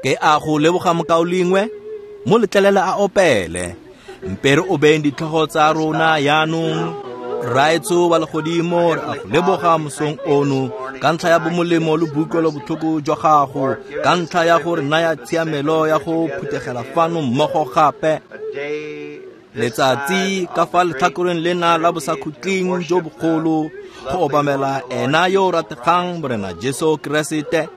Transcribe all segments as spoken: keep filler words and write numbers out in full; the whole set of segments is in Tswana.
Ke a go leboga mokaulengwe, mo letlelele a opele. Mpe re obeng ditlhogo tsa rona jaanong. Rraetsho wa legodimo, re a go leboga mosong ono ka ntlha ya bomolemo le boutlwelobotlhoko jwa gago, ka ntlha ya go re naya tshiamelo ya go phuthegela fano mmogo gape. Letsatsi ka fa letlhakoreng lena la bosakhutleng jo bogolo go obamela ena yo o rategang Morena Jesu Keresete.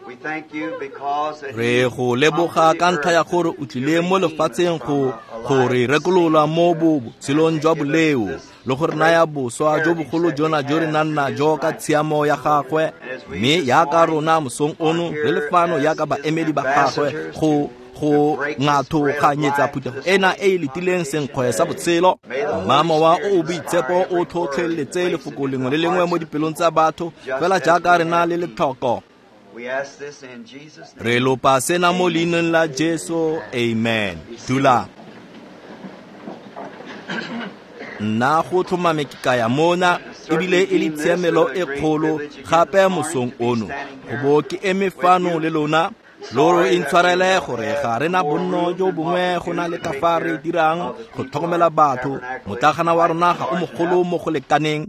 Re go leboga ka ntlha ya gore o tlile mo lefatsheng go go re rekolola mo botshelong jwa boleo le go re naya boswa jo bogolo jona jo re nang najo ka tshiamo ya gagwe. Mme yaka rona mosong ono re le fano yaka baemedi ba gagwe go go ngathoganyetsa phuthego ena e e letileng senkgwe sa botshelo. Mma Mowa o o Boitshepo o tlhotlheletse lefoko lengwe le lengwe mo dipelong tsa batho fela jaaka re na le letlhoko. Re lopa sena mo leineng la Jesu, amen. Dula. Nna go tlhomame ke kaya mona ebile e le tshiamelo e kgolo gape mosong ono go bo ke eme fano le lona. Lo re intshwarele gore ga re na bonno jo bongwe go na le ka fa re dirang go tlhokomela batho. Motlagana wa rona ga o mogolo mo go lekaneng,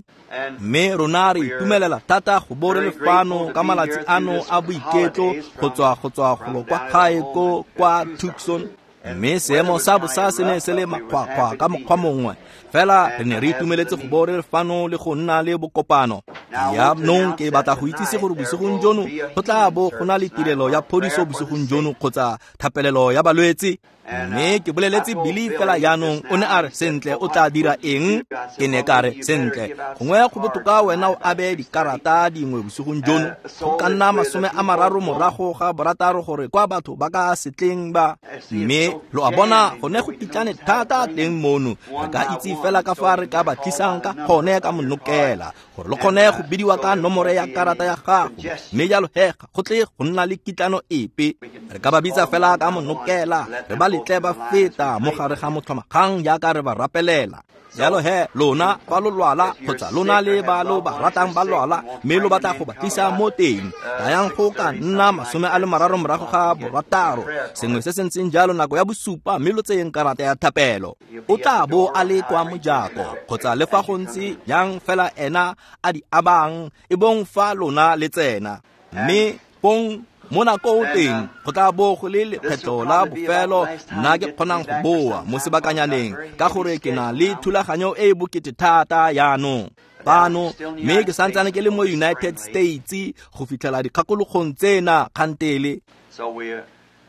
mme rona re itumelela thata go bo re le fano ka malatsi ano a boiketlo go tswa go tswa golo kwa gae ko kwa Tucson. Mme seemo sa bosa se ne se le makgwakgwa ka mokgwa mongwe, fela re ne re itumeletse go bo re le fano le go nna le bokopano. Jaanong ke batla go itsise gore bosigong jono go tla bo go na le tirelo ya phodiso bosigong jono kgotsa thapelelo ya balwetse. Mme ke boleletse Billy fela jaanong, o ne a re sentle o tla dira eng? Ke ne ka re sentle gongwe go botoka wena o abe dikarata dingwe bosigong jono go ka nna masome a mararo morago ga borataro gore kwa batho ba ka setleng ba. Mme lo a bona gone go kitlane thata teng mono, re ka itse fela ka fa re ka ba tlisang ka gone ka monokela gore lo kgone go bidiwa ka nomoro ya karata ya gago. Mme jalo he ga go tle go nna le kitlano epe, re ka ba bitsa fela ka monokela, re ba letle ba feta mo gare ga motlhomagang jaaka re ba rapelela. Jalo he lona fa lo lwala kgotsa lona le ba lo ba ratang ba lwala mme lo batla go ba tlisa mo teng, tlayang go ka nna masome a le mararo morago ga borataro, sengwe se se ntseng jalo nako ya bosupa, mme lo tseyeng karata ya thapelo. O tla bo a le kwa mojako kgotsa le fa go ntse jang fela ena a di abang e bong fa lona le tsena. Mme pong mo nakong teng go tla bo go le lekgetlo la bofelo nna ke kgonang go boa mo sebakanyaneng ka gore ke na le thulaganyo e e bokete thata jaanong fano, mme ke santsane ke le mo United States go fitlhela dikgakologong tsena kgantele.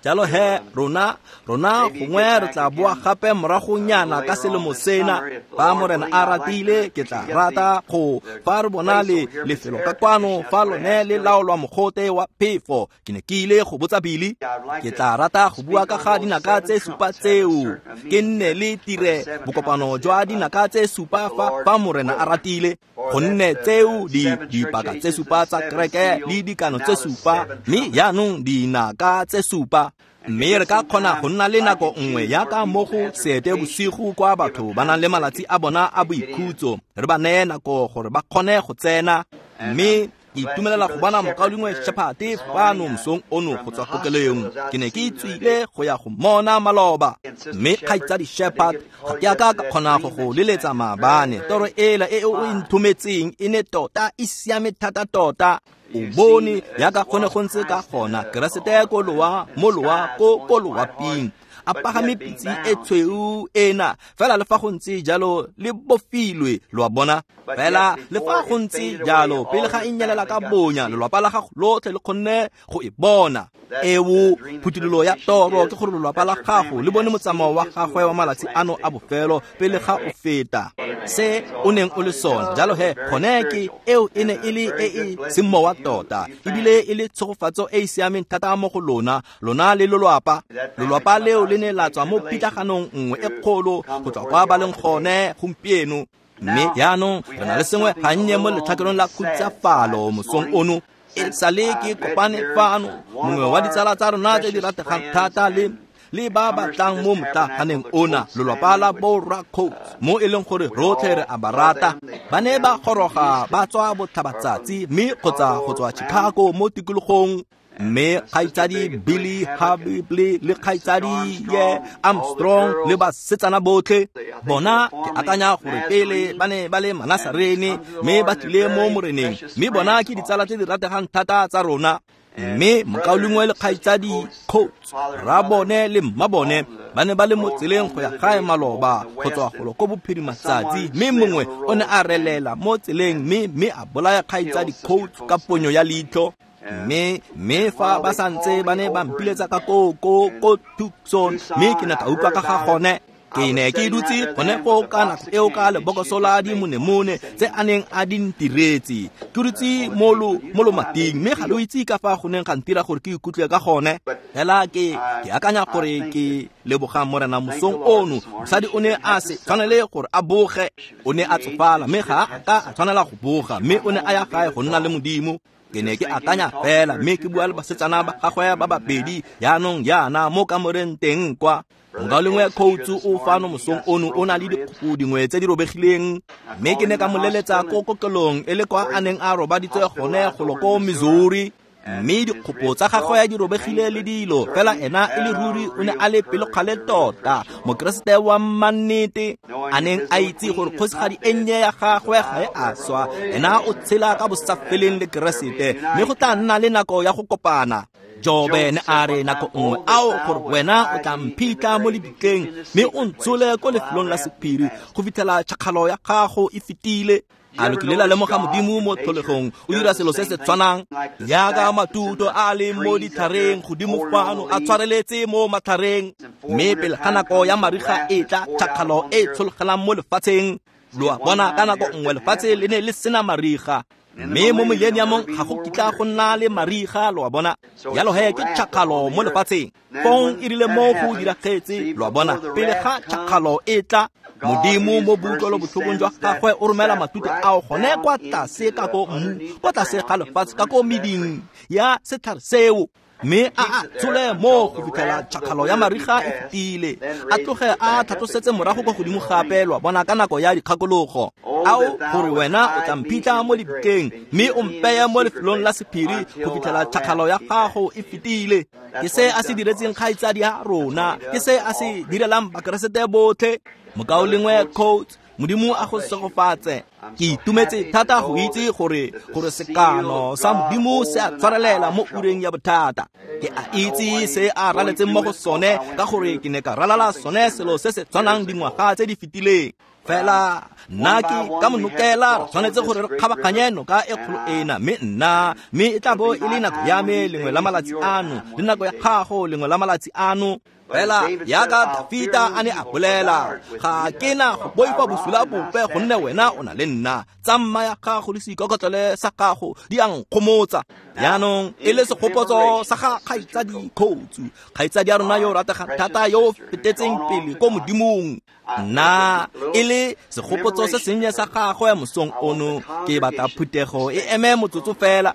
Jalo he rona rona gongwe re tla boa gape moragonyana ka selemo sena fa Morena a ratile. Ke tla rata go fa re bona le lefelo ka kwano fa lone le laolwa mogote wa phefo. Ke ne ke ile go botsa Billy, ke tla rata go bua ka ga dinaka tse supa tseo, ke nne le tire bokopano jwa dinaka tse supa fa fa Morena a ratile, gonne tseo di dipaka tse supa tsa kereke le dikano tse supa, mme jaanong dinaka tse supa. Mme re ka kgona go nna le nako nngwe yaka mo go seete bosigo kwa batho ba nang le malatsi a bona a boikhutso, re ba neye nako gore ba kgone go tsena. Mme ke itumelela go bona mokaulengwe Shepherd fano mosong ono go tswa kokelong. Ke ne ke tswile go ya go mmona maloba, mme kgaitsadi Shepherd ga ke a ka ka kgona go go leletsa maabane. Toro ela e o e nthometseng e ne tota e siame thata tota. O bone yaka gone go ntse ka gona Keresete ko loa mo loa ko ko loaping a pagame pitse e tshweu ena, fela le fa go ntse jalo le bofilwe, lo a bona. Fela le fa go ntse jalo pele ga e nyelela ka bonya, lelwapa la gago lotlhe le kgonne go e bona. Eo phuthololo ya toro ke gore lelwapa la gago le bone motsamao wa gagwe wa malatsi ano a bofelo pele ga o feta se o neng o le sone. Jalo he gone ke eo e ne e le e e semowa tota, ebile e le tshegofatso e e siameng thata mo go lona, lona le lelwapa. Lelwapa leo le ne la tswa mo pitlaganong nngwe e kgolo go tswa kwa ba leng gone gompieno. Mme jaanong re na le sengwe gannye mo letlhakoreng la khutsafalo mosong ono. E sale ke kopane fano mongwe wa ditsala tsa rona tse di rategang thata le le ba batlang mo motlaganeng ona, lelwapa la borra Coates, mo e leng gore rotlhe re a ba rata. Ba ne ba goroga ba tswa botlhabatsatsi mme kgotsa go tswa Chicago mo tikologong. Mme kgaitsadi Billy Habibly le kgaitsadi ye Armstrong le basetsana botlhe bona ke akanya gore pele ba ne ba le Manasarene mme ba tlile mo Moreneng, mme bona ke ditsala tse di rategang thata tsa rona. Mme mokaulengwe le kgaitsadi Coates, rrabone le mmabone ba ne ba le mo tseleng go ya gae maloba go tswa golo ko bophirimatsatsi, mme mongwe o ne a relela mo tseleng mme mme a bolaya kgaitsadi Coates ka ponyo ya leitlho. Mme mme fa ba santse ba ne ba mpiletsa ka ko ko ko Tucson, mme ke ne ka utlwa ka ga gone. Ke ne ke dutse gone foo ka nako eo ka lebokoso la dimonemone tse a neng a di ntiretse. Ke dutse mo lo mo lomating, mme ga lo itse ka fa go neng ga ntira gore ke ikutlwe ka gone. Fela ke ke akanya gore ke leboga Morena mosong ono. Mosadi o ne a se tshwanele gore a boge, o ne a tsofala mme ga a ka a tshwanela go boga, mme o ne a ya gae go nna le Modimo. Ke ne ke akanya fela mme ke bua le basetsana ba gagwe ba babedi jaanong jaana mo kamoreng teng kwa. Mokaulengwe Coates o fano mosong ono o na le dikgopo dingwe tse di robegileng, mme ke ne ka mo leletsa ko kokelong e le kwa a neng a robaditswe gone golo ko Missouri, mme dikgopo tsa gagwe di robegile le dilo, fela ena e le ruri o ne a le pelokgale tota, Mokeresete wa mannete, a neng a itse gore kgosigadi e nnye ya gagwe ga e a swa, ena o tshela ka bosafeleng le Keresete, mme go tla nna le nako ya go kopana. Jobe ne a re nako nngwe, ao gore wena o tla mphitlha mo lebitleng mme o ntshole ko lefelong la sephiri go fitlhela tšhakgalo ya gago e fetile. A lo kile la lemoga Modimo mo tlholegong o dira selo se se tshwanang jaaka matuto a le mo ditlhareng godimo fano a tshwareletse mo matlhareng, mme pele ga nako ya mariga e tla tšhakgalo e tshologelang mo lefatsheng. Lo a bona ka nako nngwe lefatshe le ne le sena mariga, mme mo millenniumong ga go kitla go nna le mariga, lo a bona. Jalo he ke tšhakgalo mo lefatsheng. Fong e rile mo go diragetse, lo a bona, pele ga tšhakgalo e tla, Modimo mo boutlwelobotlhokong jwa gagwe o romela matute ao gone kwa tlase ka ko mmu, kwa tlase ga lefatshe ka ko meding ya setlhare seo, mme a a tshole mo go fitlhela tšhakgalo ya mariga e fetile, a tloge a tlhatlosetse morago kwa godimo gape, lo a bona, ka nako ya dikgakologo. Ao gore wena o tla mphitlha mo lebitleng mme o mpeye mo lefelong la sephiri go fitlhela tšhakgalo ya gago e fetile. Ke se a se diretseng kgaitsadi ya rona, ke se a se direlang Bakeresete botlhe. Mokaulengwe Coates, Modimo a go segofatse. Ke itumetse thata go itse gore gore sekano sa Modimo se a tshwarelela mo ureng ya bothata. Ke a itse se a raletseng mo go sone ka gore ke ne ka ralala sone selo se se tshwanang dingwaga tse di fetileng. Fela nna ke ka monokela re tshwanetse gore re kgabaganye noka e kgolo ena, mme nna mme e tla bo e le nako ya me lengwe la malatsi ano le nako ya gago lengwe la malatsi ano. Fela jaaka Dafita a ne a bolela, ga ke na go boifa bosula bope gonne wena o na le nna. Tsamma ya gago le seikokotlele sa gago di a nkgomotsa. Jaanong e le segopotso sa ga kgaitsadi Coates, kgaitsadi ya rona yo o rategang thata yo o fetetseng pele ko Modimong. Nna e le segopotso se sennye sa gagwe mosong ono, ke batla phuthego e eme motsotso fela.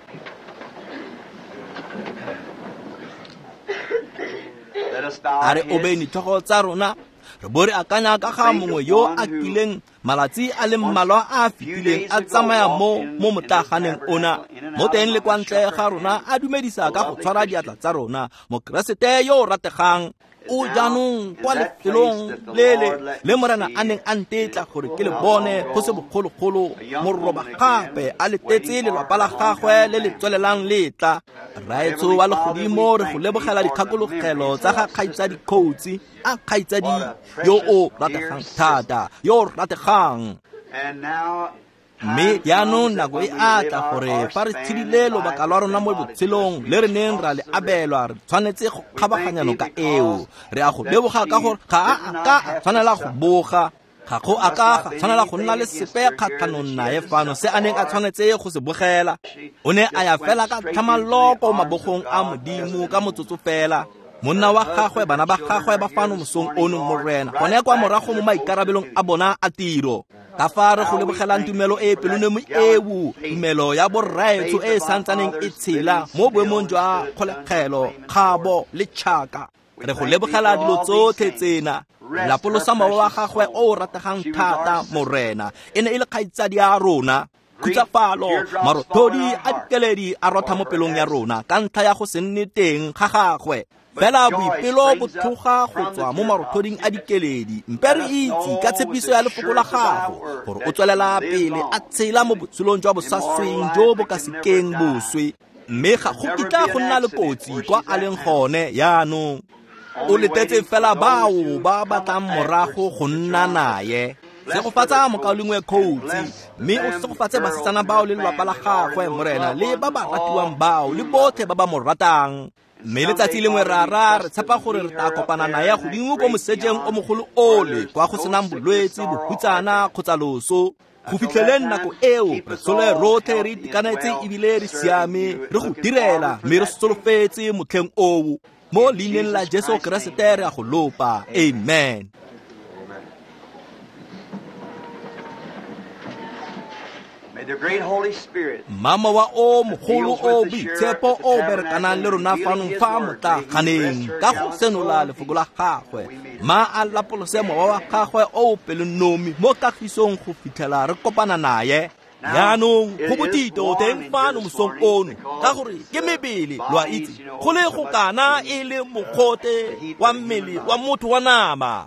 A re obeng ditlhogo tsa rona, re bo re akanya ka ga mongwe yo a kileng malatsi a le mmalwa a a fetileng a tsamaya mo mo motlaganeng ona, mo teng le kwa ntle ga rona a dumedisa ka go tshwara diatla tsa rona. Mokeresete yo o rategang o jaanong kwa lefelong lele le Morena a neng a ntetla gore ke le bone go se bogologolo, moroba gape a letetse lelapa la gagwe le le tswelelang le tla. Rraetsho wa legodimo, re go lebogela dikgakologelo tsa ga kgaitsadi Coates, a kgaitsadi yo o rategang thata, yo o rategang. Mme jaanong nako e a tla gore fa re tshedile lobaka lwa rona mo botshelong le re neng ra le abelwa, re tshwanetse go kgabaganya noka eo. Re a go leboga ka gore ga a a ka a tshwanela go boga, ga go a ka ga tshwanela go nna le sepe kgatlhanong nae fano se a neng a tshwanetse go se bogela. O ne a ya fela ka tlhamallo ko mabogong a Modimo ka motsotso fela. Monna wa gagwe, bana ba gagwe ba fano mosong ono, Morena, gone kwa morago mo maikarabelong a bona a tiro. Ka fa re go lebogelang tumelo e pelonomi eo, tumelo ya borraetsho e e santsaneng e tshela mo boemong jwa kgolegelo, kgabo le tšhaka. Re go lebogela dilo tsotlhe tsena. Lapolosa mowa wa gagwe o o rategang thata, Morena. E ne e le kgaitsadi ya rona. Khutsafalo, marothodi a dikeledi a rotha mo pelong ya rona ka ntlha ya go se nne teng ga gagwe. Fela boipelo bo tloga go tswa mo marothoding a dikeledi. Mpe re itse ka tshepiso ya lefoko la gago gore o tswelela pele a tshela mo botshelong jwa bosasweng jo bo ka sekeng boswe, mme ga go kitla go nna le kotsi kwa a leng gone yaanong. O letetse fela bao ba batlang morago go nna naye. Segofatsa mokaulengwe Coates, mme o segofatse basetsana bao le lelapa la gagwe, Morena, le ba ba ratiwang bao le botlhe ba ba mo ratang. Mme letsatsi lengwe rara re tshepa gore re tla kopana naye godimo ko mosejeng o mogolo ole, kwa go senang bolwetse, bohutsana kgotsa loso. Go fitlheleng nako eo, re tlhole rotlhe re itekanetse ebile re siame, re go direla, mme re solofetse motlheng oo. Mo leineng la Jesu Keresete re a go lopa. Amen. Mama wa o mogolo o boitshepo o berekanang le rona fanong fa motlaganeng ka go senola lefoko la gagwe, ma a lapolose mowa wa gagwe o pelonomi mo kagisong go fitlhela re kopana naye. Yaanong go botito teng fano mosong ono, ka gore ke mebele, lo a itse, go le go kana e le mogote wa mmele wa motho wa nama.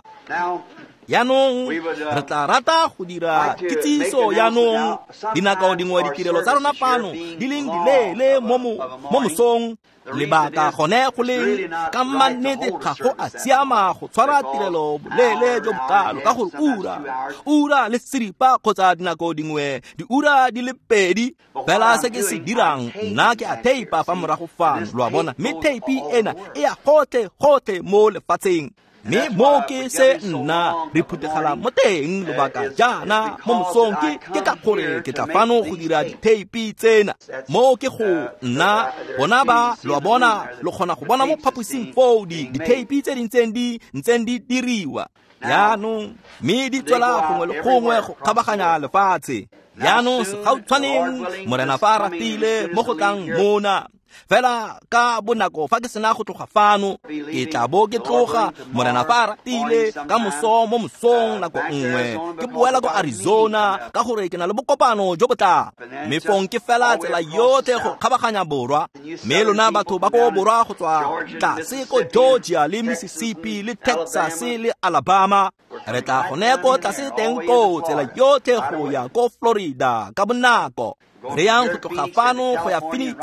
Yaanong re tla rata go dira kitsiso yaanong. Dinako dingwe ditirelo tsa rona fano di leng dileele mo mo mosong, lebaka gone go leng ka mannete ga go a siama go tshwara tirelo boleele jo bokalo, ka gore ura ura le seripa kgotsa dinako dingwe diura di le pedi. Fela se ke se dirang nna ke a teipa fa morago fano, lo a bona, mme teipi ena e ya gotlhe gotlhe mo lefatsheng. Mme mo ke se nna re phuthegela mo teng lobaka jaana mo mosong ke ke ka gore ke tla fano go dira ditheipi tsena. Mo ke go nna bona ba, lo a bona, lo kgona go bona mo phaposing foo di ditheipi tse di ntseng di ntseng di diriwa yaanong, mme di tswela gongwe le gongwe go kgabaganya lefatshe. Yaanong segautshwaneng Morena fa a ratile mo go tlang mona, fela ka bonako fa ke sena go tloga fano, ke tla bo ke tloga, Morena fa a ratile, ka moso mo mosong nako nngwe ke boela ko Arizona, ka gore ke na le bokopano jo bo tlang. Mme fong ke fela tsela yotlhe go kgabaganya borwa, mme lona batho ba ko borwa go tswa tlase ko Georgia le Mississippi le Texas le Alabama, re tla gone ko tlase teng ko tsela yotlhe go ya ko Florida ka bonako. Re yang go tloga fano go ya Phoenix,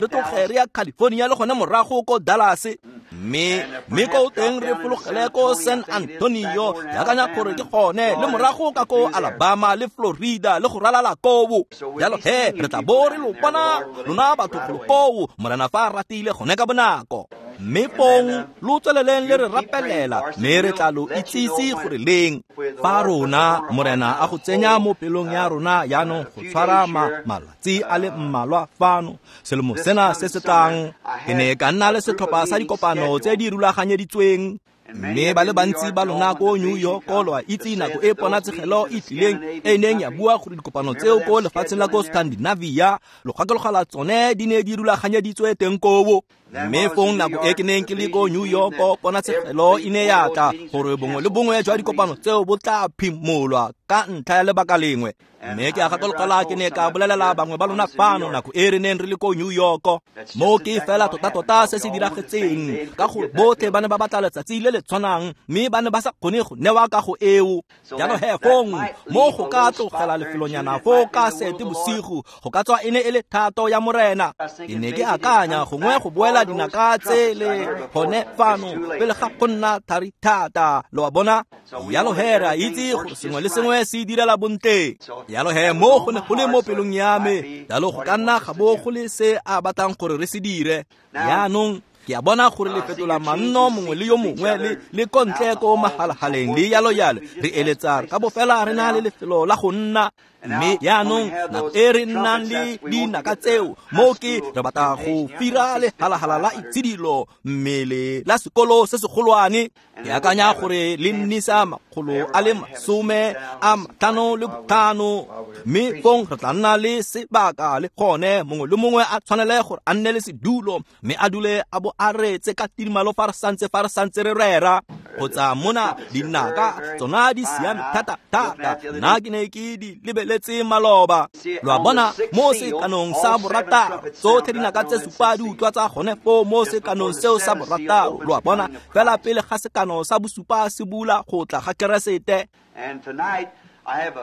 re tloge re ya California le gone morago ko Dallas, mme mme ko teng re fologele ko San Antonio, ke akanya gore ke gone, le morago ka ko Alabama le Florida le go ralala koo. Jalo he re tla bo re lo bona lona batho golo koo, Morena fa a ratile gone ka bonako. Mme fong lo tsweleleng le re rapelela, mme re tla lo itsise gore leng fa rona Morena a go tsenya mo pelong ya rona yaanong go tshwara malatsi a le mmalwa fano selemo sena se se tlang. Ke ne ka nna le setlhopha sa dikopano tse di rulaganyeditsweng, mme ba le bantsi ba lona ko New York lo a itse nako e ponatshegelo e tlileng e neng ya bua gore dikopano tseo ko lefatsheng la ko Scandinavia lo gakologela tsone di ne di rulaganyeditswe teng koo. Mme fong nako e ke neng ke le ko New York, ponatshegelo e ne ya tla gore bongwe le bongwe jwa dikopano tseo bo tla phimolwa ka ntlha ya lebaka lengwe. Mme ke a gakologela ke ne ka bolelela bangwe ba lona fano nako e re neng re le ko New York, mo ke fela tota-tota se se diragetseng, ka gore botlhe ba ne ba batla letsatsi le le tshwanang, mme ba ne ba sa kgone go newa kago eo. Jalo he fong mo go ka tlogela lefelonyana foo ka sete bosigo, go ka tswa e ne e le thato ya Morena. Ke ne ke akanya gongwe go boela dinaka tsele gone fano pele ga go nna thari thata, lo a bona. Jalo he re a itse gore sengwe le sengwe se direla bontle. Jalo he mo go ne go le mo pelong ya me, jalo go ka nna ga bo go le se a batlang gore re se dire. Yaanong ke a bona gore le fetola manno mongwe le yo mongwe le le kontle ko magalagaleng le yalo yalo, re eletsa ka bofela re na le lefelo la go nna. Mme yaanong nako e re nnang le dinaka tseo, mo ke re batla go fira lehalahala la itshidilo mmele la sekolo se segolwane. Ke akanya gore le nnisa makgolo a le masome a matlhano le botlhano, mme fong re tla nna le sebaka le gone mongwe le mongwe a tshwanele gore a nne le sedulo, mme a dule a bo a reetse ka tidimalo fa re santse fa re santse re rera. Kgotsa mona dinaka tsona di siame thata thata, nna ke ne ke di lebeletse boleletse maloba. Lo a bona mo sekanong sa borataro, tsotlhe dinaka tse supa di utlwa tsa gone foo mo sekanong seo sa borataro. Lo a bona fela pele ga sekano sa bosupa se bula go tla ga Keresete.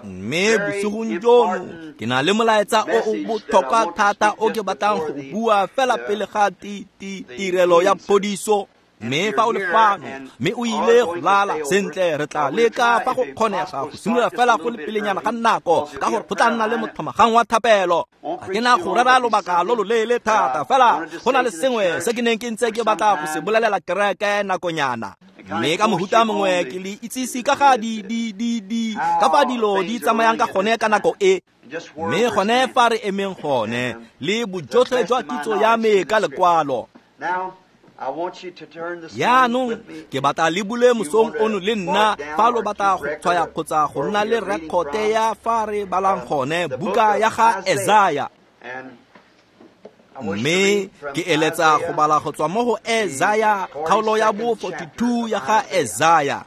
Mme bosigong jono ke na le molaetsa o o botlhokwa thata o ke batlang go bua fela pele ga tirelo ya phodiso. Mme fa o le fano mme o ile go lala sentle, re tla leka fa go kgonega go simolola fela go le pelenyana ga nako, ka gore go tla nna le motlhomagang wa thapelo. Ga ke na go rera lobaka lo loleele thata, fela go na le sengwe se ke neng ke ntse ke batla go se bolelela kereke nakonyana. Mme ka mohuta mongwe ke le itsise ka ga di di di di ka fa dilo di tsamayang ka gone ka nako e. Mme gone fa re emeng gone le bojotlhe jwa kitso ya me ka lekwalo. Jaanong ke batla le bule mosong ono le nna fa lo batla go tshwaya kgotsa go nna le rekote ya fa re balang gone buka ya ga Esaya. Mme ke eletsa go bala go tswa mo go Esaya kgaolo ya bo forty-two ya ga Esaya.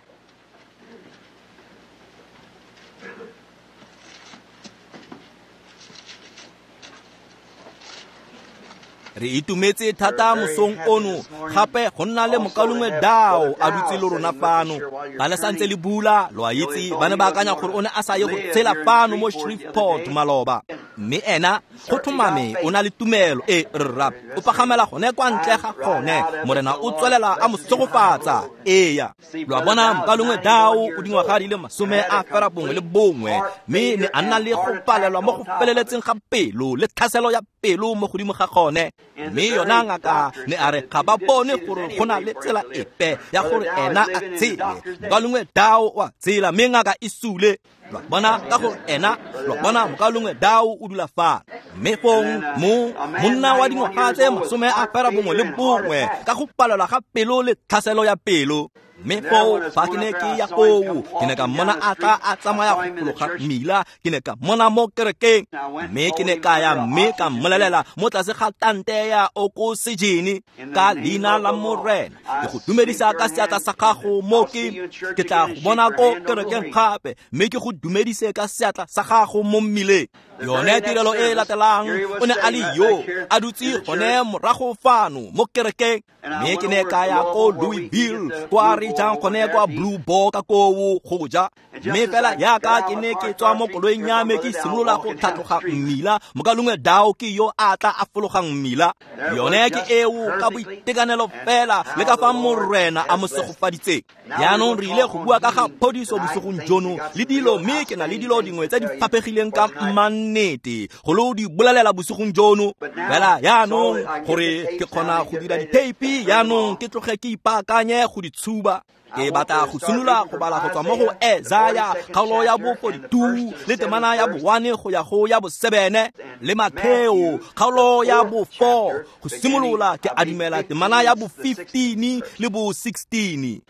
Re itumetse thata mosong ono gape go nna le mokaulengwe Dao a dutse le rona fano. Ba le santse le bula, lo a itse, ba ne ba akanya gore o ne a sa ye go tshela fano mo Shreveport maloba. Mme ena go tlhomame o na le tumelo e rra, o pagamela gone kwa ntle ga gone, Morena o tswelela a mo segofatsa. Eya, lo a bona mokaulengwe Dao o dingwaga di le masome a fera bongwe le bongwe, mme ne a nna le go palelwa mo go feleletseng ga pelo le tlhaselo ya pelo mo godimo ga gone. Mme yona ngaka ne a re ga ba bone gore go na le tsela epe ya gore ena a tshele. Mokaulengwe Dao wa tsela, mme ngaka e sule. Lo a bona ka gore ena, lo a bona mokaulengwe Dao o dula fa. Mme fong mo monna wa dingwaga tse masome a fera bongwe le bongwe ka go palelwa ga pelo le tlhaselo ya pelo. Mme foo fa ke ne ke ya koo, ke ne ka mmona a tla a tsamaya go fologa mmila, ke ne ka mmona mo kerekeng. Mme ke ne ka ya mme ka mmolelela mo tlase ga tante ya okosejene ka leina la Morena, ke go dumedisa ka seatla sa gago mo ke ke tla go bona ko kerekeng gape, mme ke go dumedise ka seatla sa gago mo mmileng. Yone tirelo e latelang o ne a le yo a dutse gone morago fano mo kerekeng. Mme ke ne ka ya ko Louisville kwa re jang gone kwa Blue Boar ka koo go ja. Mme fela yaka ke ne ke tswa mo koloing ya me ke simolola go tlhatloga mmila, mokaulengwe Dao ke yo a tla a fologang mmila. Yone ke eo ka boitekanelo fela le ka fa Morena a mo segofaditseng. Jaanong re ile go bua ka ga phodiso bosigong jono le dilo, mme ke na le dilo dingwe tse di faphegileng ka mannete go lo di bolelela bosigong jono. Fela jaanong gore ke kgona go dira ditheipi, jaanong ke tloge ke ipaakanye go di tshuba. Ke batla go simolola go bala go tswa mo go Esaya kgaolo ya bo forty-two le temana ya bo one go ya go ya bo seven le Matheo kgaolo ya bo four go simolola ke adumela temana ya bo fifteen le bo sixteen.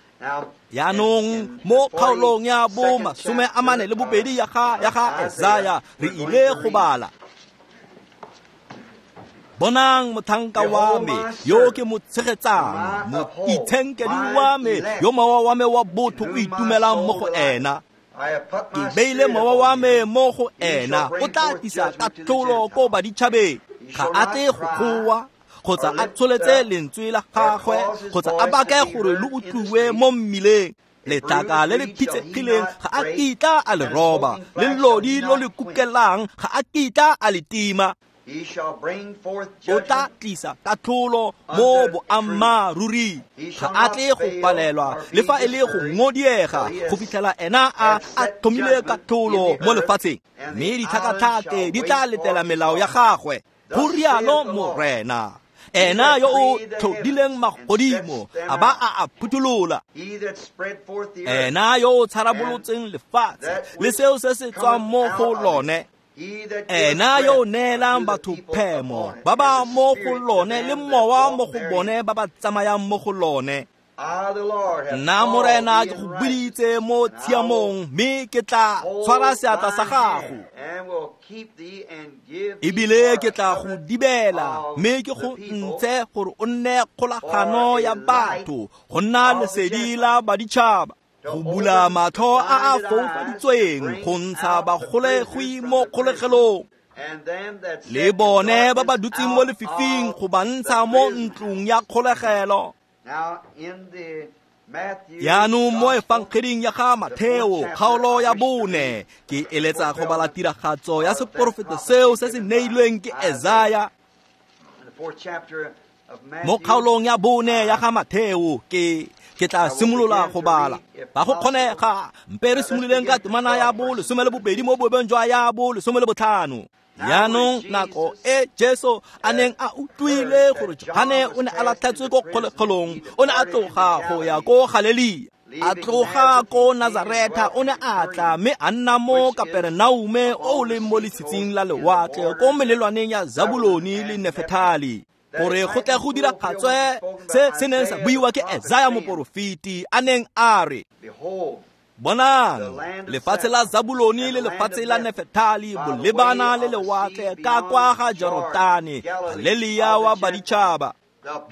Jaanong mo kgaolong ya bo masome a mane le bobedi ya ga ya ga Esaya re ile go bala. Bonang motlhanka wa me yo ke mo tshegetsang, moitshenkedi wa me yo mowa wa me wa botho o itumelang mo go ena. Ke beile mowa wa me mo go ena, o tla tlisa katlholo ko baditšhabeng. Ga a tle go goa kgotsa a tsholetse lentswe la gagwe kgotsa a bake gore lo utlwiwe mo mmileng. Letlaka le le phitsegileng ga a kitla a le roba, le lodi lo le kukelang ga a kitla a le tima. O tla tlisa katlholo mo boammaaruri, ga a tle go palelwa le fa e le go ngodiega go fitlhela ena a a tlhomile katlholo mo lefatsheng. Mme ditlhakatlhake di tla letela melao ya gagwe, go rialo Morena. Ena yo o tlhodileng magodimo a ba a a phuthulola, ena yo o tsharabolotseng lefatshe le seo se se tswang mo go lone, ena yo o neelang batho phemo ba ba mo go lone le mowa mo go bone ba ba tsamayang mo go lone. Nna Morena ke go biditse mo tshiamong, mme ke tla tshwara seatla sa gago, ebile ke tla go dibela, mme ke go ntshe gore o nne kgolagano ya batho, go nna lesedi la baditšhaba. Go bula matlho a a foufaditsweng, go ntsha bagolegwi mo kgolegelong, le bone ba ba dutseng mo lefifing go ba ntsha mo ntlong ya kgolegelo. Jaanong mo efangeding ya ga Matheo kgaolo ya bone, ke eletsa go bala tiragatso ya seporofeto seo se se neilweng ke Esaya. Mo kgaolong ya bone ya ga Matheo ke ke tla simolola go bala. Ba go kgonega mpe re simololeng ka temana ya bo lesome le bobedi mo boebeng jwa ya bo lesome le botlhano. Jaanong nako e Jesu a neng a utlwile gore Johane o ne a latlhetswe ko kgolegelong, o ne a tloga go ya ko Galelia. A tloga ko Nazareta, o ne a tla mme a nna mo Kaperenaume o o leng mo letshitshing la lewatle ko melelwaneng ya Zabuloni le Nefetali, gore go tle go diragatswe se se neng sa buiwa ke Esaya moporofeti a neng a re, bonang, lefatshe la Zabuloni le lefatshe la Nefetali bolebana le lewatle ka kwa ga Jorodane, Galelia wa baditšhaba.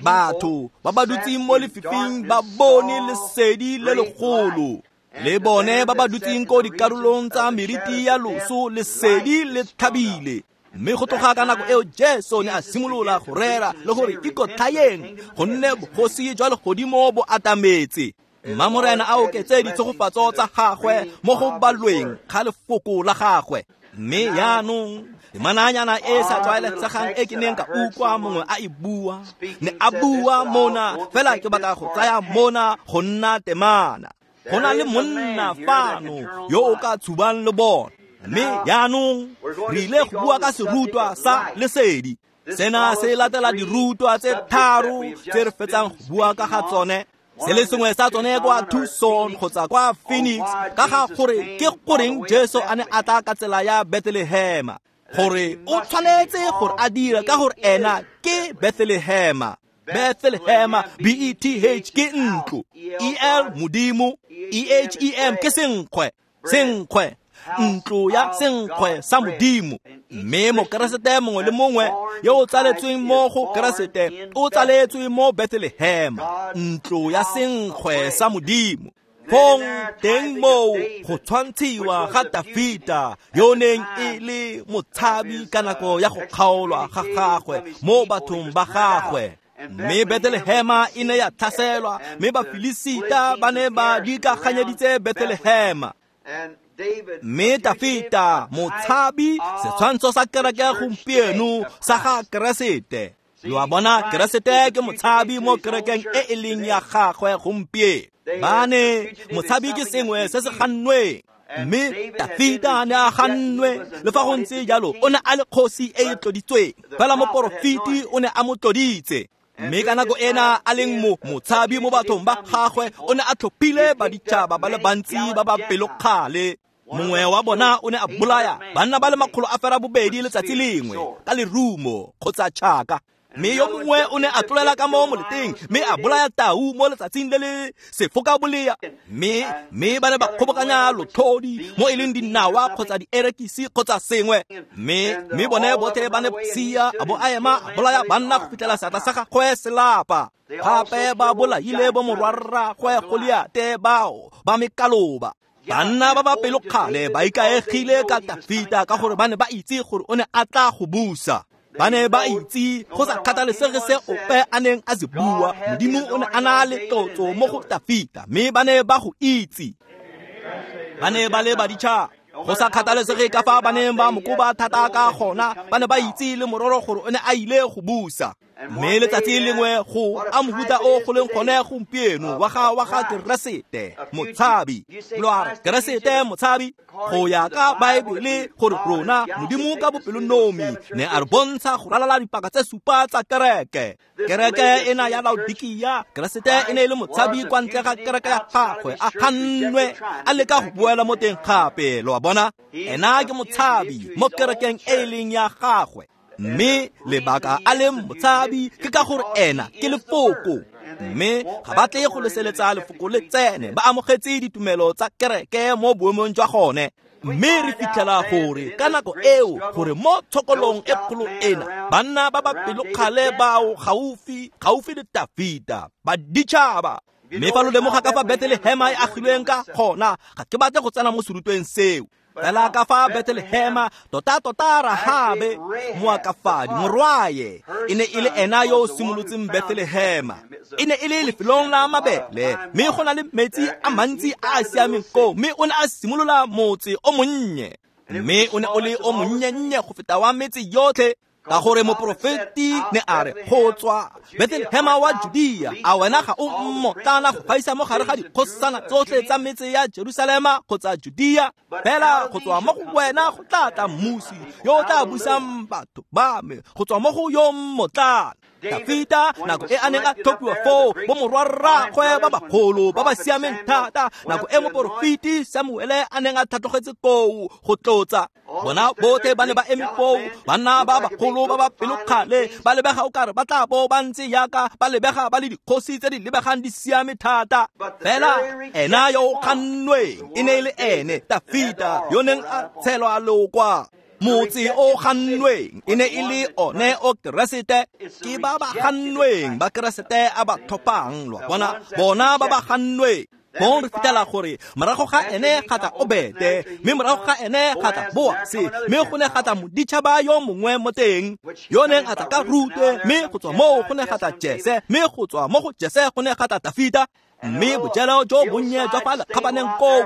Batho ba ba dutseng mo lefifing ba bone lesedi le legolo, le bone ba ba dutseng ko dikarolong tsa meriti ya loso lesedi le thabile. Mme go tloga ka nako eo Jesu ne a simolola go rera le gore ikotlhayeng, gonne bogosi jwa legodimo bo atametse. Mma Morena a oketse ditshegofatso tsa gagwe mo go balweng ga lefoko la gagwe. Mme jaanong temananyana e sa tlwaelesegang e ke neng ka utlwa mongwe a e bua, ne a bua mona, fela ke batla go tsaya mona go nna temana. Go na le monna fano yo o ka tshubang le bone. Mme jaanong re ile go bua ka serutwa sa lesedi. Sena se latela dirutwa tse tharo tse re fetsang go bua ka ga tsone. Se le sengwe sa tsone kwa Tucson kgotsa kwa Phoenix, ka ga gore ke goreng Jesu a ne a tla ka tsela ya Bethlehema, gore o tshwanetse gore a dira ka gore ena ke Bethlehema. Bethlehema, B E T H ke ntlo, E L Modimo, E H E M ke senkgwe, senkgwe, ntlo ya senkgwe sa Modimo. Mme mokeresete mongwe le mongwe yo o tsaletsweng mo go Keresete o tsaletswe mo Bethlehema, ntlo ya senkgwe sa Modimo. Fong teng moo go tshwantshiwa ga Dafita yo neng e le motshabi ka nako ya go kgaolwa ga gagwe mo bathong ba gagwe. Mme Bethlehema e ne ya tlhaselwa, mme Bafilisita ba ne ba dikaganyeditse Bethlehema. Mme Dafita motshabi, setshwantsho sa kereke gompieno sa ga Keresete. Lo a bona, Keresete ke motshabi mo kerekeng e e leng ya gagwe gompieno. Ba ne motshabi ke sengwe se se gannweng, mme Dafita ne a gannwe. Le fa go ntse jalo, o ne a le kgosi e e tloditsweng, fela moporofeti o ne a mo tloditse. Mme ka nako ena a leng mo motshabi mo bathong ba gagwe, o ne a tlhophile baditšhaba ba le bantsi ba ba pelokgale. Mongwe wa bona o ne a bolaya banna ba le makgolo a fera bobedi letsatsi lengwe ka lerumo kgotsa tšhaka. Mme yo mongwe o ne a tlolela ka mo moleteng mme a bolaya tau mo letsatsing le le sefokabolea. Mme mme ba ne ba kgobokanya lotlhodi mo e leng dinawa kgotsa dierekisi kgotsa sengwe. Mme mme bone botlhe ba ne sia a bo a ema a bolaya banna go fitlhela seatla sa gagwe se lapa. Gape ba bolaile bo morwarragwe Goliate bao ba mekaloba. Banna ba ba pelokgale ba ikaegile ka Dafita ka gore ba ne ba itse gore o ne a tla go busa. Ba ne ba itse go sa kgathalesege se ope a neng a se bua, Modimo o ne a na le tlotso mo go Dafita, mme ba ne ba go itse. Ba ne ba le baditšhaba, go sa kgathalesege ka fa ba neng ba mo koba thata ka gona, ba ne ba itse le mororo gore o ne a ile go busa. Mme letsatsi lengwe go a mohuta o go leng gone gompieno wa ga wa ga Keresete motshabi. Lo a re Keresete motshabi go ya ka Baebele gore rona Modimo ka bopelonomi ne a re bontsha go ralala dipaka tse supa tsa kereke. Kereke ena ya Laodikia, Keresete e ne e le motshabi kwa ntle ga kereke ya gagwe, a gannwe a leka go boela mo teng gape. Lo a bona, ena ke motshabi mo kerekeng e e leng ya gagwe. Mme lebaka a leng motshabi ke ka gore ena ke lefoko, mme ga ba tle go leseletsa lefoko le tsene, ba amogetse ditumelo tsa kereke mo boemong jwa gone. Mme re fitlhela gore ka nako eo gore mo tshokolong e kgolo ena banna ba ba pelokgale bao gaufi gaufi le Dafita baditšhaba Mme fa lo lemoga ka fa Bethlehema e agilweng ka gona, ga ke batle go tsena mo serutweng seo. Fela ka fa Bethlehema tota-tota Rahabe moakafadi morwaye e ne e le ena yo o simolotseng Bethlehema. E ne e le lefelong la mabele, mme go na le metsi a mantsi a a siameng koo, mme o ne a simolola motse o monnye. Mme o ne o le o monnye-nnye go feta wa metse yotlhe, ka gore moporofeti ne a re go tswa Bethlehema wa Judea, a wena ga o mmotlana go gaisa mo gare ga dikgosana tsotlhe tsa metse ya Jerusalema kgotsa Judea? Fela go tswa mo go wena go tla tla mmusi yo o tla busang batho ba me, go tswa mo go yo mmotlana. Dafita nako e a neng a tlhophiwa foo, bo morwarraagwe ba bagolo ba ba siameng thata, nako e moporofeti Samuele a neng a tlhatlogetse koo go tlotsa bona botlhe ba ne ba eme foo, banna ba bagolo ba ba pelokgale, ba lebega o kare ba tla bo ba ntse yaka ba lebega ba le dikgosi tse di lebegang di siame thata. Fela ena yo o kgannweng e ne e le ene Dafita yo neng a tshelwa leokwa. Motse o gannweng e ne e le one o Keresete. Ke ba ba gannweng ba Keresete a ba tlhophang, lo bona, bona ba ba gannweng. Bong re fitlhela gore morago ga ene ga tla Obete, mme morago ga ene ga tla Boase, mme go ne ga tla moditšhaba yo mongwe mo teng yo neng a tla ka Rute, mme go tswa moo go ne ga tla Jese, mme go tswa mo go Jese go ne ga tla Dafita. Mme bojelo jo bonnye jwa fa lekgabaneng koo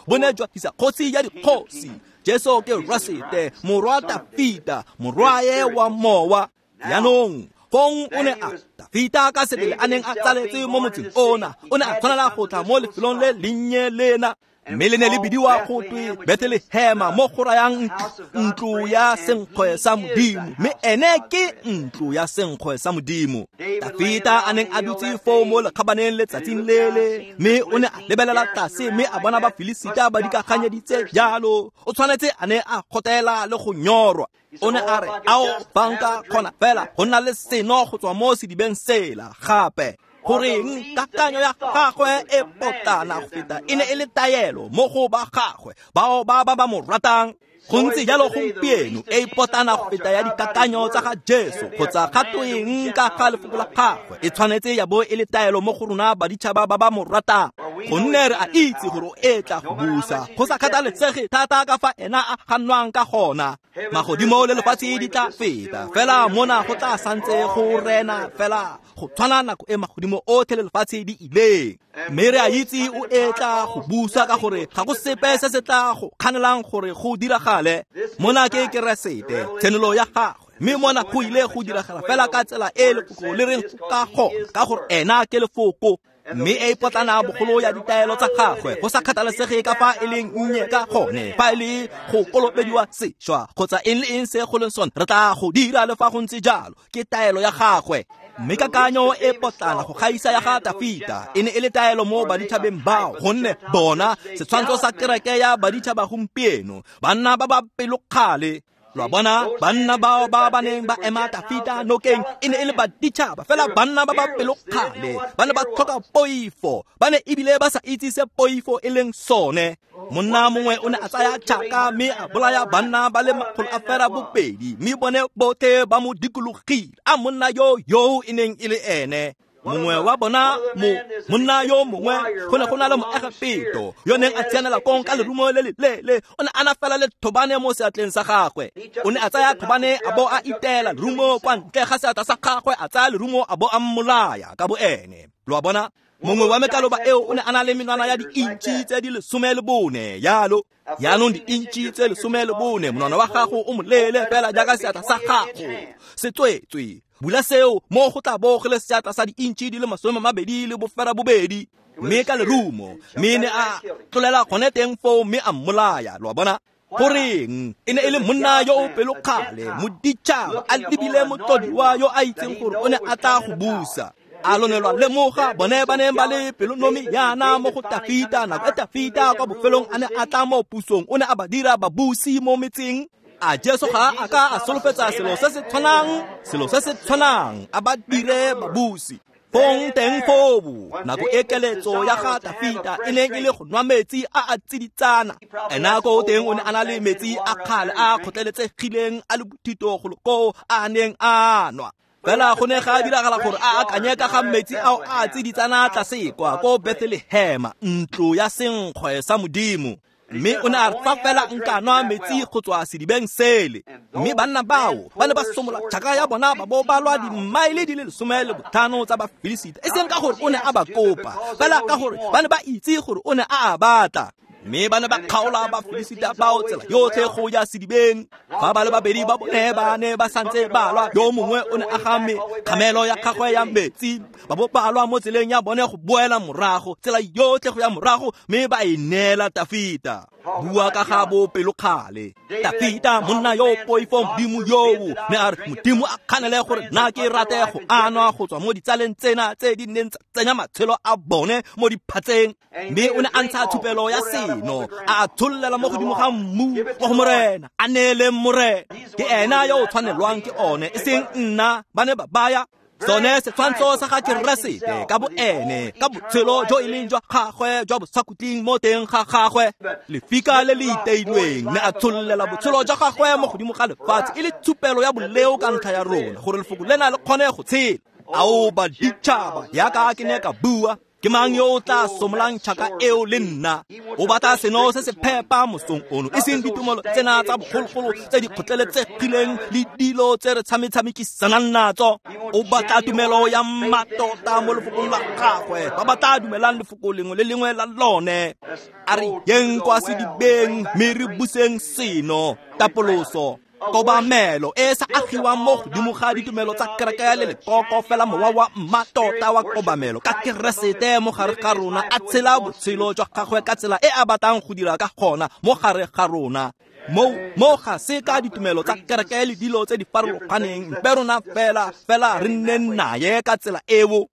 bo ne jwa tlisa kgosi ya dikgosi, Jesu Keresete, morwa Dafita, morwae wa mowa. Jaanong fong o ne a Dafita ka sebele a neng a tsaletse mo motseng ona, o ne a tshwanela go tla mo lefelong le lennye lena, mme le ne le bidiwa go twe Bethlehema, mo go rayang ntlo ya senkgwe sa Modimo, mme ene ke ntlo ya senkgwe sa Modimo. Dafita a neng a dutse foo mo lekgabaneng letsatsing lele, mme o ne a lebelela tlase mme a bona Bafilisita ba dikaganyeditse jalo. O tshwanetse a ne a kgotela le go nyorwa. O ne a re, ao, fa nka kgona fela go nna le seno go tswa mo sedibeng sela gape. Goreng kakanyo ya gagwe e potlana go feta e ne e le taelo mo go ba gagwe bao ba ba ba mo ratang. Go ntse jalo gompieno e potlana go feta ya dikakanyo tsa ga Jesu kgotsa ga tweng ka ga lefoko la gagwe, e tshwanetse ya bo e le taelo mo go rona baditšhaba ba ba mo ratang, gonne re a itse gore o etla go busa go sa kgathalesege thata ka fa ena a gannwang ka gona. Magodimo le lefatshe di tla feta, fela mona go tla santse go rena fela go tshwana nako e magodimo otlhe le lefatshe di ileng. Mme re a itse o etla go busa ka gore ga go sepe se se tla go kganelang gore go diragale. Mona ke Keresete, tshenolo ya gagwe, mme mona go ile go diragala fela ka tsela e lefoko le reng ka gona, ka gore ena ke lefoko. Mme e potlana bogolo ya ditaelo tsa gagwe go sa kgathalesege ka fa e leng nnye ka gone, fa e le go kolobediwa sešwa kgotsa eng le eng se go leng sone, re tla go dira le fa go ntse jalo, ke taelo ya gagwe. Mme kakanyo e potlana go gaisa ya ga Dafita e ne e le taelo mo baditšhabeng bao, gonne bona setshwantsho sa kereke ya baditšhaba gompieno, banna ba ba pelokgale. Lo bona, banna bao ba ba neng ba ema Dafita nokeng e ne e le baditšhaba, fela banna ba ba pelokgale, ba ne ba tlhoka poifo, ba ne ebile ba sa itse se poifo e leng sone. Monna mongwe o ne a tsaya tšhaka mme a bolaya banna ba le makgolo a fera bobedi, mme bone botlhe ba mo dikologile. A monna yo yo e neng e le ene mongwe wa bona, mo monna yo mongwe, go ne go na le Moegepeto yo neng a tsianela kong ka lerumo le leleele. O ne a na fela le thobane mo seatleng sa gagwe. O ne a tsaya thobane a bo a itela lerumo kwa ntle ga seatla sa gagwe, a tsaya lerumo a bo a mmolaya ka bo ene. Lo a bona, mongwe wa mekaloba eo o ne a na le menwana ya di-intšhi tse di lesome le bone yalo. Jaanong di-intšhi tse lesome le bone, monwana wa gago o moleele fela jaaka seatla sa gago se tswetswe. Bula seo mo go tla bo go le seatla sa di-intšhi di le masome mabedi le bofera bobedi, mme ka lerumo, mme ne a tlolela gone teng foo mme a mmolaya. Lo a bona, goreng e ne e le monna yo o pelokgale, moditšhaba, a lebile motlodiwa yo a itseng gore o ne a tla go busa. A lo ne lwa lemoga bone ba neng ba le pelonomi yana mo go Dafita, nako e Dafita kwa bofelong a ne a tla mo pusong, o ne a ba dira babusi mo metseng. A Jesu ga a ka a solofetsa selo se se tshwanang, selo se se tshwanang, a ba dire babusi. Fong teng foo, nako e keletso ya ga Dafita e neng e le go nwa metsi a a tsiditsana. Ena ko teng o ne a na le metsi a kgale a kgotleletsegileng a le bothito golo koo a neng a nwa. Fela go ne ga diragala gore a akanye ka ga metsi ao a tsiditsana tlase kwa ko Bethlehema, ntlo ya senkgwe sa Modimo. Mme o ne a re fa fela nka nwa metsi go tswa sedibeng sele. Mme banna bao ba ne ba somola tšhaka ya bona ba bo ba lwa dimmaele di le lesome le botlhano tsa Bafilisita, e seng ka gore o ne a ba kopa, fela ka gore ba ne ba itse gore o ne a a batla. Mme ba ne ba kgaola Bafilisita bao tsela yotlhe go ya sedibeng. Fa ba le babedi ba bone ba ne ba santse ba lwa, yo mongwe o ne a game kgamelo ya gagwe ya metsi, ba bo ba lwa mo tseleng ya bone go boela morago, tsela yotlhe go ya morago, mme ba e neela Tafita. Bua ka ga bopelokgale. Tafita, monna yo poifo Modimo yoo, ne a re Modimo a kganele gore nna ke rate go anwa go tswa mo ditsaleng tsena tse di neng tsa tsenya matshelo a bone mo diphatseng. Mme o ne a ntsha thupelo ya seno, a tshollela mo godimo ga mmu wa go Morena, a neele Morena. Ke ena yo o tshwanelwang ke one, e seng nna. Ba ne ba baya sone setshwantsho sa ga Keresete ka boene, ka botshelo jo e leng jwa gagwe jwa bosakhutleng mo teng ga gagwe. Lefika le le iteilweng ne a tshollela botshelo jwa gagwe mo godimo ga lefatshe e le tshupelo ya boleo ka ntlha ya rona, gore lefoko lena le kgone go tshela. Ao baditšhaba, yaka ke ne ka bua, ke mang yo o tla somolang tšhaka eo le nna? O batla seno se se phepa mosong ono, e seng ditumelo tsena tsa bogologolo tse di kgotleletsegileng le dilo tse re tshametshamekisanang natso. O batla tumelo ya mmatota mo lefokong la gagwe, ba ba tla dumelang lefoko lengwe le lengwe la lone. A re yeng kwa sedibeng mme re buseng seno, tapoloso, kobamelo e sa agiwang mo godimo ga ditumelo tsa kereke le lekoko, fela mowa wa mmatota wa kobamelo ka Keresete mo gare ga rona, a tshela botshelo jwa gagwe ka tsela e a batlang go dira ka gona mo gare ga rona. Mo mo ga se ka ditumelo tsa kereke le dilo tse di farologaneng, mpe rona fela fela re nne naye ka tsela eo.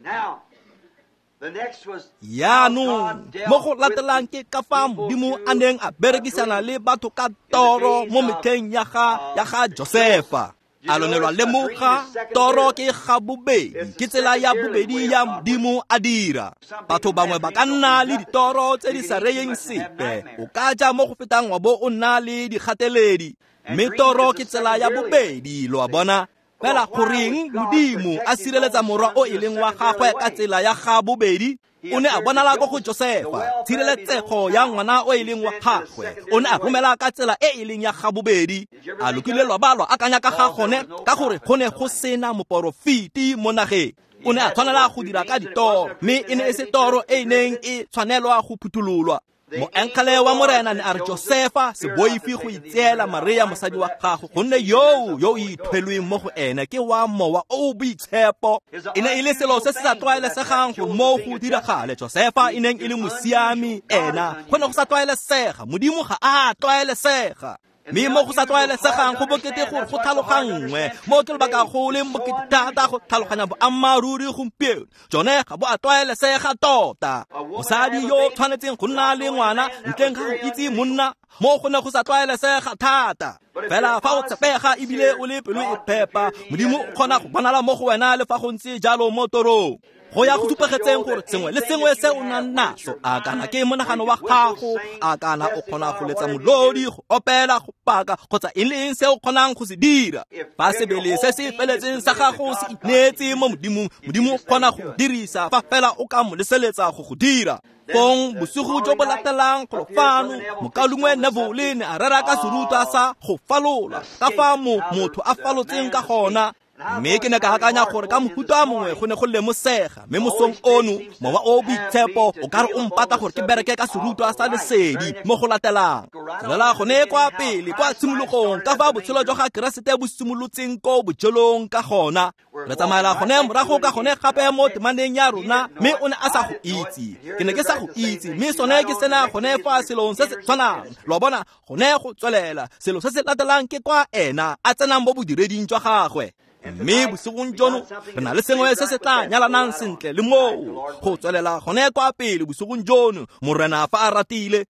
Yaanong mo go latelang ke ka fa Modimo a neng a berekisana le batho ka toro mo metlheng ya ga ya ga Josefa. A lo ne lwa lemoga toro ke ga bobedi, ke tsela ya bobedi ya Modimo a dira. Batho bangwe ba ka nna le ditoro tse di sa reyeng sepe, o ka ja mo go fetang wa bo o nna le dikgateledi, mme toro ke tsela ya bobedi, lo a bona. Fela goreng Modimo a sireletsa morwa o e leng wa gagwe ka tsela ya ga bobedi? O ne a bonala ko go Josefa, tshireletsego ya ngwana o e leng wa gagwe o ne a romela ka tsela e e leng ya ga bobedi. A lokile lwa ba lwa akanya ka ga gone, ka gore go ne go sena moporofeti mo nageng. O ne a tshwanela go dira ka ditoro, mme e ne e se toro e e neng e tshwanelwa go phuthololwa. Moengele wa Morena ne a re Josefa, se boife go itseela Maria mosadi wa gago, gonne yoo yo o ithwelweng mo go ene ke wa Mowa o o Boitshepo. E ne e le selo se se sa tlwaelesegang gore mo go diragale. Josefa e neng e le mosiami ena, go ne go sa tlwaelesega. Modimo ga a tlwaelesega. Mme mo go sa tlwaelesegang go bokete gore go tlhaloganngwe, mo ke lebaka go leng bokete thata go tlhaloganya boammaaruri gompieno. Jone ga bo a tlwaelesega tota. Mosadi yo tshwanetseng go nna le ngwana ntleng ga go itse monna, mo go ne go sa tlwaelesega thata. Fela fa o tshepega ebile o le pelo e phepa, Modimo o kgona go bonala mo go wena le fa go ntse jalo mo torong. Go ya go supegetseng gore sengwe le sengwe se o nang naso, a kana ke monagano wa gago, a kana o kgona go letsa molodi, go opela, go paka, kgotsa eng le eng se o kgonang go se dira. Fa sebele se se feletseng sa gago se ineetse mo Modimong, Modimo o kgona go dirisa fa fela o ka mo leseletsa go go dira. Fong bosigo jo bo latelang golo fano, mokaulengwe Neville ne a rera ka serutwa sa go falola, ka fa mo motho a falotseng ka gona. Mme ke ne ka akanya gore ka mohuta mongwe go ne go lemosega, mme mosong ono Mowa o Boitshepo o ka re o mpata gore ke bereke ka serutwa sa lesedi mo go latelang. Tswelela gone kwa pele kwa tshimologong, ka fa botshelo jwa ga Keresete bo simolotseng ko bojelong ka gona. Re tsamaela gone morago ka gone gape mo temaneng ya rona, mme o ne a sa go itse. Ke ne ke sa go itse, mme sone ke sena gone fa selong se se tshwanang. Lo bona, gone go tswelela. Selo se se latelang ke kwa ena a tsenang mo bodireding jwa gagwe. Mme bosigong jono re na le sengwe se se tla nyalanang sentle le moo go tswelela gone kwa pele bosigong jono, Morena fa a ratile.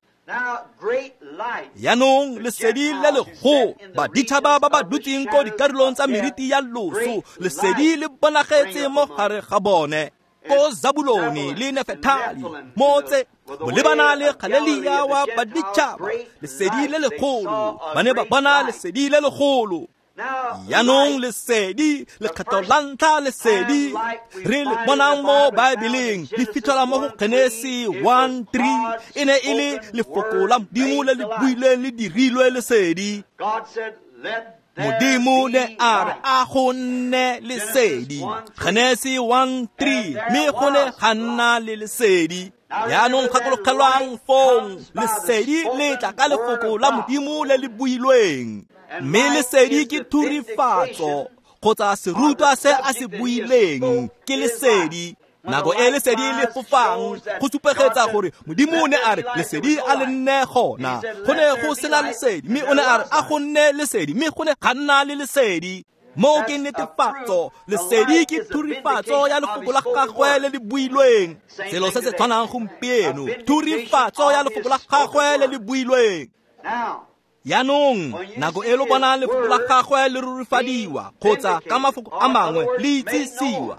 Yaanong lesedi le legolo, baditšhaba ba ba dutseng ko dikarolong tsa meriti ya loso, lesedi le bonagetse mo gare ga bone. Ko Zabulone le Nefetali, motse bolebana le Galelia wa baditšhaba, lesedi le legolo, ba ne ba bona lesedi le legolo. Jaanong lesedi, lekgetho la ntlha lesedi re le bonang mo Baebeleng le fitlhelwa mo go Genesi one three, e ne e le lefoko la Modimo le le builweng le dirilwe lesedi. Modimo ne a re a go nne lesedi, Genesi one three, mme go ne ga nna le lesedi. Jaanong gakologelwang fong, lesedi le tla ka lefoko la Modimo le le builweng. Mme lesedi ke thurifatso kgotsa serutwa se a se buileng ke lesedi. Nako e lesedi le fofang go supegetsa gore Modimo ne a re lesedi a le nne gona. Go ne go sena lesedi, mme o ne a re a go nne lesedi, mme go ne ga nna le lesedi. Moo ke netefatso, lesedi ke thurifatso ya lefoko la gagwe le le builweng. Selo se se tshwanang gompieno, thurifatso ya lefoko la gagwe le le builweng. Jaanong nako e lo bonang lefoko la gagwe le rurifadiwa kgotsa ka mafoko a mangwe le itsisiwa,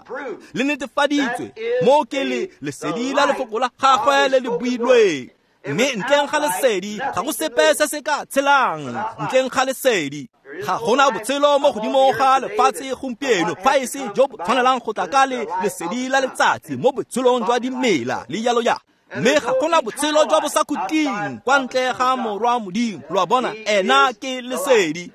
le netefaditswe, moo ke le lesedi la lefoko la gagwe le le builweng. Mme ntleng ga lesedi ga go sepe se se ka tshelang, ntleng ga lesedi ga gona botshelo mo godimo ga lefatshe gompieno fa e se jo bo tshwanelang go tla ka le lesedi la letsatsi mo botshelong jwa dimela le jalo ya. Mme ga gona botshelo jwa bosakhutleng kwa ntle ga Morwa Modimo. Lo a bona, ena ke lesedi.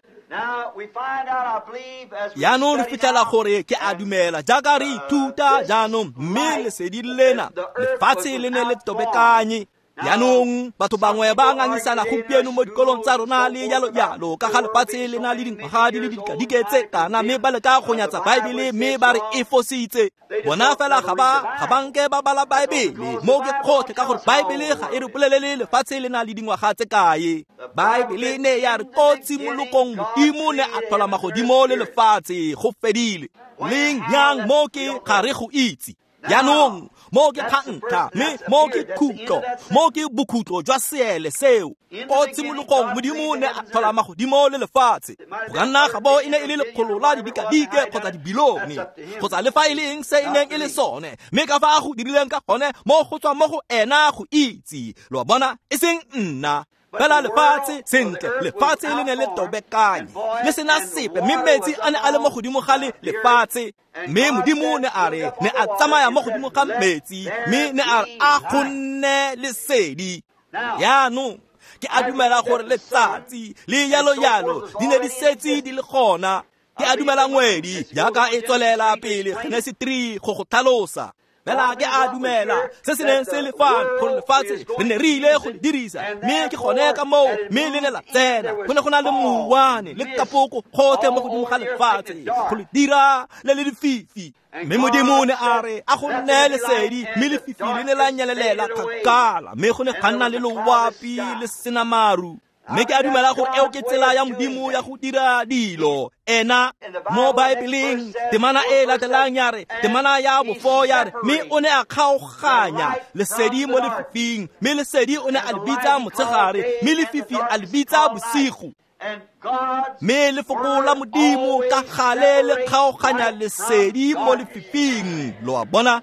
Jaanong re fitlhela gore ke a dumela jaaka re ithuta jaanong, mme lesedi lena lefatshe le ne le tobekanye. Jaanong batho bangwe ba ngangisana gompieno mo dikolong tsa rona le jalo jalo ka ga lefatshe le na le dingwaga di le dikadike tse kana, mme ba leka go nyatsa Baebele mme ba re e fositse. Bona fela ga ba ga ba nke ba bala Baebele, mo ke kgotlhe ka gore Baebele ga e re bolelele lefatshe le na le dingwaga tse kae. Baebele ne ya re ko tshimologong Modimo ne a tlhola magodimo le lefatshe, go fedile. Leng yang mo ke ga re go itse. Jaanong mo ke kgantlha, mme mo ke khutlo, mo ke bokhutlo jwa seele seo. Ko tshimologong Modimo ne a tlhola magodimo le lefatshe. Go ka nna ga bo e ne e le lekgolo la didikadike kgotsa dibilione kgotsa le fa e le eng se e neng e le sone, mme ka fa a go dirileng ka gone mo go tswa mo go ena go itse. Lo a bona, e seng nna. Fela lefatshe sentle, lefatshe le ne le tobekanye le sena sepe, mme metsi a ne a le mo godimo ga le lefatshe. Mme Modimo ne a re ne a tsamaya mo godimo ga metsi, mme ne a re a go nne lesedi. Jaanong ke a dumela gore letsatsi le jalo jalo di ne di setse di le gona. Ke a dumela ngwedi jaaka e tswelela pele Genesi three go go tlhalosa. Fela ke a dumela se se neng se le fano gore lefatshe re ne re ile go le dirisa, mme ke gone ka moo, mme le ne la tsena. Go ne go na le mouwane le kapoko gotlhe mo godimo ga lefatshe go le dira le le lefifi. Mme Modimo ne a re a go nne lesedi, mme lefifi le ne la nyelelela kgakala, mme go ne ga nna le loapi le sena maru. Mme ke a dumela gore eo ke tsela ya Modimo ya go dira dilo. Ena mo Baebeleng temana e latelang ya re, temana ya bofo ya re, mme o ne a kgaoganya lesedi mo lefifing, mme lesedi o ne a le bitsa motshegare, mme lefifi a le bitsa bosigo. Mme lefoko la Modimo ka gale le kgaoganya lesedi mo lefifing. Lo a bona,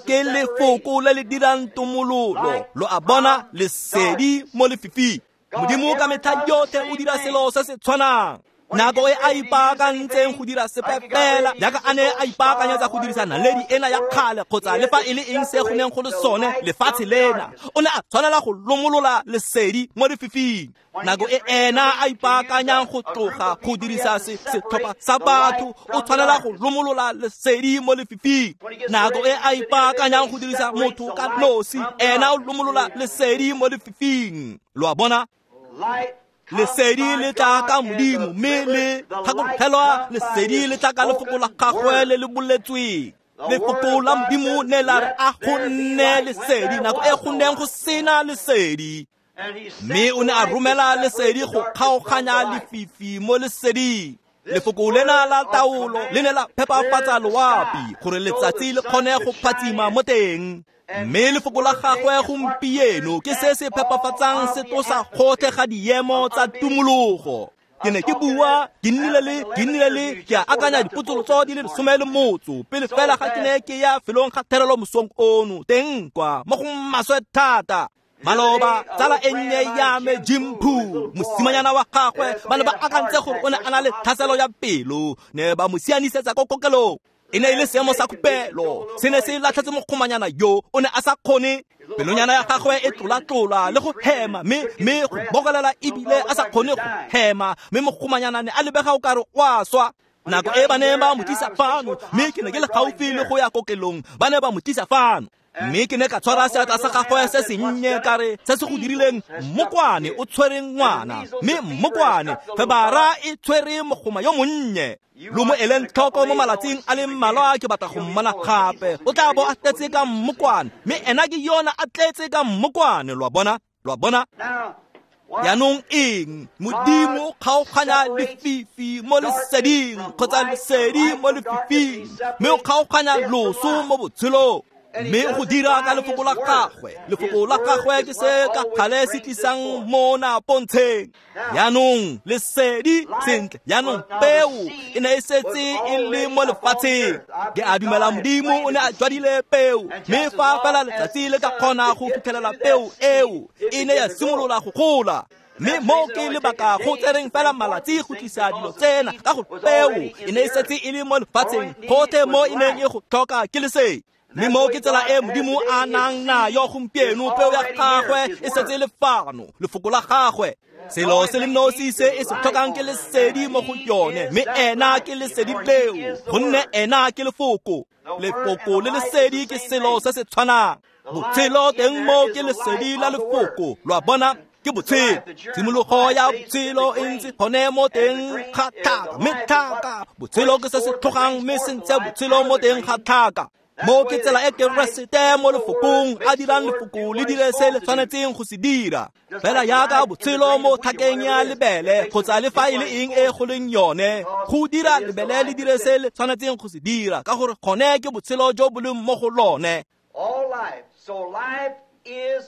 ke lefoko le le dirang tomololo. Lo a bona, lesedi mo lefifing. Modimo ka metlha yotlhe o dira selo se se tshwanang. Nako e a ipaakantseng go dira sepe fela jaaka a ne a ipaakanyetsa go dirisa naledi ena ya kgale kgotsa le fa e le eng se go neng go le sone lefatshe lena, o ne a tshwanela go lomolola lesedi mo lefifing. Nako e ena a ipaakanyang go tloga go dirisa setlhopha sa batho, o tshwanela go lomolola lesedi mo lefifing. Nako e a ipaakanyang go dirisa motho ka nosi, ena o lomolola lesedi mo lefifing. Lo a bona, lesedi le tla ka Modimo, mme le gakologelwa lesedi le tla ka lefoko la gagwe le le boletsweng. Lefoko la Modimo ne la re a go nne lesedi nako e go neng go sena lesedi, mme o ne a romela lesedi go kgaoganya lefifi mo leseding. Lefoko lena la taolo le ne la phepafatsa loapi gore letsatsi le kgone go phatsima mo teng. Mme lefoko la gagwe gompieno ke se se phepafatsang se tlosa gotlhe ga diemo tsa tumologo. Ke ne ke bua, ke nnile le, ke nnile le, ke a akanya dipotsolotso di le lesome le motso pele fela ga ke ne ke ya felong ga therelo mosong ono teng kwa mo go maswe thata. Maloba tsala e nnye ya me Jim Poole, mosimanyana wa gagwe, ba ne ba akantse gore o ne a na le tlhaselo ya pelo, ne ba mo sianisetsa ko kokelong. E ne e le seemo sa khupelo, se ne se latlhetse mokgomanyana yo o ne a sa kgone. Pelonyana ya gagwe e tlola-tlola le go hema, mme mme go bokolela ebile a sa kgone go hema, mme mokgomanyana ne a lebega o kare o a swa. Nako e ba ne ba mo tlisa fano, mme ke ne ke le gaufi le go ya kokelong, ba ne ba mo tlisa fano. Mme ke ne ka tshwara seatla sa gagwe se sennye ka re se se go dirileng mmokwane o tshwere ngwana, mme mmokwane febara e tshwere mogoma yo monnye. Lo mo eleng tlhoko mo malatsing a le mmalwa ke batla go mmona gape. O tla bo a tletse ka mmokwane, mme ena ke yona a tletse ka mmokwane. Lo a bona? Lo a bona? Jaanong eng? Modimo kgaoganya lefifi mo leseding kgotsa lesedi mo lefifing, mme o kgaoganya loso mo botshelong. Mme go dira ka lefoko la gagwe. Lefoko la gagwe ke se ka gale se tlisang mona pontsheng. Jaanong lesedi sentle, jaanong peo e ne e setse e le mo lefatsheng. Ke a dumela Modimo o ne a jwadile peo, mme fa fela letsatsi le ka kgona go fitlhelela peo eo, e ne ya simolola go gola. Mme mo ke lebaka go tsereng fela malatsi go tlisa dilo tsena, ka go peo e ne e setse e le mo lefatsheng, gotlhe mo e neng e go tlhoka ke lesedi. Mme mo ke tsela e Modimo a nang nayo gompieno, peo ya gagwe e setse le fano, lefoko la gagwe. Selo se le nosi se e se tlhokang ke lesedi mo go yone, mme ena ke lesedi leo, gonne ena ke lefoko. Lefoko le lesedi ke selo se se tshwanang. Botshelo teng mo ke lesedi la lefoko. Lo a bona? Ke botshelo. Tshimologo ya botshelo e ntse gone mo teng ga tlhaka, mme tlhaka botshelo ke se se tlhogang, mme se ntshe botshelo mo teng ga tlhaka. Mo ke tsela e Keresete mo lefokong a dirang lefoko le dire se le tshwanetseng go se dira. Fela jaaka botshelo mo tlhakeng ya lebele kgotsa le fa e le eng e go leng yone, go dira lebele le dire se le tshwanetseng go se dira, ka gore gone ke botshelo jo bo leng mo go lone.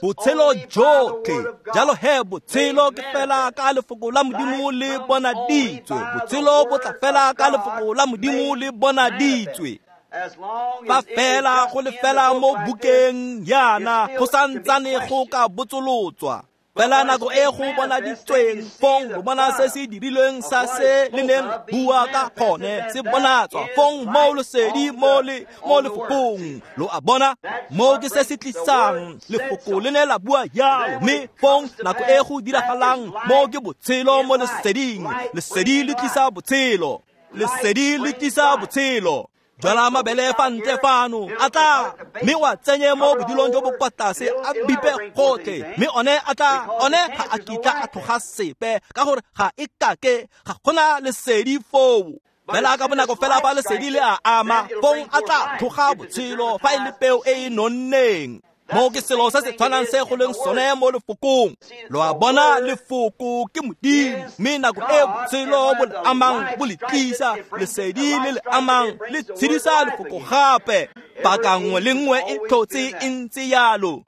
Botshelo jotlhe. Jalo he botshelo ke fela ka lefoko la Modimo le bonaditswe. Botshelo bo tla fela ka lefoko la Modimo le bonaditswe. Fa fela go le fela mo bukeng yana, go santsane go ka botsolotswa. Fela nako e go bonaditsweng, fong lo bona se se dirilweng sa se le neng bua ka gone se bonatswa, fong mo lesedi mo le mo lefokong. Lo a bona? Mo ke se se tlisang lefoko le ne la bua yalo, mme fong nako e go diragalang mo ke botshelo mo leseding. Lesedi le tlisa botshelo. Lesedi le tlisa botshelo. Jwala mabele fa ntle fano, a tla, mme wa tsenye mo bodilong jo bo kwa tlase, a bipe gotlhe, mme one a tla, one ga a kitla a tloga sepe, ka gore ga e kake, ga gona lesedi foo. Fela ka bonako fela fa lesedi le a ama, fong a tla tloga botshelo fa e le peo e e nonneng. Mo ke selo se se tshwanang se go leng sone mo lefokong. Lo a bona? Lefoko ke Modimo, mme nako e botshelo bo le amang bo le tlisa, lesedi le le amang le tshedisa lefoko gape. Paka nngwe le nngwe e tlhotse e ntse yalo.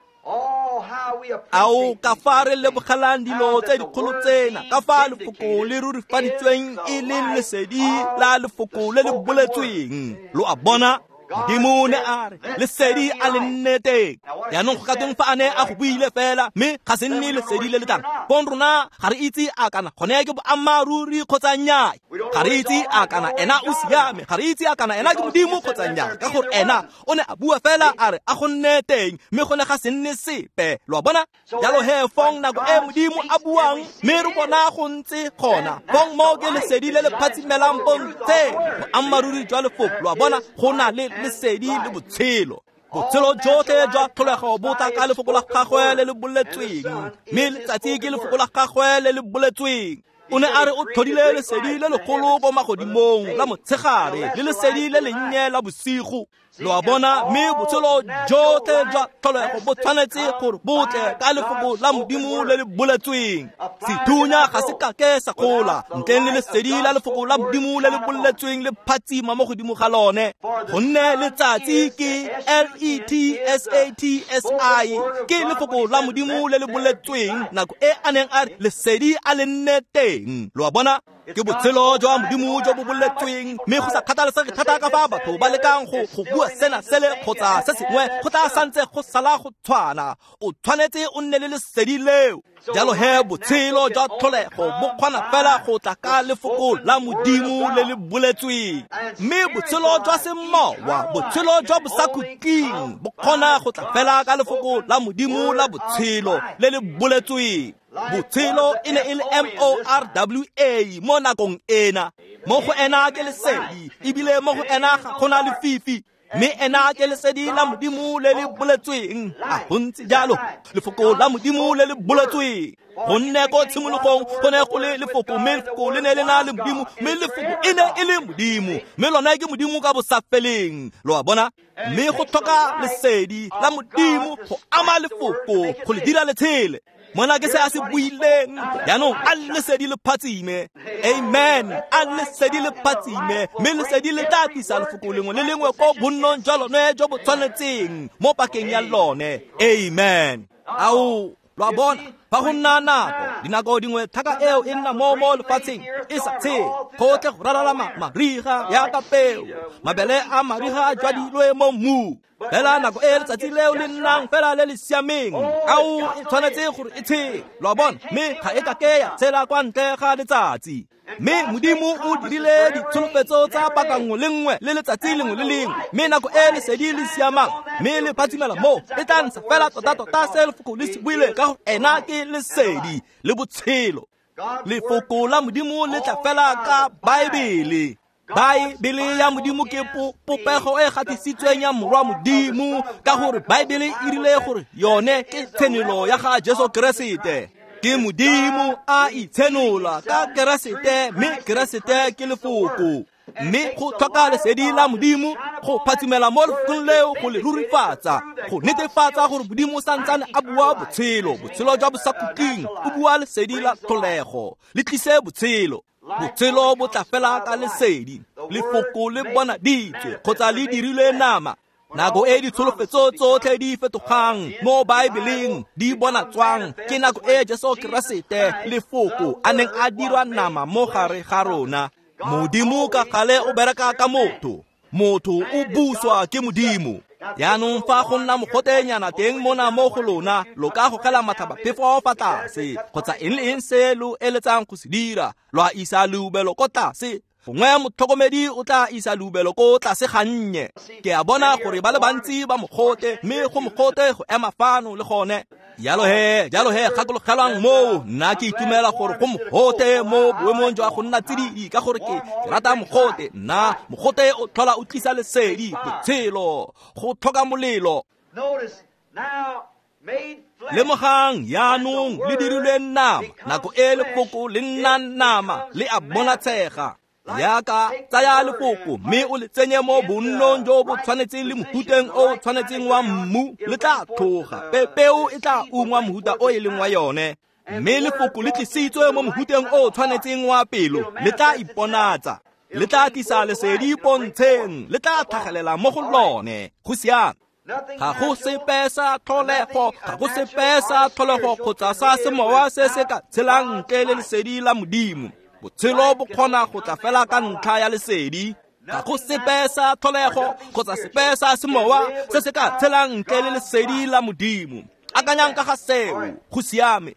Ao ka fa re lebogelang dilo tse dikgolo tsena, ka fa lefoko le rurifaditsweng e le lesedi la lefoko le le boletsweng. Lo a bona? Modimo ne a re lesedi a le nne teng. Jaanong go ka tweng fa a ne a go buile fela, mme ga se nne lesedi le le tlang? Fong rona ga re itse a kana gone ke boammaaruri kgotsa nnyaa. Ga re itse a kana ena o siame, ga re itse a kana ena ke Modimo kgotsa nnyaa, ka gore ena o ne a bua fela a re a go nne teng, mme gone ga se nne sepe. Lo a bona? Jalo he fong nako e Modimo a buang, mme re bona go ntse gona, fong mo ke lesedi le le phatsimelang pontsheng, boammaaruri jwa lefoko. Lo a bona? Go na le lesedi le botshelo. Botshelo jotlhe jwa tlholego bo tla ka lefoko la gagwe le le boletsweng, mme letsatsi ke lefoko la gagwe le le boletsweng. O ne a re o tlhodile lesedi le legolo ko magodimong la motshegare le lesedi le lennye la bosigo. Lo a bona? Mme botshelo jotlhe jwa tlholego bo tshwanetse gore bo tle ka lefoko la Modimo le le boletsweng. Sethunya ga se kake sa gola ntleng le lesedi la lefoko la Modimo le le boletsweng le phatsima mo godimo ga lone, gonne letsatsi ke L E T S A T S I, ke lefoko la Modimo le le boletsweng nako e a neng a re lesedi a le nne teng. Lo a bona? Ke botshelo jwa Modimo jo bo boletsweng, mme go sa kgathalesege thata ka fa batho ba lekang go go bua sena sele kgotsa se sengwe, go tla santse go sala go tshwana. O tshwanetse o nne le lesedi leo. Jalo he botshelo jwa tlholego bo kgona fela go tla ka lefoko la Modimo le le boletsweng, mme botshelo jwa semowa, botshelo jwa bosakhutleng, bo kgona go tla fela ka lefoko la Modimo la botshelo le le boletsweng. Botshelo e ne e le M O R W A mo nakong ena. Mo go ena ke lesedi, ebile mo go ena ga go na lefifi. Mme ena ke lesedi la Modimo le le boletsweng. A go ntse jalo, lefoko la Modimo le le boletsweng. Gonne ko tshimologong go ne go le lefoko, mme lefoko le ne le na le Modimo, mme lefoko e ne e le Modimo, mme lone ke Modimo ka bosafeleng. Lo a bona? Mme go tlhoka lesedi la Modimo go ama lefoko, go le dira letshele. Mona ke se a se buileng. Jaanong a lesedi le phatsime. Amen. A lesedi le phatsime, mme lesedi le tla tlisa lefoko lengwe le lengwe ko bonnong jwa lone jo bo tshwanetseng mo pakeng ya lone. Amen. Ao, lo a bona, fa go nna nako, dinako dingwe thaka eo e nna mo mo lefatsheng e sa tshele, go tle go ralala mariga yaka peo, mabele a mariga a jwadilwe mo mmung. Fela nako e letsatsi leo le nnang fela le le siameng, ao e tshwanetse gore e tshele. Lo a bona, mme ga e ka ke ya tshela kwa ntle ga letsatsi. Mme Modimo o dirile ditsholofetso tsa paka nngwe le nngwe le letsatsi lengwe le lengwe, mme nako e lesedi le siamang mme le phatsimela mo, e tla ntsha fela tota-tota se lefoko le se buile, ka gore ena ke lesedi le botshelo. Lefoko la Modimo le tla fela ka Baebele. Baebele ya Modimo ke popego e gatisitsweng ya Morwa Modimo, ka gore Baebele e rile gore yone ke tshenolo ya ga Jesu Keresete. Ke Modimo a itshenola ka Keresete, mme Keresete ke lefoko. Mme go tlhoka lesedi la Modimo go phatsimela mo lefokong leo, go le rurifatsa, go netefatsa gore Modimo santsane a bua botshelo, botshelo jwa bosakhutleng. O bua lesedi la tlholego, le tlise botshelo. Botshelo bo tla fela ka lesedi. Lefoko le bonaditswe kgotsa le dirilwe nama. Nako e ditsholofetso tsotlhe di fetogang mo Baebeleng di bonatswang ke nako e Jesu Keresete lefoko a neng a dirwa nama mo gare ga rona. Modimo ka gale o bereka ka motho, motho o buswa ke Modimo. Jaanong fa go nna mogotenyana teng mona mo go lona, lo ka gogela matlhabaphefo fa tlase kgotsa eng le eng se lo eletsang go se dira, lo a isa leubelo ko tlase. Gongwe motlhokomedi o tla isa leubelo ko tlase gannye. Ke a bona gore ba le bantsi ba mogote, mme go mogote go ema fano le gone. Jalo he, jalo he, gakologelwang moo. Nna ke itumela gore go mogote mo boemong jwa go nna tsididi, ka gore ke rata mogote. Nna mogote o tlhola o tlisa lesedi, botshelo, go tlhoka molelo. Lemogang jaanong le dirilwe nama, nako e lefoko le nnang nama le a bonatshega. Yaka tsaya lefoko mme o le tsenye mo bonnong jo bo tshwanetseng le mohuteng o tshwanetseng wa mmu, le tla tlhoga. Peo e tla ungwa mohuta o e leng wa yone. Mme lefoko le tlisitswe mo mohuteng o tshwanetseng wa pelo, le tla iponatsa, le tla tlisa lesedi pontsheng, le tla tlhagelela mo go lone. Go siame. Ga go sepe sa tlholego, ga go sepe sa tlholego kgotsa sa semowa se se ka tshelang ntle le lesedi la Modimo. Botshelo bo kgona go tla fela ka ntlha ya lesedi. Ga go sepe sa tlholego kgotsa sepe sa semowa se se ka tshelang ntle le lesedi la Modimo. Akanyang ka ga seo, go siame.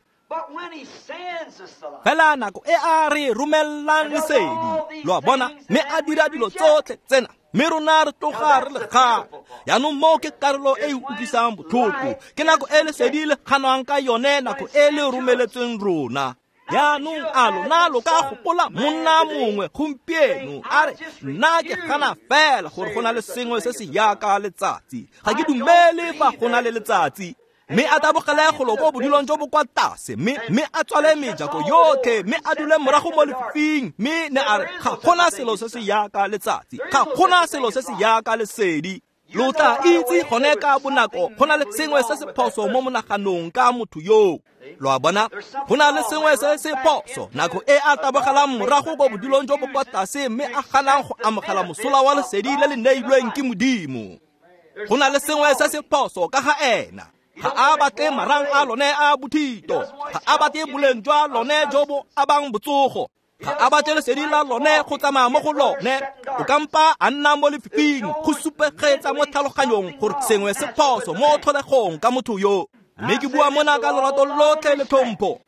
Fela nako e a re romellang lesedi, lo a bona, mme a dira dilo tsotlhe tsena, mme rona re tloga re le kgala. Jaanong moo ke karolo e e utlwisang botlhoko, ke nako e lesedi le kganwang ka yone, nako e le romeletsweng rona. Jaanong a lona lo ka gopola monna mongwe gompieno a re, nna ke gana fela gore go na le sengwe se se yaka letsatsi, ga ke dumele fa go na le letsatsi. Mme a tabogele golo ko bodulong jo bo kwa tlase, mme mme a tswale mejako yotlhe, mme a dule morago mo lefifing, mme ne a re, ga gona selo se se yaka letsatsi, ga gona selo se se yaka lesedi. Lo tla itse gone ka bonako go na le sengwe se se phoso mo monaganong ka motho yoo. Lo a bona, go na le sengwe se se phoso nako e a tabogelang morago ko bodulong jo bo kwa tlase, mme a ganang go amogela mosola wa lesedi le le neilweng ke Modimo. Go na le sengwe se se phoso ka ga ena. Ga a batle marang a lone a bothito, ga a batle boleng jwa lone jo bo abang botsogo. Ga a batle lesedi la lone go tsamaya mo go lone. O kampa a nna mo lefifing go supegetsa mo tlhaloganyong gore sengwe se phoso mo tlholegong ka motho yo. Mme ke bua mona ka lorato lotlhe le tlhompho.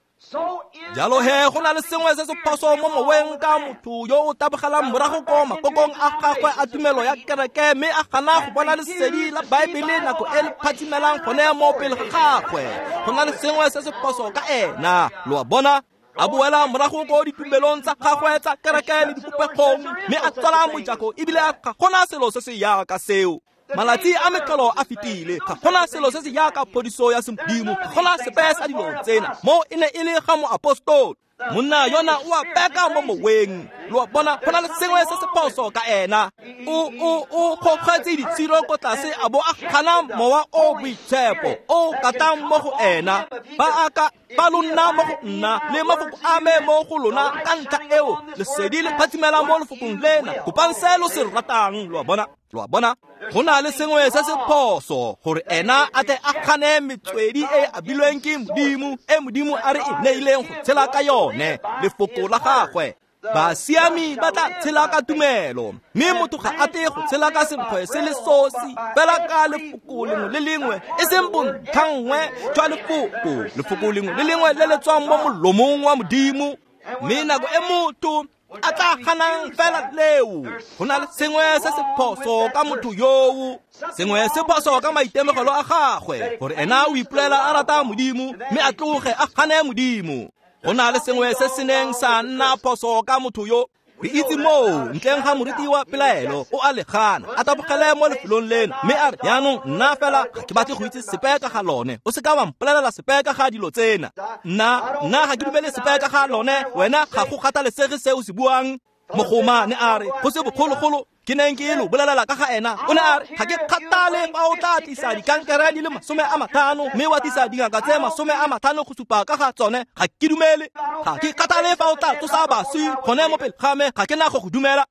Jalo he go na le sengwe se se phoso mo moweng ka motho yo o tabogelang morago ko makokong a gagwe a tumelo ya kereke mme a gana go bona lesedi la Baebele nako e le phatsimelang gone mo pele ga gagwe. Go na le sengwe se se phoso ka ena. Lo a bona? A boela morago ko ditumelong tsa gagwe tsa kereke le dipopegong mme a tswala mojako ebile ga gona selo se se yaka seo. Malatsi a metlholo a fetile, ga gona selo se se yaka phodiso ya semodimo, ga gona sepe sa dilo tsena. Mo e ne e le ga moapostolo. Monna yona o a peka mo moweng. Lo a bona, go na le sengwe se se phoso ka ena. O o o kgokgetse ditshiro ko tlase a bo a gana mowa o boitshepo o katang mo go ena. Ba aka ba lo nna mo go nna le mafoko a me mo go lona ka ntlha eo lesedi le phatsimela mo lefokong lena. Kopang se lo se ratang. Lo a bona? Lo a bona? Go na le sengwe se se phoso gore ena a tle a gane metswedi e abilweng ke Modimo, e Modimo a re e neileng go tshela ka yone, lefoko la gagwe. Basiami ba tla tshela ka tumelo, mme motho ga a tle go tshela ka senkgwe se le sosi, fela ka lefoko lengwe le lengwe, e seng bontlhanngwe jwa lefoko, lefoko lengwe le lengwe le le tswang mo molomong wa Modimo. Mme nako e motho a tla ganang fela leo, go na le sengwe se se phoso ka motho yoo, sengwe se phoso ka maitemogelo a gagwe, gore ena o ipolela a rata Modimo mme a tloge a gane Modimo. Go na le sengwe se se neng sa nna phoso ka motho yo. Re itse moo ntleng ga moriti wa pelaelo o a le gana, a tabogele mo lefelong leno mme a re, jaanong nna fela ga ke batle go itse sepe ka ga lone. O se ka wa mpolelela sepe ka ga dilo tsena. Nna nna ga ke dumele sepe ka ga lone. Wena ga go kgathalesege se o se buang. Mogoma ne a re go se bogologolo ke neng ke lo bolelela ka ga ena. O ne a re ga ke kgathale fa o tla tlisa dikankere di le masome a matlhano mme wa tlisa dingaka tse masome a matlhano go supa ka ga tsone. Ga ke dumele. Ga ke kgathale fa o tla tsosa baswi gone mo pele ga me. Ga ke na go go dumela.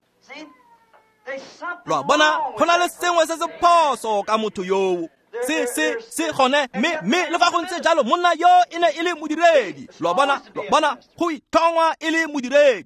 Lo a bona, go na le sengwe se se phoso ka motho yoo. Se se se gone mme mme le fa go ntse jalo monna yo e ne e le modiredi. Lo a bona, lo a bona, go ithongwa e le modiredi.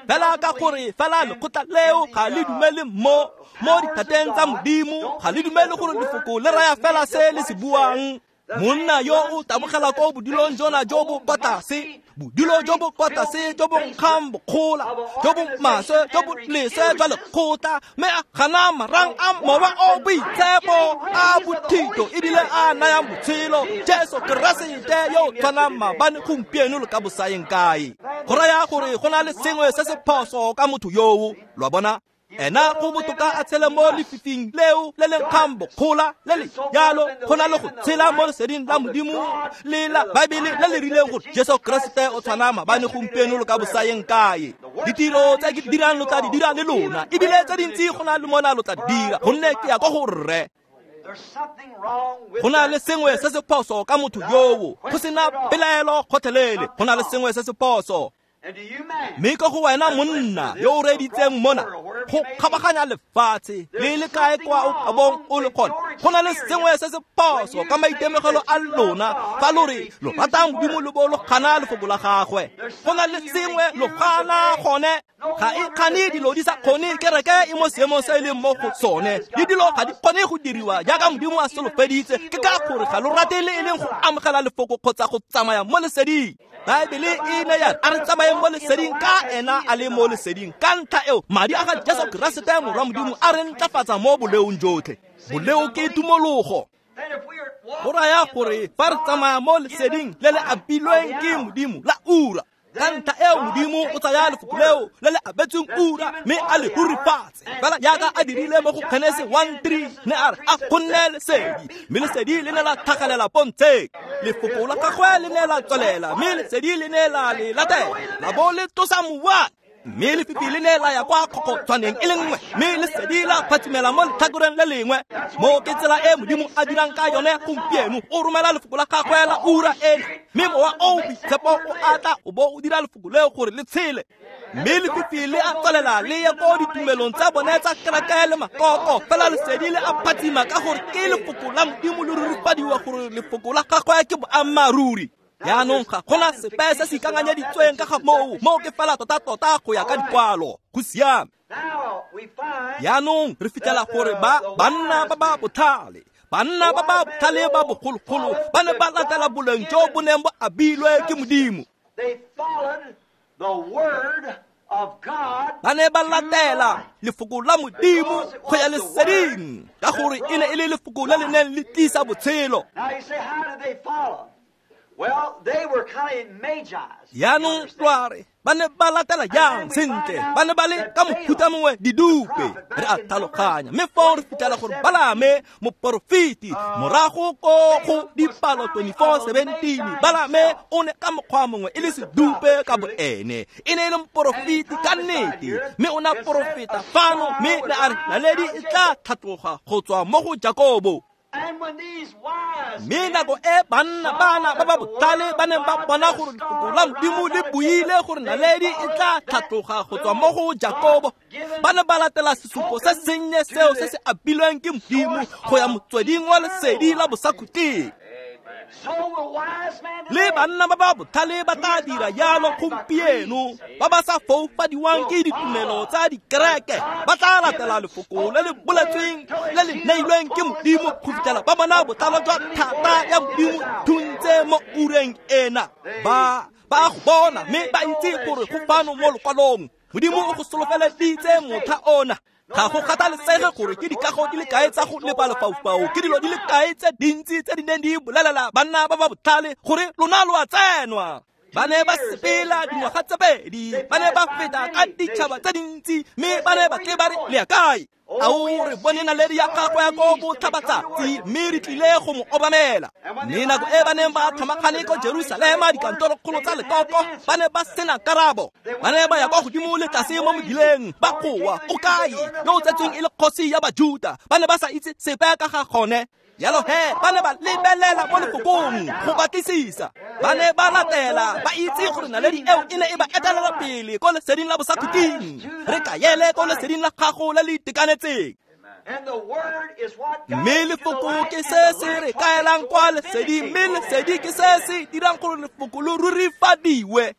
Fela ka gore fela lekgotla leo ga le dumele mo mo dithateng tsa Modimo, ga le dumele gore lefoko le raya fela se le se buang. Monna yo o tabogela ko bodulong jona jo bo kwa tlase, bodulo jo bo kwa tlase jo bo nkgang bokgola, jo bo maswe, jo bo leswe jwa lekgotla, mme a gana marang a mowa o boitshepo a bothito ebile a nayang botshelo, Jesu Keresete yo o tshwanang maabane, gompieno le ka bosayeng kae. Go raya gore go na le sengwe se se phoso ka motho yoo. Lo a bona? Ena go botoka a tshele mo lefifing leo le le nkgang bokgola le le jalo, go na le go tshela mo leseding la Modimo le la Baebele le le rileng gore Jesu Keresete o tshwana maabane, gompieno le ka bosayeng kae. Ditiro tse ke di dirang lo tla di dira le lona, ebile tse dintsi go na le mona lo tla di dira, gonne ke ya ko go rre. Go na le sengwe se se phoso ka motho yoo, go sena pelaelo gotlhelele. Go na le sengwe se se phoso. Mme ko go wena monna yo o reeditseng mona go kgabaganya lefatshe le le kae kwa o kabong o le gone, go na le sengwe se se phoso ka maitemogelo a lona fa lo re lo rata Modimo lo bo lo gana lefoko la gagwe. Go na le sengwe lo gana gone. Ga e kgane dilo di sa kgone, kereke e mo seemong se e leng mo go sone, le dilo ga di kgone go diriwa jaaka Modimo a solofeditse. Ke ka gore ga lo rate le e leng go amogela lefoko kgotsa go tsamaya mo leseding. Baebele e ne ya a re tsamayeng mo leseding ka ena a le mo leseding. Ka ntlha eo madi a ga Jesu Keresete morwa Modimo a re ntlafatsa mo boleong jotlhe. Boleo ke tumologo. Go raya gore fa re tsamaya mo leseding le le abilweng ke Modimo la ura, ka ntlha eo Modimo o tsaya lefoko leo le le abetsweng ura mme a le rurifatse fela jaaka a dirile mo go Genese one three, ne a re a go nne lesedi, mme lesedi le ne la tlhagelela pontsheng. Lefoko la gagwe le ne la tswelela, mme lesedi le ne la le latela, la bo le tlosa mowa. Mme lefifi le ne la ya kwa kgokgotshwaneng e le nngwe, mme lesedi la phatsimela mo letlhakoreng le lengwe. Mo ke tsela e Modimo a dirang ka yone gompieno. O romela lefoko la gagwe la ura ena, mme mowa o boitshepo o a tla o bo o dira lefoko leo gore le tshele. Mme lefifi le a tswelela le ye ko ditumelong tsa bone tsa kereke le makoko, fela lesedi le a phatsima ka gore ke lefoko la Modimo le rurifadiwa gore lefoko la gagwe ke boammaaruri. Jaanong ga gona sepe se se ikakanyeditsweng ka ga moo, moo ke fela tota-tota go ya ka dikwalo. Go siame. Jaanong re fitlhela gore ba banna ba ba botlhale, banna ba ba botlhale ba bogologolo ba ne ba latela boleng jo bo neng bo abilwe ke Modimo. Ba ne ba latela lefoko la Modimo go ya leseding, ka gore e ne e le lefoko le le neng le tlisa botshelo. Jaanong lwa re ba ne ba latela jang? Sentle, ba ne ba le ka mofuta mongwe didupe, re a tlhaloganya. Mme foo re fitlhela gore Balame moporofeti morago ko go dipalo twenty-four seventeen, Balame o ne ka mokgwa mongwe e le sedupe ka bo ene, e ne e le moporofeti ka nnete, mme o ne a porofeta fano, mme ne a re naledi e tla tlhatloga go tswa mo go Jakobo. Mme nako e banna bana ba ba botlhale ba neng ba bona gore lefoko la Modimo le buile gore naledi e tla tlhatloga go tswa mo go Jakobo, ba ne ba latela sesupo se sennye seo se se abilweng ke Modimo go ya motsweding wa lesedi la bosakhutleng. Le banna ba ba botlhale ba tla dira jalo gompieno, ba ba sa foufadiwang ke ditumelo tsa dikereke, ba tla latela lefoko le le boletsweng le le neilweng ke Modimo go fitlhela ba bona botlalo jwa thata ya Modimo thuntse mo ureng ena. Ba ba go bona mme ba itse gore go fano mo lokwalong Modimo o go solofeleditse motlha ona. Ga go kgathalesege gore ke dikago di le kae tsa go lepa lefaufau, ke dilo di le kae tse dintsi tse di neng di bolelela banna ba ba botlhale gore lona lo a tsenwa. Ba ne ba sepela dingwaga tse pedi, ba ne ba feta ka ditšhaba tse dintsi, mme ba ne ba tle ba re le ya kae? Ao, re bone naledi ya gagwe ya ko botlhabatsatsi, mme re tlile go mo obamela. Mme nako e ba neng ba tlhomagane ko Jerusalema dikantorokgolo tsa lekoko, ba ne ba sena karabo. Ba ne ba ya kwa godimo le tlase mo mebileng, ba goa, o kae yo o tsetsweng e le kgosi ya Bajuta? Ba ne ba sa itse sepe ka ga gone. Jalo he, ba ne ba lebelela mo lefokong go batlisisa. Ba ne ba latela, ba itse gore naledi eo e ne e ba etelela pele ko leseding la bosakhutleng. Re kaele ko leseding la gago le le itekanetseng. Mme lefoko ke se se re kaelang kwa leseding, mme lesedi ke se se dirang gore lefoko lo rurifadiwe.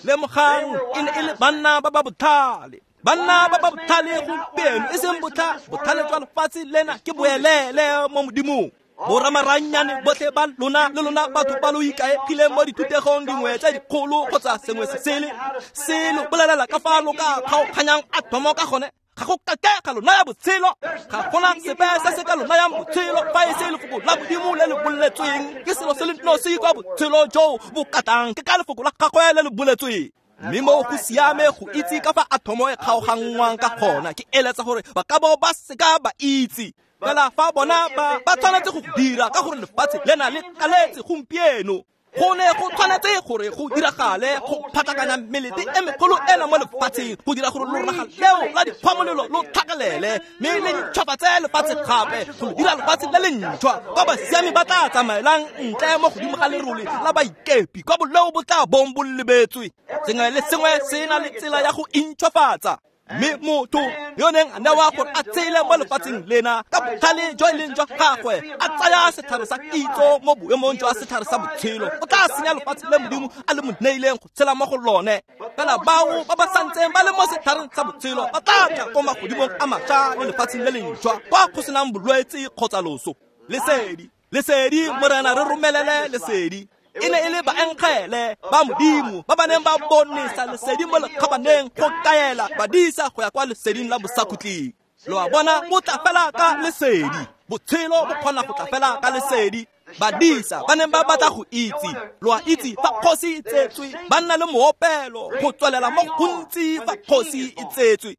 Lemogang, e ne e le banna ba ba botlhale. Banna ba ba botlhale gompieno, e seng botlha botlhale jwa lefatshe lena ke boelele mo Modimong. Boramaranyane botlhe ba lona le lona batho ba lo ikaegileng mo dithutegong dingwe tse dikgolo kgotsa sengwe se sele, se lo bolelela ka fa lo ka kgaoganyang atomo ka gone, ga go kake ga lo naya botshelo. Ga gona sepe se se ka lo nayang botshelo fa e se lefoko la Modimo le le boletsweng. Ke selo se le nosi kwa botshelo jo bo katang, ke ka lefoko la gagwe le le boletsweng. Mme mo go siame go itse ka fa atomo e kgaoganngwang ka gona, ke eletsa gore ba ka bo ba seka ba itse. Fela fa bona ba ba tshwanetse go dira ka gore lefatshe lena le kaletse gompieno. Go ne go tshwanetse gore go diragale go phatlakanya melete e megolo ena mo lefatsheng, go dira gore loraga leo la dikgwamolelo lo tlhakelele, mme le ntšhwafatse lefatshe gape, go dira lefatshe le le ntšhwa kwa basiami ba tla tsamaelang ntle mo godimo ga lerole la baikepi, kwa boleo bo tla bong bo lebetswe. Sengwe le sengwe se na le tsela ya go intšhwafatsa. Mme motho yo neng a newa gore a tshele mo lefatsheng lena ka botlhale jo e leng jwa gagwe, a tsaya setlhare sa kitso mo boemong jwa setlhare sa botshelo, o tla senya lefatshe le Modimo a le mo neileng go tshela mo go lone. Fela bao ba ba santseng ba le mo setlhareng sa botshelo ba tla tla ko magodimong a mašwa le lefatsheng le lentšhwa, kwa go senang bolwetse kgotsa loso. Lesedi, lesedi, Morena re romelele lesedi. E ne e le baengele ba Modimo ba ba neng ba bonesa lesedi mo lekgabaneng go kaela badisa go ya kwa leseding la bosakhutleng. Lo a bona, bo tla fela ka lesedi. Botshelo bo kgona go tla fela ka lesedi. Badisa ba neng ba batla go itse, lo a itse fa kgosi e tsetswe, ba nna le moopelo go tswelela mo gontsi fa kgosi e tsetswe.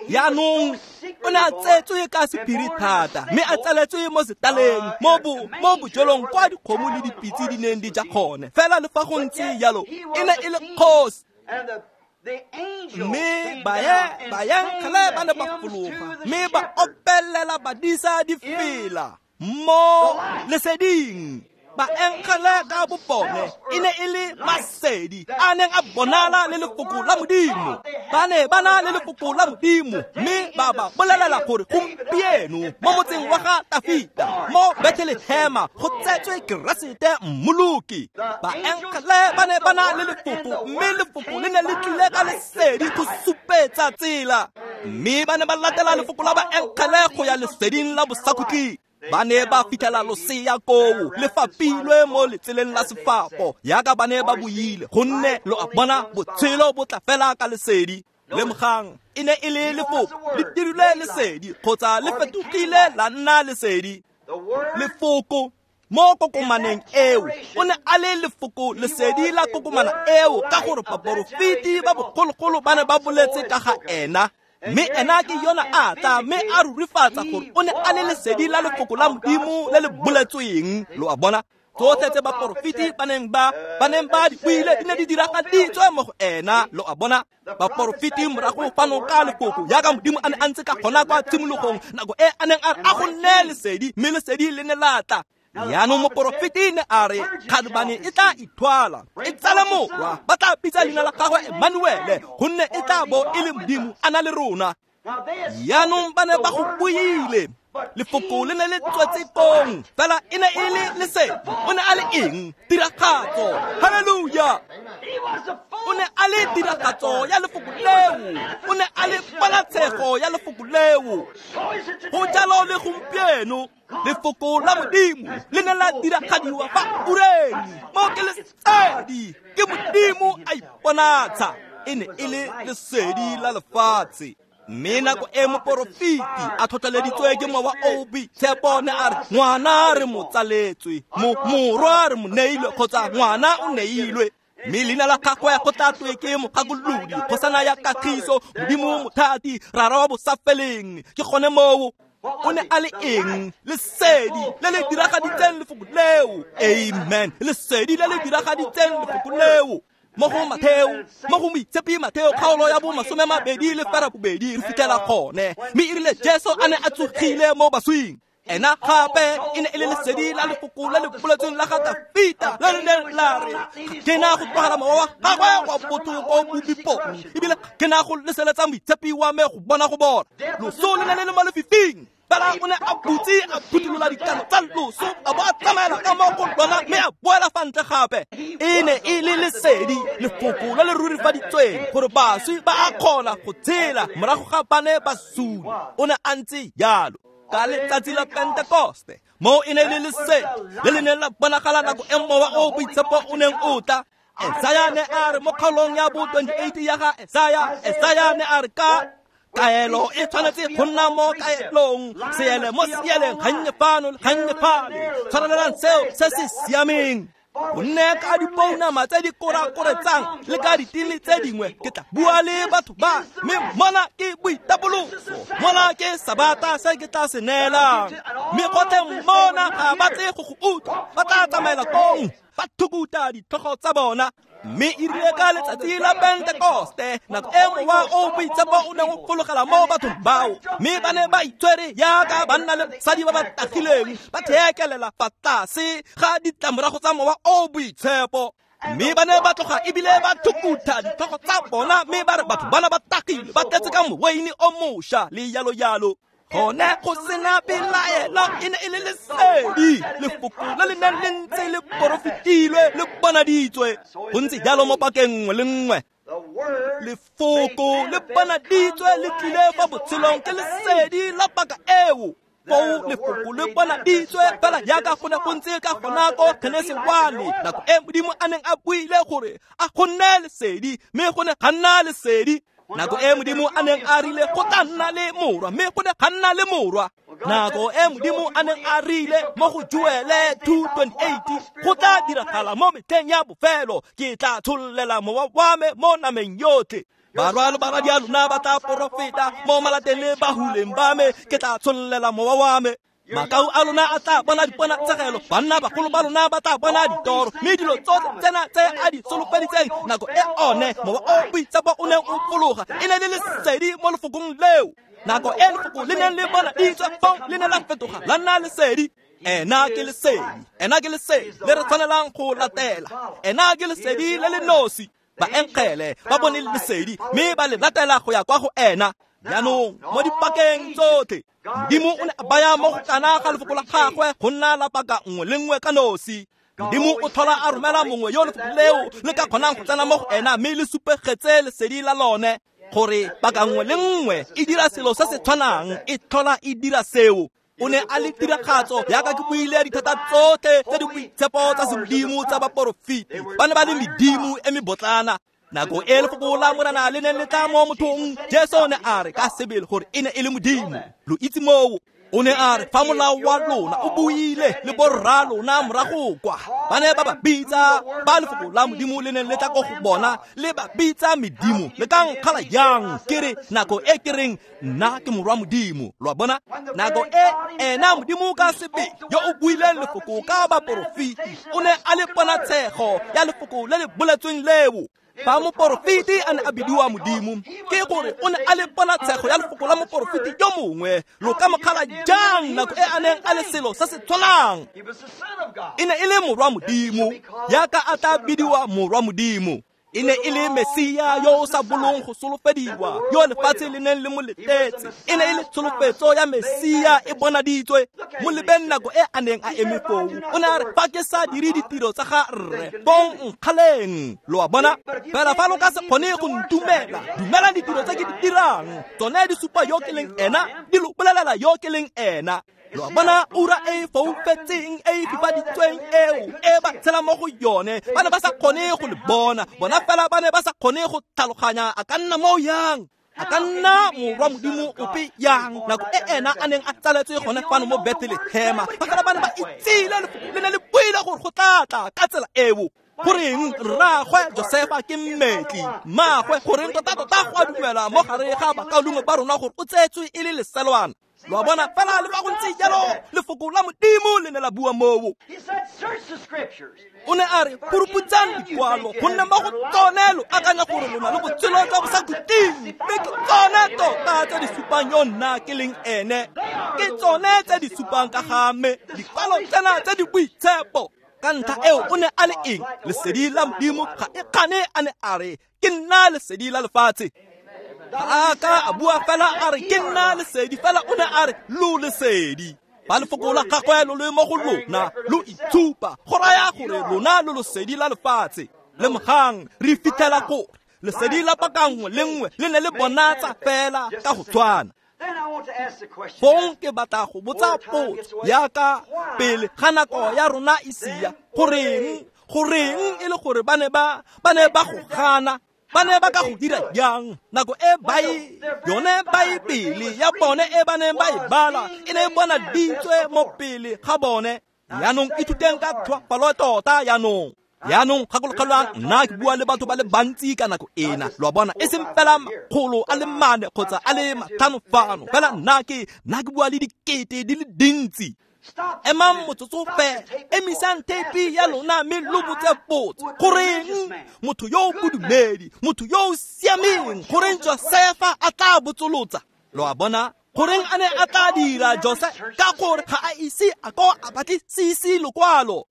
Jaanong o ne a tsetswe ka sephiri thata, mme a tsaletswe mo setaleng, mo bo mo bojelong kwa dikgomo le dipitse di neng di ja gone. Fela le fa go ntse jalo, e ne e le kgosi. Mme baengele ba ne ba fologa, mme ba opelela badisa difela mo leseding. Baengele ka bobone e ne e le masedi a neng a bonala le lefoko la Modimo. Ba ne ba na le lefoko la Modimo, mme ba ba bolelela gore gompieno mo motseng wa ga Tafita mo Bethlehema go tsetswe Keresete Mmoloki. Baengele ba ne ba na le lefoko, mme lefoko le ne le tlile ka lesedi go supetsa tsela, mme ba ne ba latela lefoko la baengele go ya leseding la bosakhutleng. Ba ne ba fitlhela losea koo le fapilwe mo letseleng la sefapo yaka ba ne ba buile, gonne lo a bona botshelo bo tla fela ka lesedi. Lemogang, e ne e le lefoko le dirilwe lesedi kgotsa le fetogile la nna lesedi. Lefoko mo kokomaneng eo o ne a le lefoko lesedi la kokomana eo, ka gore baporofeti ba bogologolo ba ne ba boletse ka ga ena. Mme ena ke yona a tla mme a rurifatsa gore o ne a le lesedi la lefoko la Modimo le le boletsweng. Lo a bona, tsotlhe tse baporofeti ba neng ba ba neng ba di buile di ne di diragaditswe mo go ena. Lo a bona, baporofeti morago fano ka lefoko yaka Modimo a ne a ntse ka gona kwa tshimologong, nako e a neng a re a go nne lesedi, mme lesedi le ne la tla. Jaanong moporofeti ne a re kgadubane e tla ithwala e tsale morwa, ba tla bitsa leina la gagwe Emmanuele, gonne e tla bo e le Modimo a na le rona. Jaanong ba ne ba go buile, lefoko le ne le tswetse kong, fela e ne e le lesedi. O ne a le eng? Tiragatso. Halleluja! O ne a le tiragatso ya lefoko leo, o ne a le ponatshego ya lefoko leo. Go jalo le gompieno, lefoko la Modimo le ne la diragadiwa fa ureng mo ke lesedi, ke Modimo a iponatsha. E ne e le lesedi la lefatshe. Mme nako e moporofeti a tlhotlheleditswe ke Mowa o o Boitshepo ne a re ngwana re mo tsaletswe, morwa re mo neilwe, kgotsa ngwana o neilwe, mme leina la gagwe go tla twe ke Mogakolodi, kgosana ya kagiso, Modimo mothati, Rara wa bosafeleng. Ke gone moo. O ne a le eng? Lesedi le le diragaditseng lefoko leo. Amen. Lesedi le le diragaditseng lefoko leo. Mo go Matheo, mo go Moitshepi Matheo kgaolo ya bo masome mabedi le ferabobedi re fitlhela gone. Mme e rile Jesu a ne a tsogile mo baswing, ena gape e ne e le lesedi la lefoko le le boletsweng la ga Tafita le le neng la re ke na go tlogela mowa wa gagwe wa botho ko bobipong, ebile ke na go leseletsa Moitshepi wa me go bona go bona. Loso le ne le le mo lefifing, fela o ne a butse a phuthulola dikano tsa loso, a bo a tsamaela ka mo go lona mme a boela fa ntle gape. E ne e le lesedi, lefoko le le rurifaditsweng gore baswi ba a kgona go tshela morago ga ba ne ba sule. O ne a ntse jalo ka letsatsi la Pentekoste, mo e ne le lesedi le le neng la bonagala nako e Mowa o Boitshepo o neng o tla. Esaya ne a re mo kgaolong ya bo twenty-eight ya ga Esaya, Esaya ne a re ka kaelo e tshwanetse go nna mo kaelong, seele mo seeleng, gannye fano le gannye fale, tshwanelelang seo se se siameng. Gonne ka dipounama tse di korakoretsang le ka ditili tse dingwe ke tla bua le batho ba, mme mona ke boitapoloso, mona ke sabata se ke tla se neelang. Mme gotlhe mona ga ba tle go go utlwa, ba tla tsamaela kong ba thukuta ditlhogo tsa bona. Mme e rile ka letsatsi la Pentekoste, nako e Mowa o Boitshepo o neng o fologela mo bathong bao, mme ba ne ba itshwere yaka banna le basadi ba ba tagileng, ba theekelela fa tlase ga ditlamorago tsa Mowa o Boitshepo. Mme ba ne ba tloga ebile ba thukutha ditlhogo tsa bona, mme ba re batho bana ba tagile, ba tletse ka moweine o mošwa le jalo jalo. Gone go sena pelaelo, e ne e le lesedi, lefoko le le neng le ntse le porofetilwe le bonaditswe. Go ntse jalo mo pakeng nngwe le nngwe, lefoko le bonaditswe le tlile fa botshelong ke lesedi la paka eo. Foo lefoko le bonaditswe fela jaaka go ne go ntse ka gona ko Genesi one, nako e Modimo a neng a buile gore a go nne lesedi, mme go ne ga nna lesedi. Nako e Modimo a neng a rile go tla nna le morwa, mme go ne ga nna le morwa. Nako e Modimo a neng a rile mo go Joele two twenty-eight go tla diragala mo metlheng ya bofelo, ke tla tshollela mowa wa me mo nameng yotlhe. Barwa le baradi a lona ba tla porofeta mo malateng le bahuleng ba me, ke tla tshollela mowa wa me. Makau a lona a tla bona diponatshegelo, banna bagolo ba lona ba tla bona ditoro, mme dilo tsotlhe tsena tse a di solofeditseng nako e one Mowa o Boitshepo o neng o fologa e ne le lesedi mo lefokong leo. Nako e lefoko le neng le bonaditswe fong le ne la fetoga la nna lesedi. Ena ke lesedi, ena ke lesedi le re tshwanelang go latela. Ena ke lesedi le le nosi. Baengele ba bone lesedi mme ba le latela go ya kwa go ena. Jaanong mo dipakeng tsotlhe Modimo o ne a baya mo go kana ga lefoko la gagwe go nna la paka nngwe le nngwe ka nosi. Modimo o tlhola a romela mongwe yo lefoko leo le ka kgonang go tsena mo go ena mme le supegetse lesedi la lone, gore paka nngwe le nngwe e dira selo se se tshwanang, e tlhola e dira seo. O ne a le tiragatso yaka ke buile dithata tsotlhe tse di boitshepo tsa semodimo tsa baporofeti. Ba ne ba le medimo e mebotlana. Nako e lefoko la Morena le neng le tla mo mothong, Jesu o ne a re ka sebele gore e ne e le Modimo. Lo itse moo. O ne a re fa molao wa lona o buile le borra lona morago kwa, ba ne ba ba bitsa ba lefoko la Modimo le neng le tla ko go bona, le ba bitsa medimo. Le ka nkgala yang ke re nako e ke reng nna ke morwa Modimo? Lo a bona? Nako e ena Modimo ka sebele yo o buileng lefoko ka baporofeti o ne a le ponatshego ya lefoko le le boletsweng leo. Fa moporofeti a ne a bidiwa Modimo, ke gore o ne a le ponatshego ya lefoko la moporofeti yo mongwe. Lo ka mo kgala jang nako e a neng a le selo se se tshwanang? E ne e le morwa Modimo, yaka a tla bidiwa morwa Modimo. E ne e le Mesia yo o sa bolong go solofediwa, yo lefatshe le neng le mo letetse. E ne e le tsholofetso ya Mesia e bonaditswe. Mo lebeng nako e a neng a eme foo, o ne a re fa ke sa dire ditiro tsa ga rre, bong nkgaleng. Lo a bona? Fela fa lo ka se kgone go ntumela, dumelang ditiro tse ke di dirang. Tsone di supa yo ke leng ena, di lo bolelela yo ke leng ena. Lo a bona ura e foufetseng e e fifaditsweng eo e ba tshela mo go yone, ba ne ba sa kgone go le bona. Bona fela ba ne ba sa kgone go tlhaloganya a ka nna mo yang, a ka nna morwa Modimo ope yang nako e ena a neng a tsaletswe gone fano mo Bethlehema. Ba fela ba ne ba itsile lefoko le ne le buile gore go tla tla ka tsela eo. Goreng rraagwe Josefa ke mmetli, mmaagwe goreng tota-tota go a dumela mo gare ga bakaulengwe ba rona gore o tsetswe e le leselwana. Lo a bona? Fela le fa go ntse jalo, lefoko la Modimo le ne la bua moo. O ne a re phuruputsang dikwalo, gonne mo go tsone lo akanya gore lona le botshelo jwa bosakhutleng, mme ke tsone tota tse di supang yo nna ke leng ene. Ke tsone tse di supang ka ga me, dikwalo tsena tse di boitshepo. Ka ntlha eo o ne a le eng? Lesedi la Modimo ga e kgane a ne a re ke nna lesedi la lefatshe. Ga a ka a bua fela a re ke nna lesedi, fela o ne a re lo lesedi. Ba lefoko la gagwe lo le mo go lona, lo itshupa go raya gore lona lo lesedi la lefatshe. Lemogang re fitlhela gore lesedi la paka nngwe le nngwe le ne le bonatsa fela ka go tshwana. Fong ke batla go botsa potso yaka pele ga nako ya rona e sia, goreng goreng e le gore ba ne ba ba ne ba go gana? Ba ne ba ka go dira jang nako e bai yone Baebele ya bone e ba neng ba e bala e ne e bonaditswe mo pele ga bone? Jaanong ithuteng ka tlhoafalo tota jaanong. Jaanong gakologelwang, nna ke bua le batho ba le bantsi ka nako ena. Lo a bona? E seng fela makgolo a le mane kgotsa a le matlhano fano, fela nna ke nna ke bua le dikete di le dintsi. Emang motsotso fela, emisang theipi ya lona mme lo botse potso. Goreng motho yo o bodumedi, motho yo o siameng, goreng Josefa a tla botsolotsa? Lo a bona? Goreng a ne a tla dira Jose? Ka gore ga a ise a ko a batlisise lokwalo.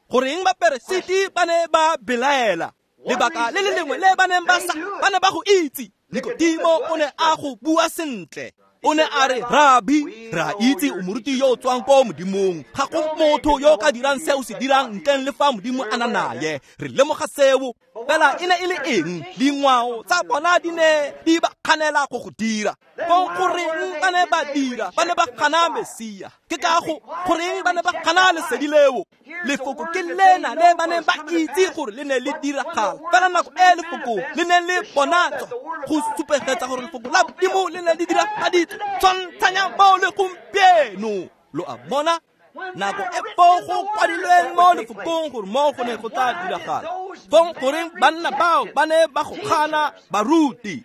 Goreng baperesiti ba ne ba belaela? Lebaka le le lengwe le ba neng ba sa ba ne ba go itse. Nikodimo o ne a go bua sentle. O ne a re, Rabi, re a itse o moruti yo o tswang ko Modimong. Ga go motho yo o ka dirang se o se dirang ntleng le fa Modimo a na naye. Re lemoga seo. Fela e ne e le eng? Dingwao tsa bona di ne di ba kganela go go dira. Fong goreng ba ne ba dira? Ba ne ba gana Mesia. Ke ka go goreng ba ne ba gana lesedi leo? Lefoko ke lena le ba neng ba itse gore le ne le diragala. Fela nako e lefoko le ne le bonatswa go supegetsa gore lefoko la Modimo le ne le diragaditswe. Tshwantshanya bao le gompieno. Lo a bona? Nako e foo go kwadilweng mo lefokong gore mo go ne go tla diragala. Fong goreng banna bao ba ne ba go gana baruti?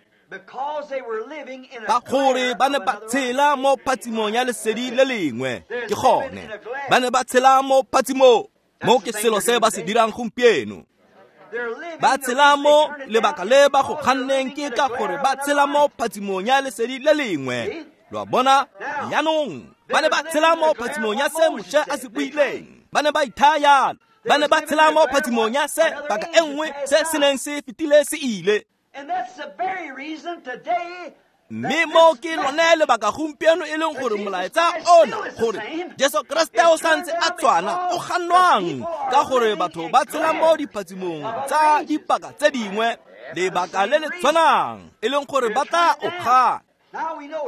Ka gore ba ne ba tshela mo phatsimong ya lesedi le lengwe. Ke gone ba ne ba tshela mo phatsimong. Mo ke selo se ba se dirang gompieno. Ba tshela mo lebaka le ba go ganneng ke ka gore ba tshela mo phatsimong ya lesedi le lengwe. Lo a bona? Jaanong ba ne ba tshela mo phatsimong ya se Moshe a se buileng. Ba ne ba ithaya. Ba ne ba tshela mo phatsimong ya se paka e nngwe se se neng se fetile se ile. Mme mo ke lone lebaka gompieno e leng gore molaetsa ona gore Jesu Kriste o santse a tshwana o gannwang ka gore batho ba tshela mo diphatsimong tsa dipaka tse dingwe, lebaka le le tshwanang e leng gore ba tla o gana.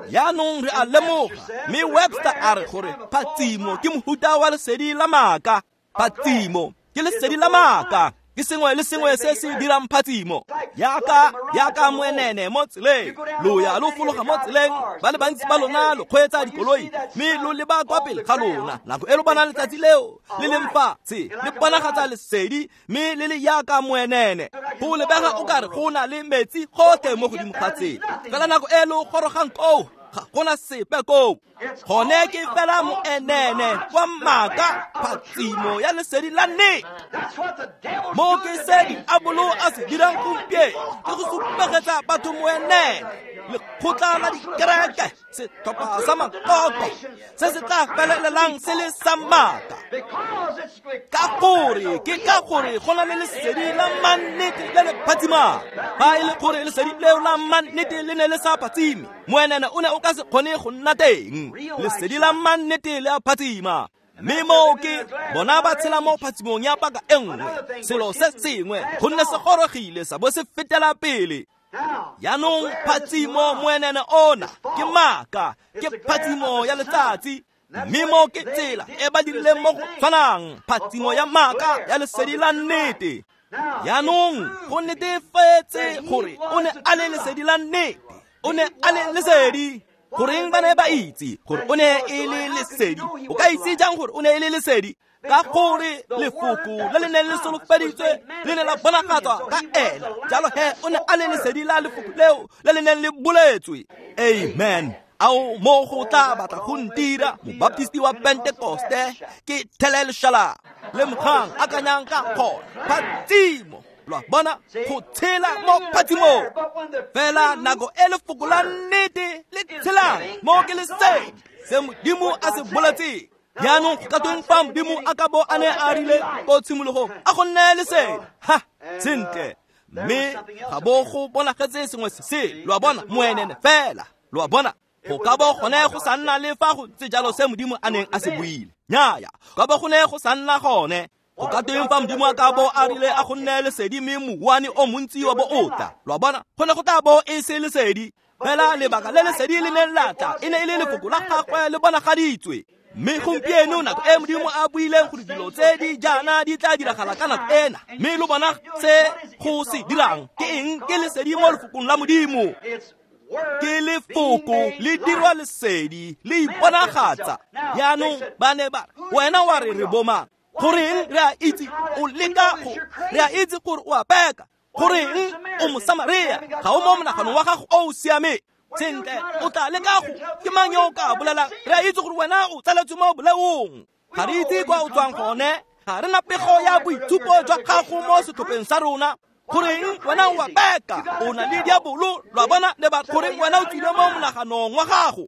Jaanong re a lemoga, mme Webster a re gore phatsimo ke mohuta wa lesedi la maaka. Phatsimo ke lesedi la maaka, ke sengwe le sengwe se se dirang phatsimo. Yaka yaka moenene mo tseleng, lo ya lo fologa mo tseleng, ba le bantsi ba lona lo kgweetsa dikoloi, mme lo leba kwa pele ga lona. Nako e lo bonang letsatsi leo le leng fatshe le bonagatsa lesedi, mme le le yaka moenene. Go lebega o kare go na le metsi gotlhe mo godimo ga tsela, fela nako e lo gorogang koo ga gona sepe koo. Gone ke fela moenene wa maaka, phatsimo ya lesedi la nnete. Mo ke se diabolo a se dirang gompieno ke go supegetsa batho moenene, lekgotla la dikereke, setlhopha sa makoko se se tla felelelang se le sa maaka. Ka gore ke ka gore go na le lesedi la mannete le le phatsimang. Fa e le gore lesedi leo la mannete le ne le sa phatsime, moenene o ne o ka se kgone go nna teng. Lesedi la mannete le a phatsima. Mme moo ke bona ba tshela mo phatsimong ya paka e nngwe, selo se sengwe, gonne se gorogile sa bo se fetela pele. Jaanong phatsimo moenene ona ke maaka, ke phatsimo ya letsatsi. Mme mo ke tsela e ba dirileng mo go tshwanang, phatsimo ya maaka ya lesedi la nnete. Jaanong go netefetse gore o ne a le lesedi la nnete, o ne a le lesedi. Goreng ba ne ba itse gore o ne e le lesedi? O ka itse jang gore o ne e le lesedi? Ka gore lefoko le le neng le solofeditswe le ne la bonagatswa ka ena. Jalo he o ne a le lesedi la lefoko leo le le neng le boletswe. Amen. Ao mo go tla batla go ntira mobaptisti wa Pentekoste ke thele leshala le mogang akanyang ka gona phatsimo. Lo a bona, go tshela mo phatsimong. Fela nako e lefoko la nnete le tshelang mo ke lesedi se Modimo a se boletseng. Jaanong go ka tweng fa Modimo a ka bo a ne a rile ko tshimologong a go nne lesedi? Ha, sentle. Mme ga bo go bonagetse sengwe se se, lo a bona, moenene fela. Lo a bona, go ka bo gone go sa nna le fa go ntse jalo se Modimo a neng a se buile. Nnyaya, ka bo go ne go sa nna gone. Go ka tweng fa Modimo a ka bo a rile a go nne lesedi mme mouwane o montsi wa bo o tla? Lo a bona, go ne go tla bo e se lesedi. Fela lebaka le lesedi le neng la tla e ne e le lefoko la gagwe le bonagaditswe. Mme gompieno nako e Modimo a buileng gore dilo tse di jaana di tla diragala ka nako ena, mme lo bona se go se dirang ke eng? Ke lesedi mo lefokong la Modimo. Ke lefoko le dirwa lesedi le iponagatsa. Jaanong ba ne ba re, wena wa re re bomang? Goreng re a itse o leka go, re a itse gore o a peka. Goreng o Mosamaria, ga o mo monaganong wa gago o o siameng. Sentle, o tla leka go, ke mang yo o ka bolelang? Re a itse gore wena o tsaletswe mo boleong. Ga re itse kwa o tswang gone, ga re na pego ya boitshupo jwa gago mo setlhopheng sa rona. Goreng wena o a peka, o na le diabolo. Lo a bona, le ba goreng wena o tswile mo monaganong wa gago.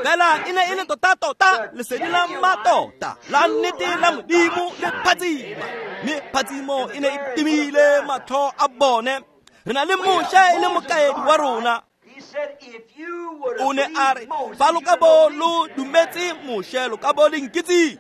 Fela e ne e le tota-tota lesedi la mmatota la nnete la Modimo le phatsima. Mme phatsimo e ne e timile matlho a bone. Re na le Moshe e le mokaedi wa rona. O ne a re, fa lo ka bo lo dumetse Moshe, lo ka bo le nkitse.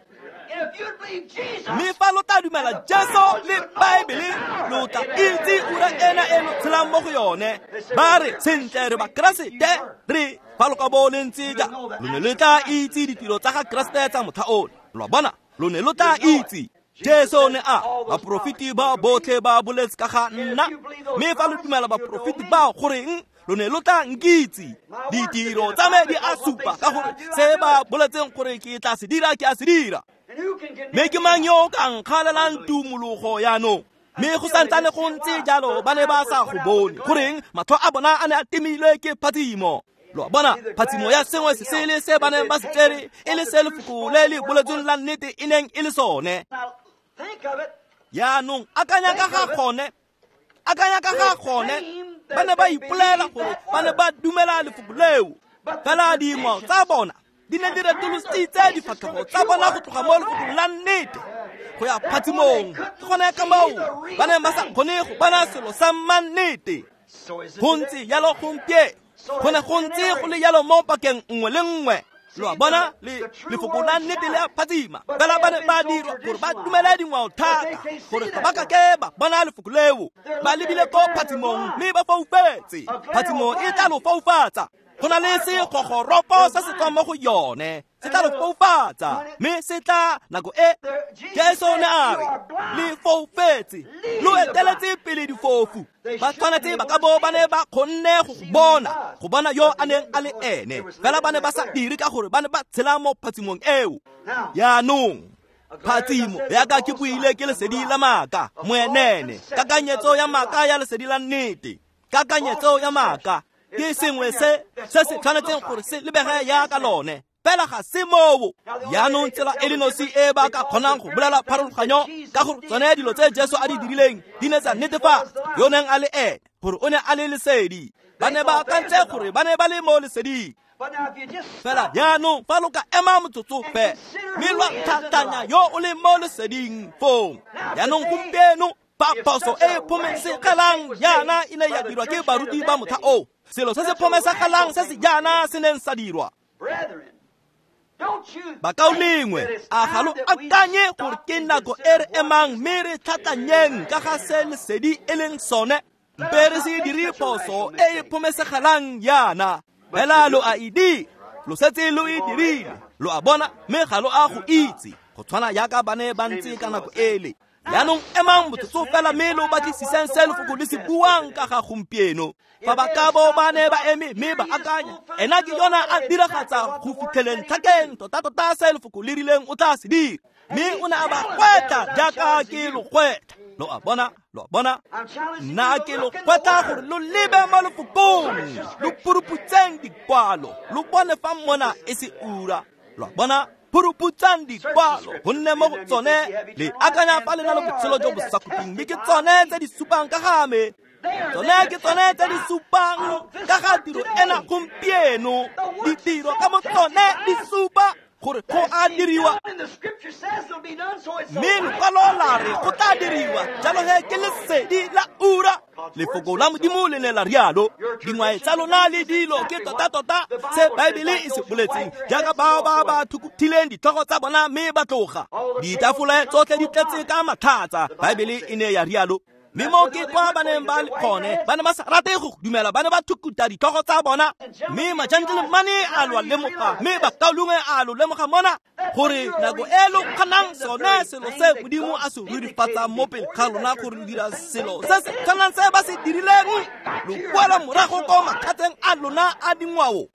Mme fa lo tla dumela Jesu le Baebele, lo tla itse ura ena e lo tshelang mo go yone. Ba re, sentle re ba Keresete, re fa lo ka bo le ntse ja, lo ne le tla itse ditiro tsa ga Keresete tsa motlha ono. Lo a bona, lo ne lo tla itse. Jesu ne a, baporofeti ba botlhe ba boletse ka ga nna. Mme fa lo dumela baporofeti bao, goreng lo ne lo tla nkitse? Ditiro tsa me di a supa ka gore se ba boletseng gore ke tla se dira, ke a se dira. Mme ke mang yo o ka nkgalelang tumologo jaanong? Mme go santsane go ntse jalo ba ne ba sa go bone. Goreng matlho a bona a ne a timilwe ke phatsimo. Lo a bona, phatsimo ya sengwe se sele se ba neng ba se tsere e le se lefoko le le boletsweng la nnete e neng e le sone. Jaanong akanya ka ga gone, akanya ka ga gone, ba ne ba ipolela gore ba ne ba dumela lefoko leo. Fela dingwao tsa bona di ne di retolositse difatlhego tsa bona go tloga mo lefokong la nnete go ya phatsimong. Ke gone ka moo ba neng ba sa kgone go bona selo sa mannete. Go ntse jalo gompieno, go ne go ntse go le jalo mo pakeng nngwe le nngwe. Lo a bona, le lefoko la nnete le a phatsima, fela ba ne ba dirwa gore ba dumele dingwao thata gore ga ba ka ke ba bona lefoko leo. Ba lebile ko phatsimong mme ba foufetse. Phatsimo e tla lo foufatsa. Go na le segogoropo se se tswang mo go yone, se tla lo foufatsa, mme se tla nako e Jesu o ne a re le foufetse, lo eteletse pele difofu. Ba tshwanetse ba ka bo ba ne ba kgonne go bona, go bona yo a neng a le ene, fela ba ne ba sa dire ka gore ba ne ba tshela mo phatsimong eo. Jaanong phatsimo yaka ke buile ke lesedi la maaka, moenene, kakanyetso ya maaka ya lesedi la nnete, kakanyetso ya maaka ke sengwe se se se tshwanetseng gore se lebege yaka lone, fela ga se moo. Jaanong tsela e le nosi e ba ka kgonang go bolela pharologanyo ka gore tsone dilo tse Jesu a di dirileng di ne tsa netefatsa yo neng a le ene, gore o ne a le lesedi. Ba ne ba akantse gore ba ne ba le mo leseding. Fela jaanong fa lo ka ema motsotso fe mme lwa tlhatlhanya yo o leng mo leseding foo. Jaanong gompieno fa phoso e e phomesegelang jaana e ne ya dirwa ke baruti ba motlha oo, selo se se phomesagalang se se jaana se neng sa dirwa. Bakaulengwe, a ga lo akanye gore ke nako e re emang mme re tlhatlhanyeng ka ga se lesedi e leng sone? Mpe re se dire phoso e e phomesegelang jaana. Fela lo a e dira, lo setse lo e dirile, lo a bona, mme ga lo a go itse, go tshwana jaaka ba ne ba ntse ka nako ele. Jaanong emang motsotso fela mme lo batlisiseng se lefoko le se buang ka ga gompieno. Fa ba ka bo ba ne ba eme mme ba akanya, ena ke yona a diragatsa go fitlheleng tlhakeng tota-tota se lefoko le rileng o tla se dira. Mme o ne a ba gwetla jaaka ke lo gwetla. Lo a bona, lo a bona, nna ke lo gwetla gore lo lebe mo lefokong, lo puruputseng dikwalo, lo bone fa mona e se ura. Lo a bona, puruputsang dikwalo, gonne mo go tsone le akanya fa le na le botshelo jo bo sa khutleng, mme ke tsone tse di supang ka ga me. Tsone ke tsone tse di supang ka ga tiro ena gompieno. Ditiro ka mo tsone di supa gore go a diriwa, mme lekwalo la re go tla diriwa. Jalo he ke lesedi la ura. Lefoko la Modimo le ne la rialo. Dingwae tsa lona le dilo ke tota-tota se Baebele e se boletseng, jaaka bao ba ba thukuthileng ditlhogo tsa bona mme ba tloga. Ditafole tsotlhe di tletse ka matlhatsa, Baebele e ne ya rialo. Mme mo ke kwa ba neng ba le gone, ba ne ba sa rate go dumela, ba ne ba thukuta ditlhogo tsa bona. Mme majantelemane a lo lemoga, mme bakaulengwe a lo lemoga mona gore nako e lo kgonang sone selo se Modimo a se rurifatsang mo pele ga lona gore lo dira selo se se tshwanang se ba se dirileng, lo boela morago ko mathateng a lona a dingwao.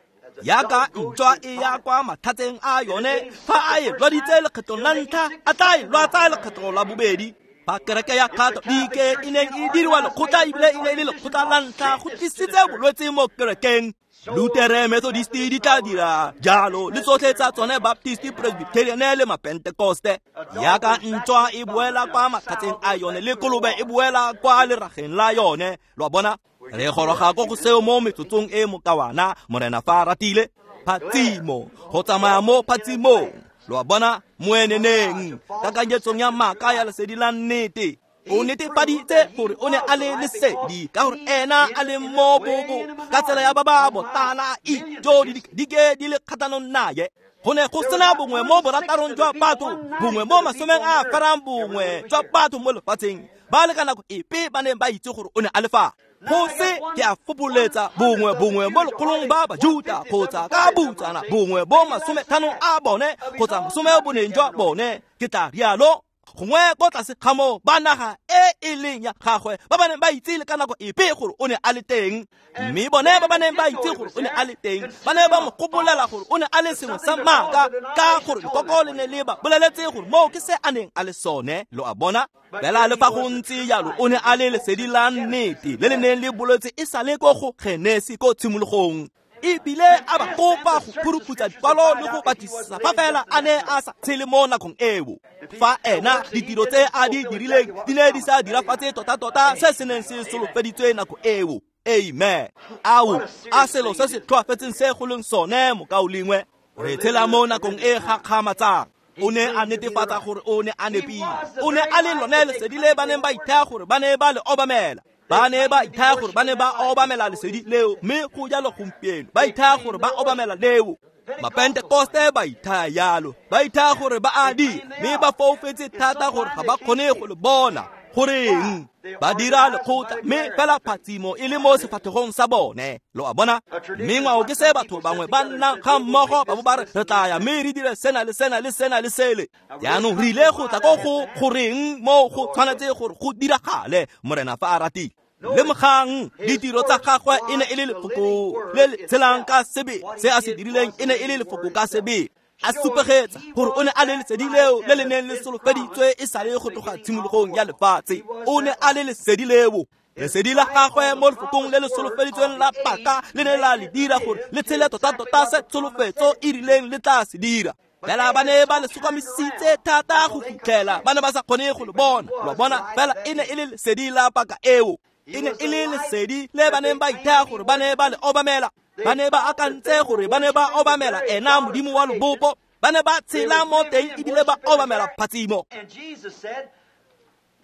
Yaka ntšwa e ya kwa mathateng a yone, fa a e lwaditse lekgetlong la ntlha, a tla e lwatsa lekgetlo la bobedi. Fa kereke ya Katolike e neng e diriwa lekgotla ebile e ne e le lekgotla la ntlha go tlisitse bolwetse mo kerekeng, Lutere, Methodist di tla dira jalo, le tsotlhe tsa tsone Baptist, Presbyterian le Mapentekoste. Yaka ntšwa e boela kwa mathatseng a yone, le kolobe e boela kwa lerageng la yone. Lo a bona, re goroga ko go seo mo metsotsong e mokawana, Morena fa a ratile. Phatsimo, go tsamaya mo phatsimong. Lo a bona, moeneneng, kakanyetsong ya maaka ya lesedi la nnete. O netefaditse gore o ne a le lesedi ka gore ena a le mo bobo ka tsela ya ba ba botala ijo dike di le kgatlhanong naye. Go ne go sena bongwe mo boratarong jwa batho, bongwe mo masomeng a ferang bongwe jwa batho mo lefatsheng ba le ka nako epe ba neng ba itse gore o ne a le fa. Go se ke a fopoletsa bongwe bongwe mo lekgolong ba Bajuta kgotsa ka butsana bongwe bo masometlhano a bone kgotsa masome boneng jwa bone, ke tla rialo gongwe ko tlase ga moo ba naga e e leng ya gagwe ba ba neng ba itse le ka nako epe gore o ne a le teng. Mme bone ba ba neng ba itse gore o ne a le teng ba ne ba mo gopolela gore o ne a le sengwe sa maaka, ka gore lekoko le ne le ba boleletse gore moo ke se a neng a le sone. Lo a bona, fela le fa go ntse jalo o ne a le lesedi la nnete le le neng le boletse e sa le ko go Genesi ko tshimologong. Ebile a ba kopa go phuruputsa dikwalo le go batlisisa fa fela a ne a sa tshele mo nakong eo. Fa ena ditiro tse a di dirileng di ne di sa dirafatse tota-tota se se neng se solofeditswe nako eo. Amen. Ao, a selo se se tlhoafetseng se go leng sone mokaulengwe. Re tshela mo nakong e gakgamatsang. O ne a netefatsa gore o ne a nepile. O ne a le lone lesedi le ba neng ba ithaya gore ba ne ba le obamela. Ba ne ba ithaya gore ba ne ba obamela lesedi leo, mme go jalo gompieno ba ithaya gore ba obamela leo. Mapentekoste ba ithaya yalo, ba ithaya gore ba a dira, mme ba foufetse thata gore ga ba kgone go le bona. Goreng ba dira lekgotla, mme fela phatsimo e le mo sefatlhegong sa bone. Lo a bona? Mme ngwao ke se batho bangwe ba nnang ga mmogo ba bo ba re re tla ya mme re dire sena le sena le sena le sele. Jaanong re ile go tla ko go goreng mo go tshwanetse gore go diragale, Morena fa a ratile. Lemogang ditiro tsa gagwe e ne e le lefoko le le tshelang ka sebe, se a se dirileng e ne e le lefoko ka sebe. A supegetsa gore o ne a le lesedi leo le le neng le solofeditswe e sale go tloga tshimologong ya lefatshe. O ne a le lesedi leo. Lesedi la gagwe mo lefokong le le solofeditsweng la paka le ne la le dira gore le tshele tota-tota se tsholofetso e rileng le tla se dira. Fela ba ne ba le sokamisitse thata go fitlhela ba ne ba sa kgone go le bona. Lo bona, fela e ne e le lesedi la paka eo. E ne e le lesedi le ba neng ba ithaya gore ba ne ba le obamela. Ba ne ba akantse gore ba ne ba obamela ena Modimo wa lobopo. Ba ne ba tshela mo teng ebile ba obamela phatsimo.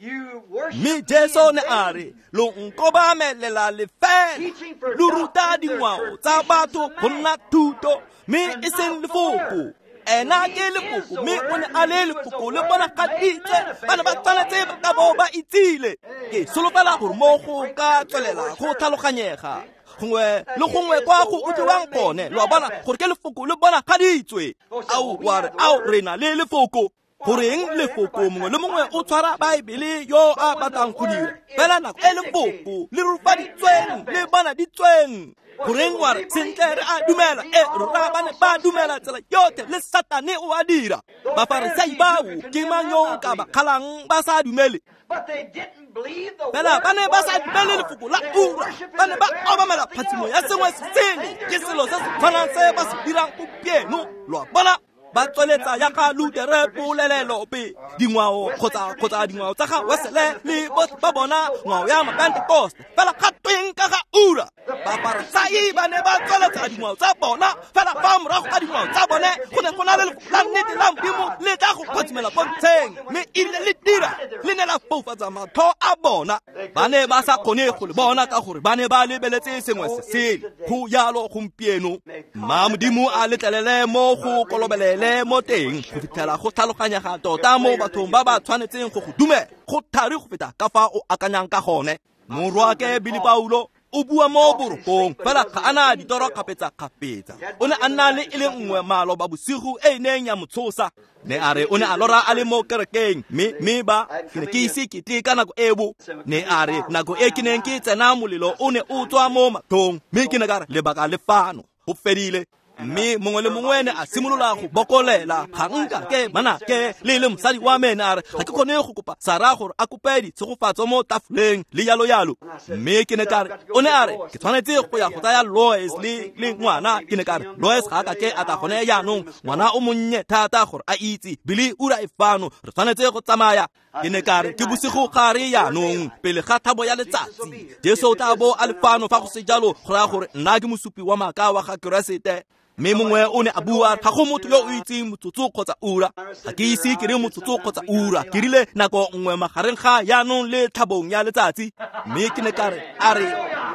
Mme Jesu ne a re, lo nkobamelela lefela, lo ruta dingwao tsa batho go nna thuto, mme e seng lefoko. Ena ke lefoko, mme o ne a le lefoko le bonagaditswe. Ba ne ba tshwanetse ba ka bo ba itsile. Ke solofela gore mo go ka tswelela go tlhaloganyega gongwe le gongwe kwa go utlwiwang gone. Lo a bona gore ke lefoko le bonagaditswe. Ao, wa re, ao, re na le lefoko. Goreng lefoko mongwe le mongwe o tshwara Baebele yo a batlang go dira, fela nako e lefoko le rurifaditsweng le bonaditsweng. Goreng wa re, sentle re a dumela, e rona ba ne ba dumela tsela yotlhe le Satane o a dira. Bafarisai bao ke mang yo o ka ba kgalang ba sa dumele? Fela ba ne ba sa dumele lefoko la ura, ba ne ba obamela phatsimo ya sengwe se sele. Ke selo se se tshwanang se ba se dirang gompieno. Lo a bona? Ba tsweletsa ya ga Lutere polelope, dingwao kgotsa kgotsa dingwao tsa ga Wesele le botlhe ba bona ngwao ya Mapentekoste. Fela ga tweng ka ga ura? Bafarisai ba ne ba tsweletsa dingwao tsa bona, fela fa morago ga dingwao tsa bone go ne go na le lefoko la nnete la Modimo le tla go phatsimela pontsheng, mme erile le dira le ne la foufatsa matlho a bona. Ba ne ba sa kgone go le bona ka gore ba ne ba lebeletse sengwe se sele. Go jalo gompieno. Mma Modimo a letlelele mo go kolobelele mo teng go fitlhela go tlhaloganyega tota mo bathong ba ba tshwanetseng go go dumela. Go thari go feta ka fa o akanyang ka gone. Morwaake Billy Paulo o bua mo borokong, fela ga a na ditoro kgapetsa-kgapetsa. O ne a nna le e le nngwe maloba bosigo e e neng ya mo tshosa. Ne a re o ne a lora a le mo kerekeng, mme mme ba ke ne ke ise ke tle ka nako eo. Ne a re nako e ke neng ke tsena molelo o ne o tswa mo mathong, mme ke ne ka re lebaka le fano, go fedile. Mme mongwe le mongwe ne a simolola go bokolela, ga nka ke mana ke le le mosadi wa me ne a re ga ke kgone go kopa Sara gore a kope ditshegofatso mo tafoleng le yalo yalo. Mme ke ne ka re, o ne a re ke tshwanetse go ya go tsaya Lois le le ngwana. Ke ne ka re Lois ga a ka ke a tla gone jaanong, ngwana o monnye thata gore a itse Billy ura e fano, re tshwanetse go tsamaya. Ke ne ka re ke bosigo gare jaanong pele ga thabo ya letsatsi, Jesu o tla bo a le fano. Fa go se jalo go raya gore nna ke mosupi wa maaka wa ga Keresete. Mme mongwe o ne a bua, ga go motho yo o itseng motsotso kgotsa ura. Ga ke ise ke re motsotso kgotsa ura, ke rile nako nngwe magareng ga jaanong le tlhabong ya letsatsi. Mme ke ne ka re, a re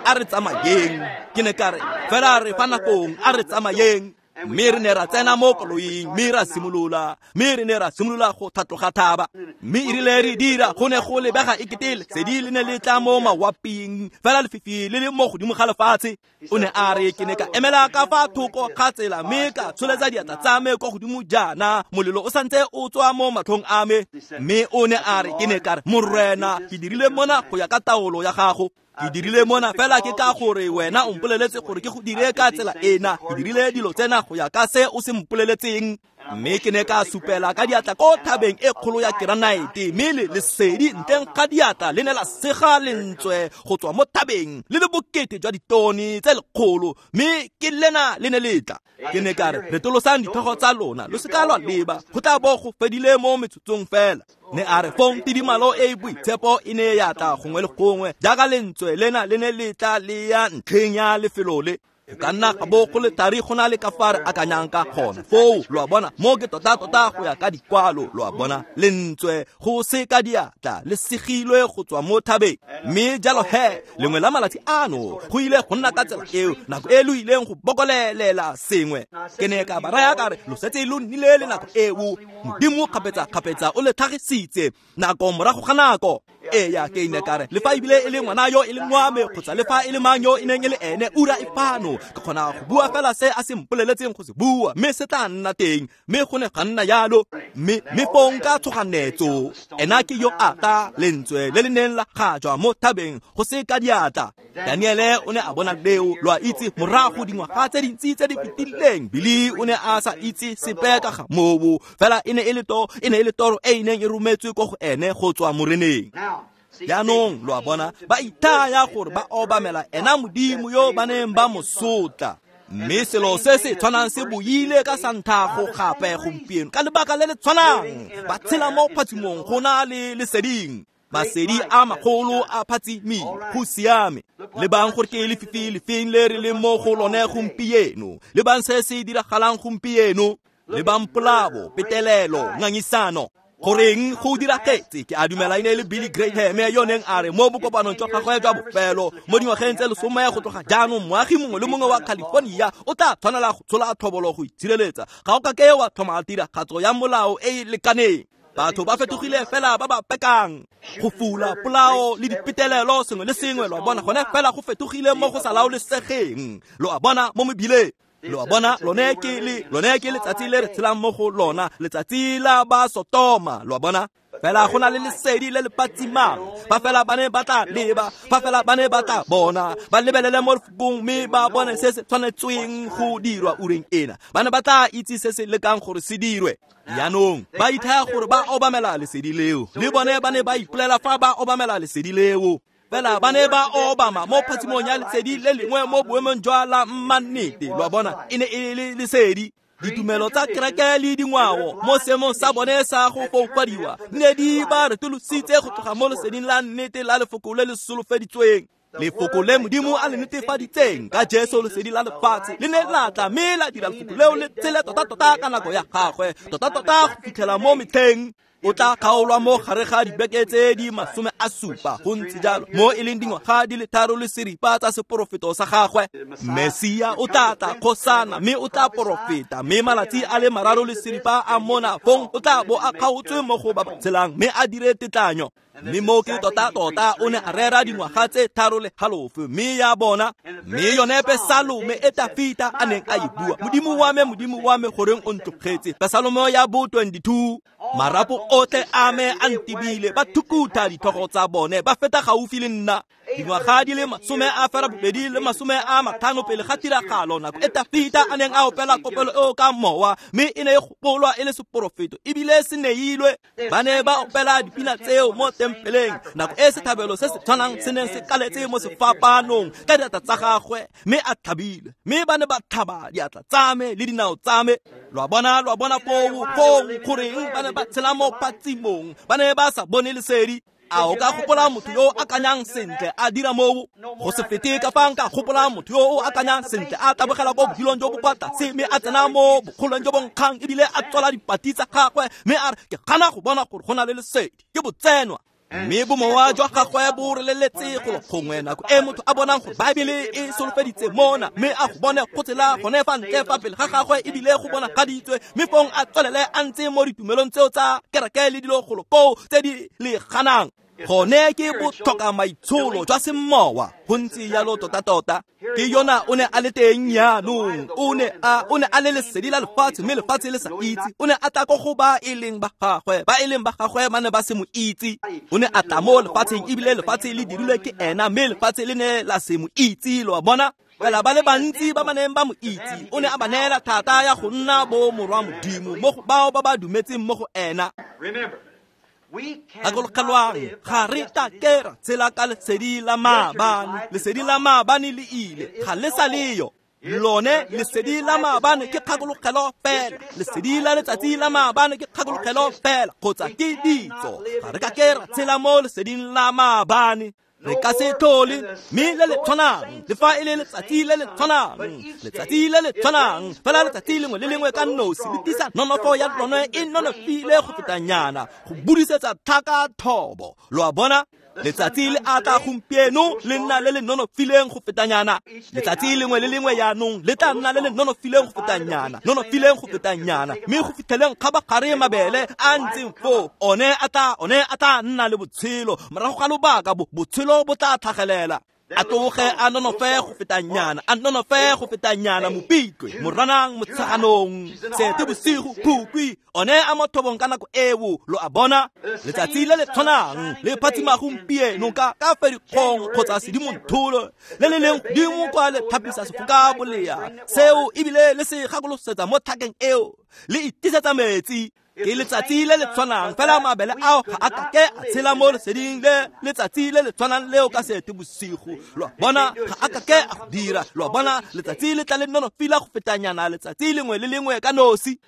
a re tsamayeng. Ke ne ka re fela re fa nakong, a re tsamayeng. Mme re ne ra tsena mo koloing, mme ra simolola, mme re ne ra simolola go tlhatloga thaba. Mme e rile re dira, go ne go lebega ekete lesedi le ne le tla mo mawaping, fela lefifi le le mo godimo ga lefatshe. O ne a re ke ne ka emela ka fa thoko ga tsela, mme ka tsholetsa diatla tsa me kwa godimo jaana, molelo o santse o tswa mo matlhong a me. Mme o ne a re ke ne ka re, Morena, ke dirile mona go ya ka taolo ya gago. Ke dirile mona fela ke ka gore wena o mpoleletse gore ke go dire ka tsela ena. Ke dirile dilo tsena go ya ka se o se mpoleletseng. Mme ke ne ka supela ka diatla ko thabeng e kgolo ya keranaete, mme le lesedi ntleng ga diatla le ne la sega lentswe go tswa mo thabeng le le bokete jwa ditone tse lekgolo, mme ke lena le ne le tla. Ke ne ka re, retolosang ditlhogo tsa lona, lo se ka lwa leba, go tla bo go fedile mo metsotsong fela. Ne a re fong tidimalo e e boitshepo e ne ya tla gongwe le gongwe jaaka lentswe lena le ne le tla le ya ntlheng ya lefelo le. Go ka nna ga bo go le thari go na le ka fa re akanyang ka gona foo, lo a bona, mo ke tota-tota go ya ka dikwalo, lo a bona, lentswe go se ka diatla le segilwe go tswa mo thabeng. Mme jalo he, lengwe la malatsi ano go ile go nna ka tsela eo, nako e lo ileng go bokolelela sengwe. Ke ne ka ba raya ka re, lo setse lo nnile le nako eo, Modimo kgapetsa-kgapetsa o le tlhagisitse nako morago ga nako. Eya, ke ne ka re, le fa ebile e le ngwana yo e leng wa me, kgotsa le fa e le mang yo e neng e le ene, ura e fano. Ke kgona go bua fela se a se mpoleletseng go se bua, mme se tla nna teng. Mme go ne ga nna jalo, mme mme fong ka tshoganetso, ena ke yo a tla, lentswe le le neng la gajwa mo thabeng go se ka diatla. Daniele o ne a bona leo, lo a itse, morago dingwaga tse dintsi tse di fetileng. Billy o ne a sa itse sepe ka ga moo, fela e ne e le to, e ne e le toro e e neng e rometswe ko go ene go tswa moreneng. Jaanong lo a bona, ba ithaya gore ba obamela ena Modimo yo ba neng ba mo sotla. Mme selo se se tshwanang se boile ka santhago gape gompieno ka lebaka le le tshwanang, ba tshela mo phatsimong go na le leseding. Masedi a magolo a phatsimile, go siame. Lebang gore ke lefifi lefeng le re leng mo go lone gompieno, lebang se se diragalang gompieno, lebang polao, petelelo, ngangisano. Goreng go diragetse? Ke a dumela e ne e le Billy Graham yo neng a re mo bokopanong jwa gagwe jwa bofelo mo dingwageng tse lesome go tloga jaanong, moagi mongwe le mongwe wa California o tla tshwanela go tshola tlhobolo go itshireletsa. Ga o ka ke wa tlhoma tiragatso ya molao e e lekaneng. Batho ba fetogile fela ba ba pekang, go fula, polao le dipetelelo, sengwe le sengwe, lo a bona, gone fela go fetogile mo go sa laolesegeng, lo a bona, mo mebileng. Lo a bona, lone ke le lone ke letsatsi le re tshelang mo go lona, letsatsi la ba Sotoma, lo a bona. Fela go na le lesedi le le phatsimang, ba fela ba ne ba tla leba, ba fela ba ne ba tla bona, ba lebelele mo lefokong mme ba bone se se tshwanetsweng go dirwa ureng ena. Ba ne ba tla itse se se lekang gore se dirwe. Jaanong ba ithaya gore ba obamela lesedi leo, le bone ba ne ba ipolela fa ba obamela lesedi leo. Fela ba ne ba obama mo phatsimong ya lesedi le lengwe mo boemong jwa la mmannete, lo a bona, e ne e le lesedi. Ditumelo tsa kereke le dingwao mo seemong sa bone sa go foufadiwa ne di ba retolositse go tloga mo leseding la nnete la lefoko le le solofeditsweng. Lefoko le Modimo a le netefaditseng ka Jesu lesedi la lefatshe le ne la tla mme la dira lefoko leo le tsele tota-tota ka nako ya gagwe, tota-tota go fitlhela mo metlheng. O tla kgaolwa mo gare ga dibeke tse di masome a supa, go ntse jalo, mo e leng dingwaga di le tharo le seripa tsa seporofeto sa gagwe. Mesia o tla tla kgosana mme o tla porofeta, mme malatsi a le mararo le seripa a mona fong o tla bo a kgaotswe mo go ba ba tshelang mme a dire tetlanyo. Mme mo ke tota-tota o ne a rera dingwaga tse tharo le halofo, mme ya bona, mme yone Pesalome e Tafita a neng a e bua, Modimo wa me, Modimo wa me, goreng o ntlogetse? Pesalome ya bo twenty-two. Marapo otlhe a me a ntibile, ba thukutha ditlhogo tsa bone, ba feta gaufi le nna. Dingwaga di le masome a ferabobedi le masome a matlhano pele ga tiragalo, nako e Tafita a neng a opela kopelo eo ka mowa, mme e ne e gopolwa e le seporofeto ebile se neilwe. Ba ne ba opela dipina tseo mo tempeleng, nako e sethabelo se se tshwanang se neng se kaletse mo sefapanong ka diatla tsa gagwe, mme a tlhabile, mme ba ne ba tlhaba diatla tsa me le dinao tsa me. Lo a bona, lo a bona foo, foo goreng ba ne ba tshela mo phatsimong, ba ne ba sa bone lesedi. A o ka gopola motho yo o akanyang sentle a dira moo? Go se fete ka fa nka gopola motho yo o akanyang sentle a tabogela ko bodilong jo bo kwa tlase, mme a tsena mo bokgolong jo bo nkgang ebile a tswala dipati tsa gagwe, mme a re, ke gana go bona gore go na le lesedi, ke botsenwa. Mme bomowa jwa gagwe bo releletse golo gongwe nako e motho a bonang gore Baebele e solofeditse mona, mme a go bone go tsela gone fa ntle fa pele ga gagwe ebile go bonagaditswe, mme fong a tswelele a ntse mo ditumelong tseo tsa kereke le dilo golo koo tse di le ganang. Gone ke botlhoka maitsholo jwa semowa, go ntse jalo tota-tota. Ke yona o ne a le teng jaanong, o ne a o ne a le lesedi la lefatshe, mme lefatshe le sa itse. O ne a tla ko go ba e leng ba gagwe, ba e leng ba gagwe ba ne ba se mo itse. O ne a tla mo lefatsheng ebile lefatshe le dirilwe ke ena, mme lefatshe le ne la se mo itse, lo a bona. Fela ba le bantsi ba ba neng ba mo itse, o ne a ba neela thata ya go nna bo morwa Modimo mo go bao ba ba dumetseng mo go ena. Gakologelwang, ga re ka ke ra tshela ka lesedi la maabane. Lesedi la maabane le ile, ga le sa leyo. Lone lesedi la maabane ke kgakologelo fela. Lesedi la letsatsi la maabane ke kgakologelo fela, kgotsa ke ditso. Ga re ka ke ra tshela mo leseding la maabane. Re ka se tlhole, mme le le tshwanang, le fa e le letsatsi le le tshwanang, letsatsi le le tshwanang, fela letsatsi lengwe le lengwe ka nosi le tlisa nonofo ya lone e nonofile go fetanyana, go budisetsa tlhaka thobo. Lo a bona? Letsatsi le a tla gompieno le nna le le nonofileng go fetanyana. Letsatsi lengwe le lengwe yaanong le tla nna le le nonofileng go fetanyana, nonofileng go fetanyana, mme go fitlheleng kgabagare mabele a ntseng foo, one a tla one a tla nna le botshelo. Morago ga lobaka botshelo bo tla tlhagelela. A tloge a nonofe go fetanyana, a nonofe go fetanyana, Mopitlwe, Moranang, Motsheganong, Seetebosigo, Phukwi, one a mo thobong ka nako eo. Lo a bona? Letsatsi le le tshwanang le phatsima gompieno ka ka Ferikgong kgotsa Sedimonthole, le le leng godimo kwa le thapisa sefoka bolea seo, ebile le se gakolosetsa mo tlhakeng eo, le itisetsa metsi. Ke letsatsi le le tshwanang, fela mabele ao ga a ka ke a tshela mo leseding le letsatsi le le tshwanang leo ka Seetebosigo. Lo a bona? Ga a ka ke a go dira. Lo a bona? Letsatsi le tla le nonofila go fetanyana letsatsi lengwe le lengwe ka nosi.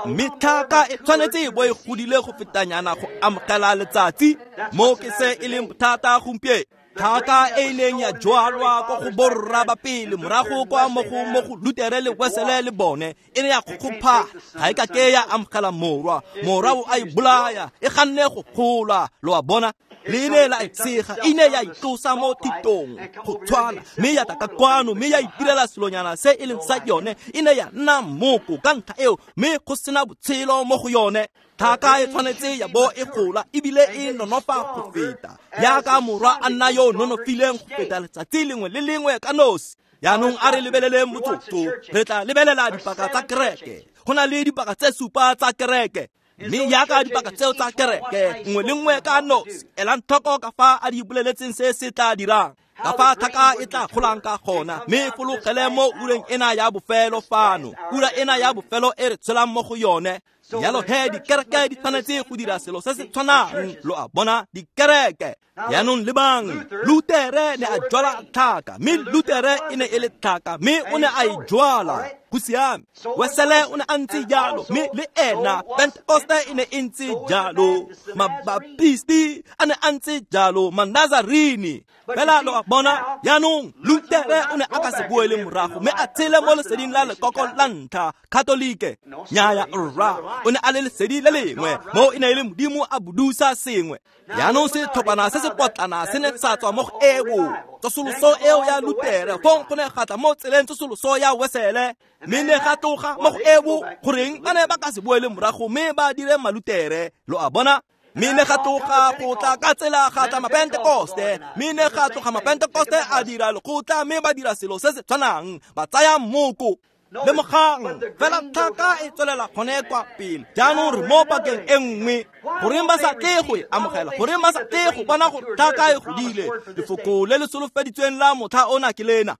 Mme tlhaka e tshwanetse e bo e godile go fetanyana go amogela letsatsi. Mo ke se e leng bothata gompieno. Tlhaka e ileng ya jwalwa ko go borra ba pele morago kwa mo go mo go Lutere le Wesele le bone, e ne ya kgokgopha, ga e ka ke ya amogela morwa. Morwa o a e bolaya, e ganne go gola. Lo a bona? Le ne la e tshega, e ne ya itlosa mo thitong go tshwana, mme ya tla ka kwano, mme ya itirela selonyana se e leng sa yone. E ne ya nna moko ka ntlha eo, mme go sena botshelo mo go yone. Tlhaka e tshwanetse ya bo e gola ebile e nonofa go feta, jaaka morwa a nna yo nonofileng go feta letsatsi lengwe le lengwe ka nosi. Yaanong a re lebeleleng motsotso, re tla lebelela dipaka tsa kereke. Go na le dipaka tse supa tsa kereke, mme jaaka dipaka tseo tsa kereke nngwe le nngwe ka nosi, elang tlhoko ka fa a di boleletseng se se tla dirang, ka fa tlhaka e tla golang ka gona, mme e fologele mo ureng ena ya bofelo fano, ura ena ya bofelo e re tshelang mo go yone. Jalo he dikereke di tshwanetse go dira selo se se tshwanang. Lo a bona? Dikereke. Yaanong lebang, Lutere ne a jwala tlhaka, mme Lutere e ne e le tlhaka, mme o ne a e jwala. Go siame. Wesele o ne a ntse jalo, mme le ena Pentekoste e ne e ntse jalo, Mabaptisti a ne a ntse jalo, Manazarini. Fela lo a bona? Yaanong Lutere o ne a ka se boele morago, mme a tshele mo leseding la lekoko la ntlha, Katolike. Nnyaya rra, o ne a le lesedi le lengwe, mo e ne e le Modimo a budusa sengwe. Yaanong setlhophana se se potlana se ne sa tswa mo go eo tsosoloso eo ya Lutere, fong go ne ga tla mo tseleng tsosoloso ya Wesele, mme ne ga tloga mo go eo. Goreng ba ne ba ka se boele morago mme ba dire Malutere? Lo a bona? Mme ne ga tloga go tla ka tsela ga tla Mapentekoste, mme ne ga tloga Mapentekoste a dira lekgotla, mme ba dira selo se se tshwanang, ba tsaya moko. Lemogang, fela tlhaka e tswelela gone kwa pele. Jaanong re mo pakeng e nngwe. Goreng ba sa tle go e amogela? Goreng ba sa tle go bona gore tlhaka e godile? Lefoko le le solofeditsweng la motlha ona ke lena.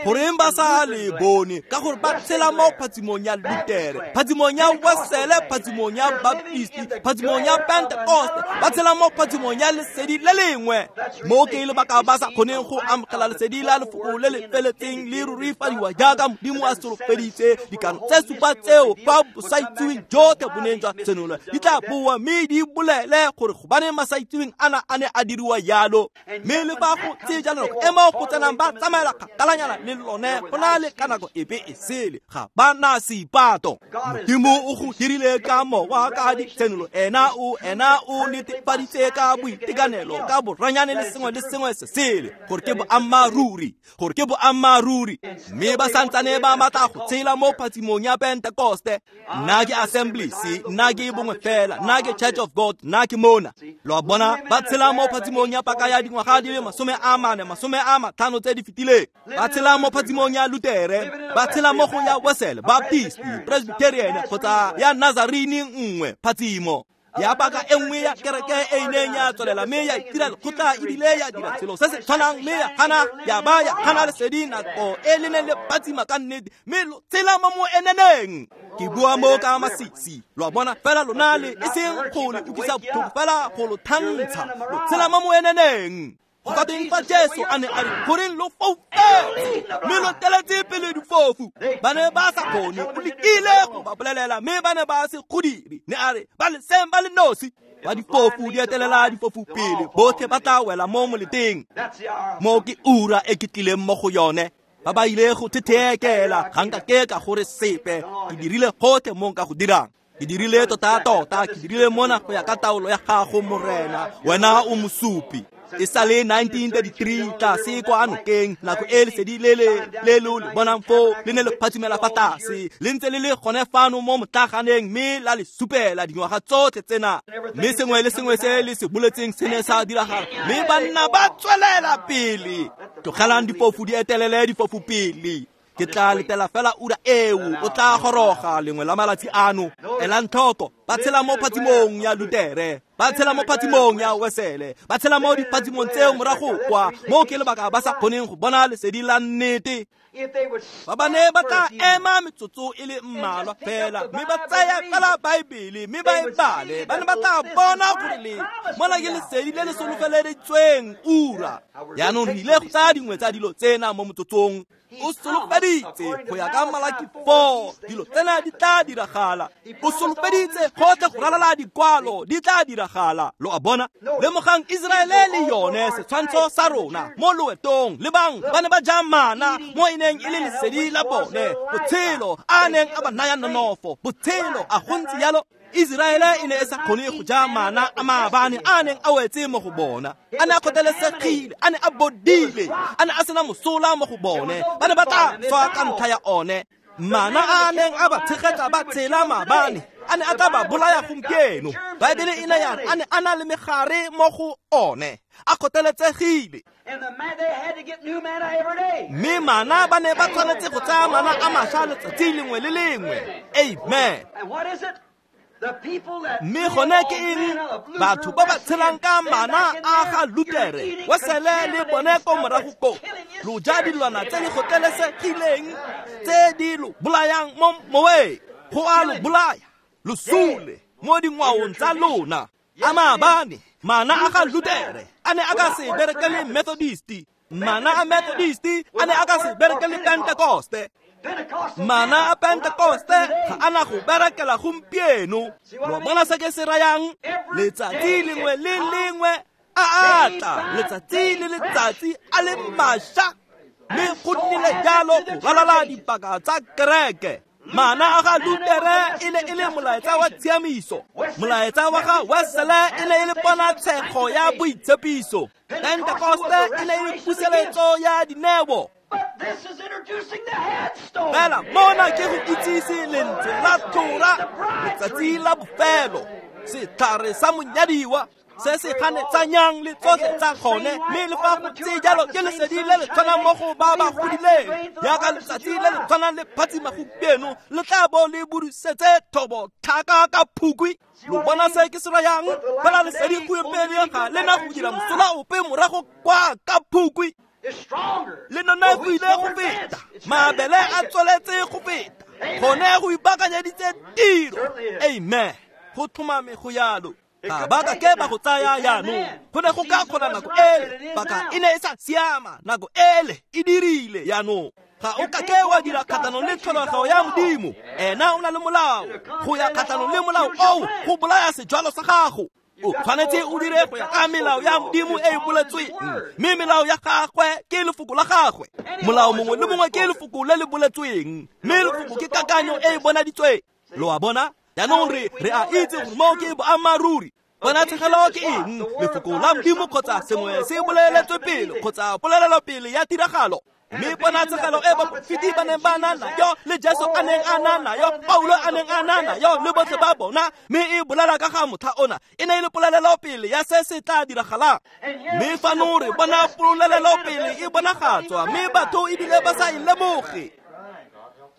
Goreng ba sa le bone? Ka gore ba tshela mo phatsimong ya Lutere, phatsimong ya Wesele, phatsimong ya Baptisti, phatsimong ya Pentekoste, ba tshela mo phatsimong ya lesedi le lengwe. Mo ke lebaka ba sa kgoneng go amogela lesedi la lefoko le le feletseng le rurifadiwa jaaka Modimo a solofeditse. Dikano tse supa tseo fa bosaitseweng jotlhe bo neng jwa senolwa di tla boa mme di bolele gore gobaneng masaitseweng ana a ne a diriwa jalo. Mme le fa go tse jalo nako e mo go tsenang ba tsamaela kgakalanyana le lone go na le ka nako epe e sele, ga ba na seipato. Modimo o go dirile ka mowa ka ditshenolo, ena o ena o netefaditse ka boitekanelo, ka boranyane le sengwe le sengwe se sele, gore ke boammaaruri, gore ke boammaaruri. Mme ba santsane ba batla go tshela mo phatsimong ya Pentekoste. Nna ke Assemblies, nna ke bongwe fela, nna ke Church of God, nna ke mona. Lo a bona? Ba tshela mo phatsimong ya paka ya dingwaga di le masome a mane, masome a matlhano tse di fetileng. Ba tshela mo phatsimong ya Lutere, ba tshela mo go ya Wesele, Baptist, Presbyterian kgotsa ya Nazarene nngwe phatsimo. Ya paka e nngwe ya kereke e e neng ya tswelela mme ya itira lekgotla ebile ya dira selo se se tshwanang mme ya gana ya ba ya gana lesedi nako e le neng le phatsima ka nnete mme lo tshela mo moeneneng. Ke bua mo ka masisi, lo a bona, fela lona le e seng go le utlwisa botlhoko fela go lo thantsha, lo tshela mo moeneneng. Go ka tweng fa Jesu a ne a re goreng lo foufetse mme lo teletse pele difofu? Ba ne ba sa kgone, o lekile go ba bolelela mme ba ne ba se go dire. Ne a re ba leseng ba le nosi, ba difofu di etelela difofu pele, botlhe ba tla wela mo moleteng. Mo ke ura e ke tlileng mo go yone. Ba ba ile go thetheekela, ga nka ke ka gore sepe, ke dirile gotlhe mo nka go dirang. Ke dirile tota-tota, ke dirile mona go ya ka taolo ya gago Morena, wena o mosupi. E sa le nineteen thirty-three tlase kwa nokeng, nako e lesedi le le le lo le bonang foo le ne le phatsimela fa tlase, le ntse le le gone fano mo motlaganeng mme la le supela dingwaga tsotlhe tsena, mme sengwe le sengwe se le se boletseng se ne sa diragala, mme banna ba tswelela pele. Tlogelang difofu di etelele difofu pele. Ke tla letela fela ura eo, o tla goroga lengwe la malatsi ano. Elang tlhoko, ba tshela mo phatsimong ya Lutere, ba tshela mo phatsimong ya Wesele, ba tshela mo diphatsimong tseo morago kwa, mo ke lebaka ba sa kgoneng go bona lesedi la nnete. Ba ba ne ba tla ema metsotso e le mmalwa fela mme ba tsaya fela Baebele mme ba e bale, ba ne ba tla bona gore le mona ke lesedi le le solofeleditsweng ura. Jaanong re ile go tsaya dingwe tsa dilo tsena mo motsotsong. O solofeditse go ya ka Malaki four, dilo tsena di tla diragala. O solofeditse gotlhe go ralala dikwalo di tla diragala. Lo a bona? Lemogang Iseraele le yone setshwantsho sa rona mo loetong. Lebang, ba ne ba ja mana mo e neng e le lesedi la bone, botshelo a neng a ba naya nonofo, botshelo a go ntse jalo. Iseraele e ne e sa kgone go ja mana a maabane a neng a wetse mo go bona, a ne a kgotlelesegile, a ne a bodile, a ne a sena mosola mo go bone, ba ne ba tla swa ka ntlha ya one. Mana a neng a ba tshegetsa ba tshela maabane, a ne a tla ba bolaya gompieno. Baebele e ne ya re a ne a na le megare mo go one, a kgotleletsegile. Mme mana ba ne ba tshwanetse go tsaya mana a mašwa letsatsi lengwe le lengwe. Amen. Mme gone ke eng? Batho ba ba tshelang ka mana a ga Lutere, Wesele le bone ko morago ko, lo ja dilwana tse di kgotlelesegileng tse di lo bolayang mo moweng, go a lo bolaya, lo sule mo dingwaong tsa lona. A maabane mana a ga Lutere a ne a ka se berekele Methodisti, mana a Methodisti a ne a ka se berekele Pentecoste, mana a Pentecoste ga a na go berekela gompieno. Lo bona se ke se rayang? Letsatsi lengwe le lengwe a a tla, letsatsi le letsatsi a le mašwa, mme go nnile jalo go ralala dipaka tsa kereke. Mana a ga Lutere e ne e le molaetsa wa tshiamiso, molaetsa wa ga Wesele e ne e le ponatshego ya boitshepiso, Pentecoste e ne e le puseletso ya dineo. Fela mona ke go itsise lentswe la tlhora, letsatsi la bofelo, setlhare sa monyadiwa se se ganetsanyang le tsotlhe tsa gone, mme le fa go ntse jalo ke lesedi le le tshwanang mo go ba ba godileng, jaaka letsatsi le le tshwanang le phatsima gompieno le tla bo le budusetse thobo tlhaka ka phukwi. Lo bona se ke se rayang? Fela lesedi gompieno ga le na go dira mosola ope morago kwa ka phukwi. Le nonofile go feta, mabele a tsweletse go feta, gone go ipaakanyeditse tiro. Amen. Go tlhomame go yalo. Ga ba ka ke ba go tsaya jaanong, go ne go ka kgona nako ele, paka e ne e sa siama, nako ele e dirile jaanong. Ga o ka ke wa dira kgatlhanong le tlholego ya Modimo, ena o na le molao. Go ya kgatlhanong le molao oo go bolaya sejwalo sa gago. O tshwanetse o dire go ya ka melao ya Modimo e e boletsweng, mme melao ya gagwe ke lefoko la gagwe. Molao mongwe le mongwe ke lefoko le le boletsweng, mme lefoko ke kakanyo e e bonaditsweng. Lo a bona? Jaanong re re a itse gore moo ke boammaaruri. Ponatshegelo ke eng? Lefoko la Modimo kgotsa sengwe se boleletswe pele kgotsa polelelopele ya tiragalo. Mme ponatshegelo e baporofeti ba neng ba na nayo, le Jesu a neng a na nayo, Paulo a neng a na nayo, le botlhe ba bona, mme e bolela ka ga motlha ona, e ne e le polelelopele ya se se tla diragalang. Mme fano re bona polelelopele e bonagatswa, mme batho ebile ba sa e lemoge.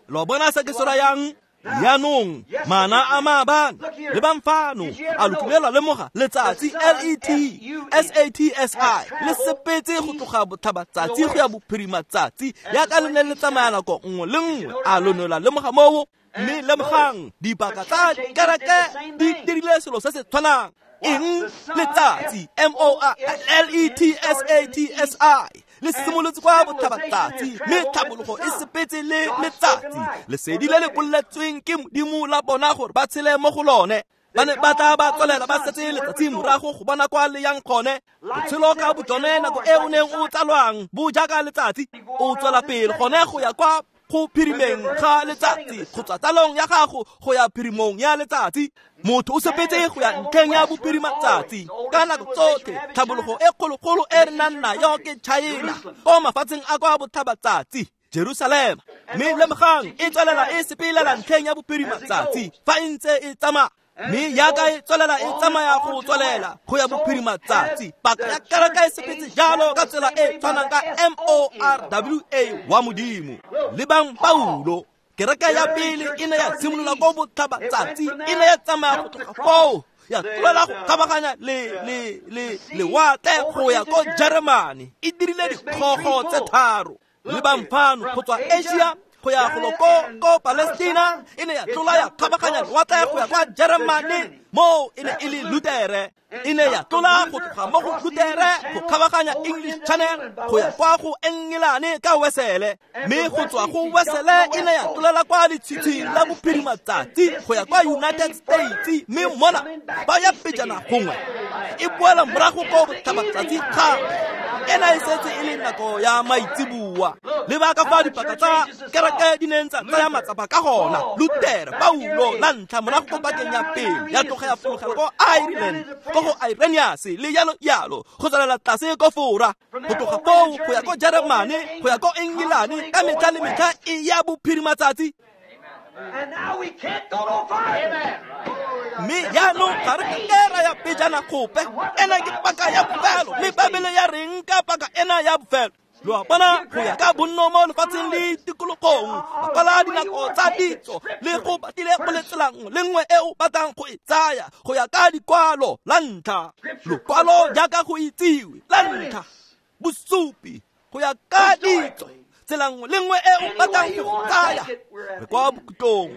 Lo bona se ke se rayang? Jaanong mana a maabane lebang fano a lo kile lwa lemoga letsatsi L E T S A T S I le sepetse go tloga botlhabatsatsi go ya bophirimatsatsi yaka le ne le tsamaya nako nngwe le nngwe a lo ne lwa lemoga moo mme lemogang dipaka tsa kereke di dirile selo se se tshwanang eng letsatsi M O R L E T S A T S I le simolotse kwa botlhabatsatsi mme tlhabologo e sepetse le letsatsi lesedi le le boletsweng ke Modimo la bona gore ba tshele mo go lone ba ne ba tla ba tswelela ba setse letsatsi morago go bona kwa le yang gone botshelo ka botsone nako e o neng o tsalwang bo jaaka letsatsi o tswela pele gone go ya kwa go phirimeng ga letsatsi go tswa tsalong ya gago go ya phirimong ya letsatsi motho o sepetse go ya ntlheng ya bophirimatsatsi ka nako tsotlhe tlhabologo e kgologolo e re nang nayo ke China ko mafatsheng a kwa botlhabatsatsi Jerusalema mme lemogang e tswelela e sepelela ntlheng ya bophirimatsatsi fa e ntse e tsamaya mme yaka e tswelela e tsamaya go tswelela go ya bophirimatsatsi paka ya kereke e sepetse jalo ka tsela e tshwanang ka M O R W A wa Modimo lebang Paulo kereke ya pele e ne ya simolola ko botlhabatsatsi e ne ya tsamaya go tloga foo ya tlolela go kgabaganya le le le lewatle go ya ko Jeremane e dirile dikgogo tse tharo lebang fano go tswa Asia go ya go ko ko Palestina e ne ya tlola ya kgabaganya lewatle go ya kwa Jeremane moo e ne e le Lutere e ne ya tlola go tloga mo go Lutere go kgabaganya English Channel go ya kwa go Engelane ka Wesele mme go tswa go Wesele e ne ya tlolela kwa letshitshing la bophirimatsatsi go ya kwa United States mme mona ba ya pejana gongwe e boela morago ko botlhabatsatsi gape ena e setse e le nako ya maitseboa lebaka fa dipaka tsa kereke di neng tsa tsaya matsapa ka gona Lutere Paulo la ntlha morago ko pakeng ya pele ya tloga ya fologela ko Ireland ko go Irenaeus le yalo yalo go tswelela tlase ko Fora go tloga foo go ya ko Jeremane go ya ko Engelane ka metlha le metlha e ya bophirimatsatsi mme jaanong ga re ka ra ya pejana gope ena ke paka ya bofelo mme Babele ya reng ka paka ena ya bofelo lo a bona go ya ka bonno mo lefatsheng le tikologong ba kwala dinako tsa ditso le go batlile go le tsela nngwe le nngwe e o batlang go e tsaya go ya ka dikwalo la ntlha lokwalo jaaka go itsiwe la ntlha bosupi go ya ka ditso tsela nngwe le nngwe e o batlang go tsaya re kwa bokhutlong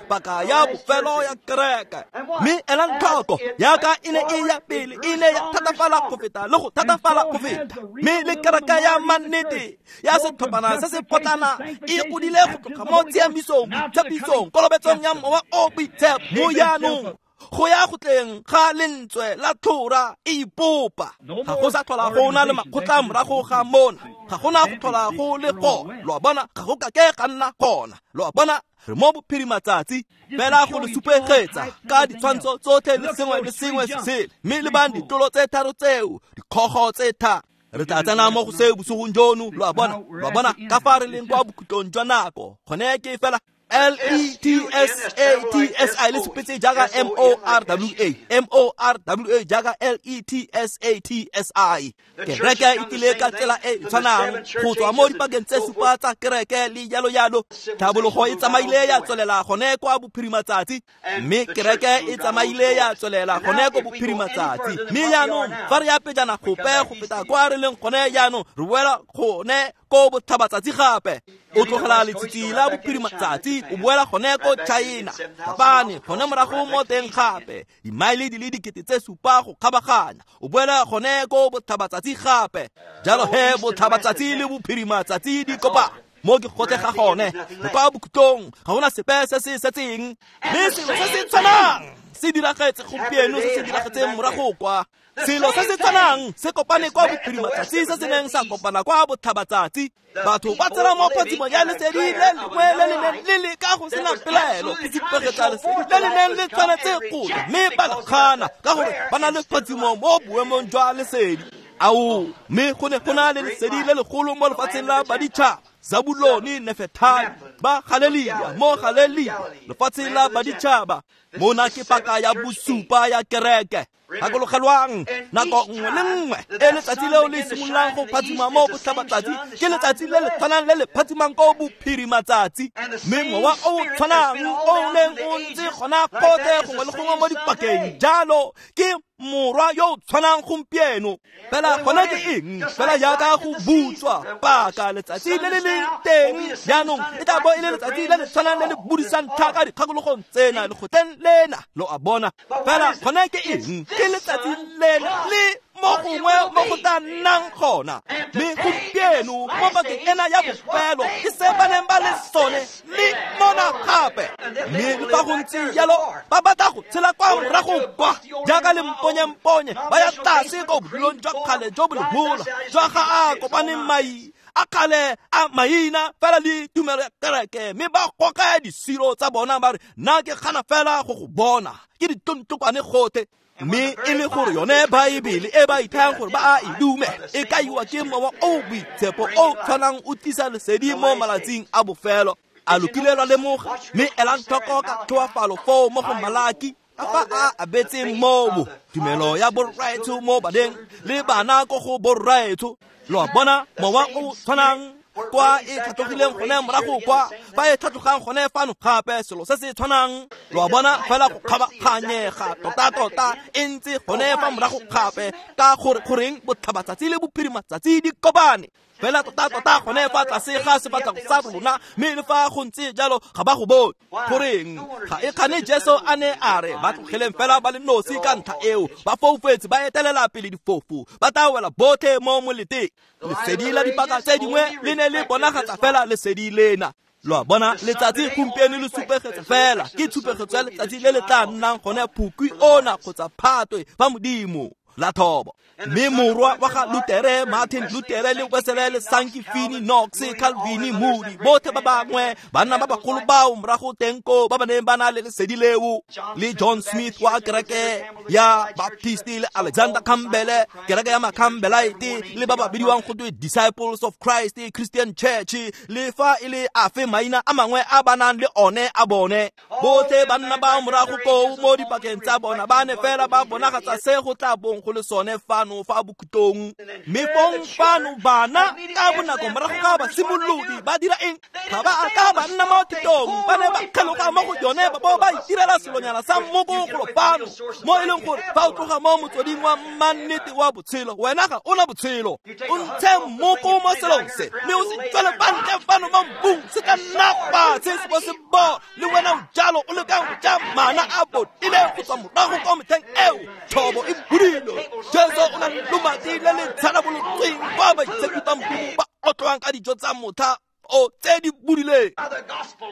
paka ya bofelo ya kereke mme elang tlhoko yaka e ne e ya pele e ne ya thatafala go feta le go thatafala go feta mme le kereke ya mannete ya setlhophana se se potlana e godile go tloga mo tshiamisong boitshepisong kolobetsong ya mowa o boitshepo mo jaanong go ya go tleng ga lentswe la tlhora e ipopa ga go sa tlhola go na le makgotla morago ga mona ga gona go tlhola go le gona lo a bona ga go kake ga nna gona lo a bona re mo bophirimatsatsi fela go le supegetsa ka ditshwantsho tsotlhe le sengwe le sengwe se sele mme lebang ditlolo tse tharo tseo dikgogo tse tharo re tla tsena mo go seo bosigong jono lo a bona lo a bona ka fa re leng kwa bokhutlong jwa nako gone ke fela L E T S A T S I le sepetse jaaka M O R W A M O R W A jaaka L E T S A T S I kereke e tlile ka tsela e tshwanang go tswa mo dipakeng tse supa tsa kereke le jalo jalo tlhabologo e tsamaile ya tswelela gone kwa bophirimatsatsi mme kereke e tsamaile ya tswelela gone ko bophirimatsatsi mme jaanong fa re ya pejana gope go feta kwa re leng gone jaanong re boela gone ko botlhabatsatsi gape o tlogela letsitsi la bophirimatsatsi o boela gone ko China Japane gone morago mo teng gape dimaele di le dikete tse supa go kgabaganya o boela gone ko botlhabatsatsi gape jalo he botlhabatsatsi le bophirimatsatsi di kopa mo ke gotlhe ga gone re kwa bokhutlong ga gona sepe se se setseng mme selo se se tshwanang se diragetse gompieno se se diragetseng morago kwa selo se se tshwanang se kopane kwa bophirimatsatsi se se neng sa kopana kwa botlhabatsatsi batho ba tsena mo phatsimong ya lesedi le lengwe le le neng le le ka go sena pelaelo go supegetsa lesedi le le neng le tshwanetse go tla mme ba le gana ka gore ba na le phatsimo mo boemong jwa lesedi ao mme go ne go na le lesedi le legolo mo lefatsheng la baditšhaba Zabuloni Nefetali ba Galelia mo Galelia lefatsheng la baditšhaba Mona ke paka ya bosupa ya kereke. Gakologelwang, nako nngwe le nngwe e letsatsi leo le simololang go phatsima mo botlhabatsatsi ke letsatsi le le tshwanang le le phatsimang ko bophirimatsatsi. Mme mowa o o tshwanang o o neng o ntse gona gotlhe gongwe le gongwe mo dipakeng jalo ke morwa yo o tshwanang gompieno. Fela gona ke eng? Fela jaaka go butswa paka letsatsi le le leng teng jaanong e tla bo e le letsatsi le le tshwanang le le budisang tlhaka dikgakologong tsena lekgotleng lena, lo a bona. Fela gona ke eng? Ke letsatsi lena le mo gongwe mo go tla nnang gona. Mme gompieno mo pakeng ena ya bofelo ke se ba neng ba le sone le mona gape. Mme le fa go ntse jalo ba batla go tshela kwa morago kwa jaaka lemponyemponye ba ya tlase ko bodulong jwa kgale jo bo lehola jwa ga a kopaneng mai a kgale a maina fela le tumelo ya kereke, mme ba goka disiro tsa bona ba re nna ke gana fela go go bona ke ditontlokwane gotlhe. Mme e le gore yone Baebele e ba ithayang gore ba a e dumela e kaiwa ke mowa o o boitshepo o tshwanang o tlisa lesedi mo malatsing a bofelo. A lo kile lwa lemoga? Mme elang tlhoko ka tlhoafalo foo mo go Malaki ka fa a abetseng moo tumelo ya borraetsho mo baneng le bana ko go borraetsho. Lo a bona mowa o tshwanang kwa e tlhatlogileng gone morago kwa fa e tlhatlogang gone fano gape selo se se tshwanang. Lo a bona fela go kgabaganyega tota-tota e ntse gone fa morago gape ka gore goreng botlhabatsatsi le bophirimatsatsi di kopane fela tota-tota gone fa tlase ga sefatlhego sa rona. Mme le fa go ntse jalo ga ba go bone. Goreng? Ga e kgane Jesu a ne a re ba tlogeleng fela ba le nosi ka ntlha eo, ba foufetse ba etelela pele difofu, ba tla wela botlhe mo moleteng. Lesedi la dipaka tse dingwe le ne le bonagatsa fela lesedi lena. Lo a bona letsatsi gompieno le supegetsa fela ke tshupegetso ya letsatsi le le tla nnang gone phukwi ona kgotsa phatwe fa Modimo la thobo. Mme morwa wa ga Lutere, Martin Lutere le Wesele le Sankey, Finney, Knox, Calvin, Moody, botlhe ba bangwe banna ba bagolo bao morago teng ko ba ba neng ba na le lesedi leo, le John Smith wa kereke ya Baptist le Alexander Campbell kereke ya Macampbellite le ba ba bidiwang go twe Disciples of Christ Christian Church le fa e le afe maina a mangwe a ba nang le one a bone. Botlhe banna ba morago koo mo dipakeng tsa bona ba ne fela ba bonagatsa se go tla bong go le sone fano fa bokhutong. Mme fong fano bana ka bonako morago ga basimolodi ba dira eng? Ga ba a ka ba nna mo thutong, ba ne ba kgeloga mo go yone ba bo ba itirela selonyana sa mmoko golo fano mo e leng gore fa o tloga mo motsweding wa mannete wa botshelo wena ga o na botshelo. O ntshe mmoko mo selong se mme o se tswele fa ntle fano mo mbung, se tla nna fatshe se bo se bo le wena o jalo o lekang go ja mana a bodile go tswa morago kwa metlheng eo thobo e budile. Jesu o na le lomati le le tsharabolotsweng kwa baitshepi ba Modimo ba otlwang ka dijo tsa motha o tse di budileng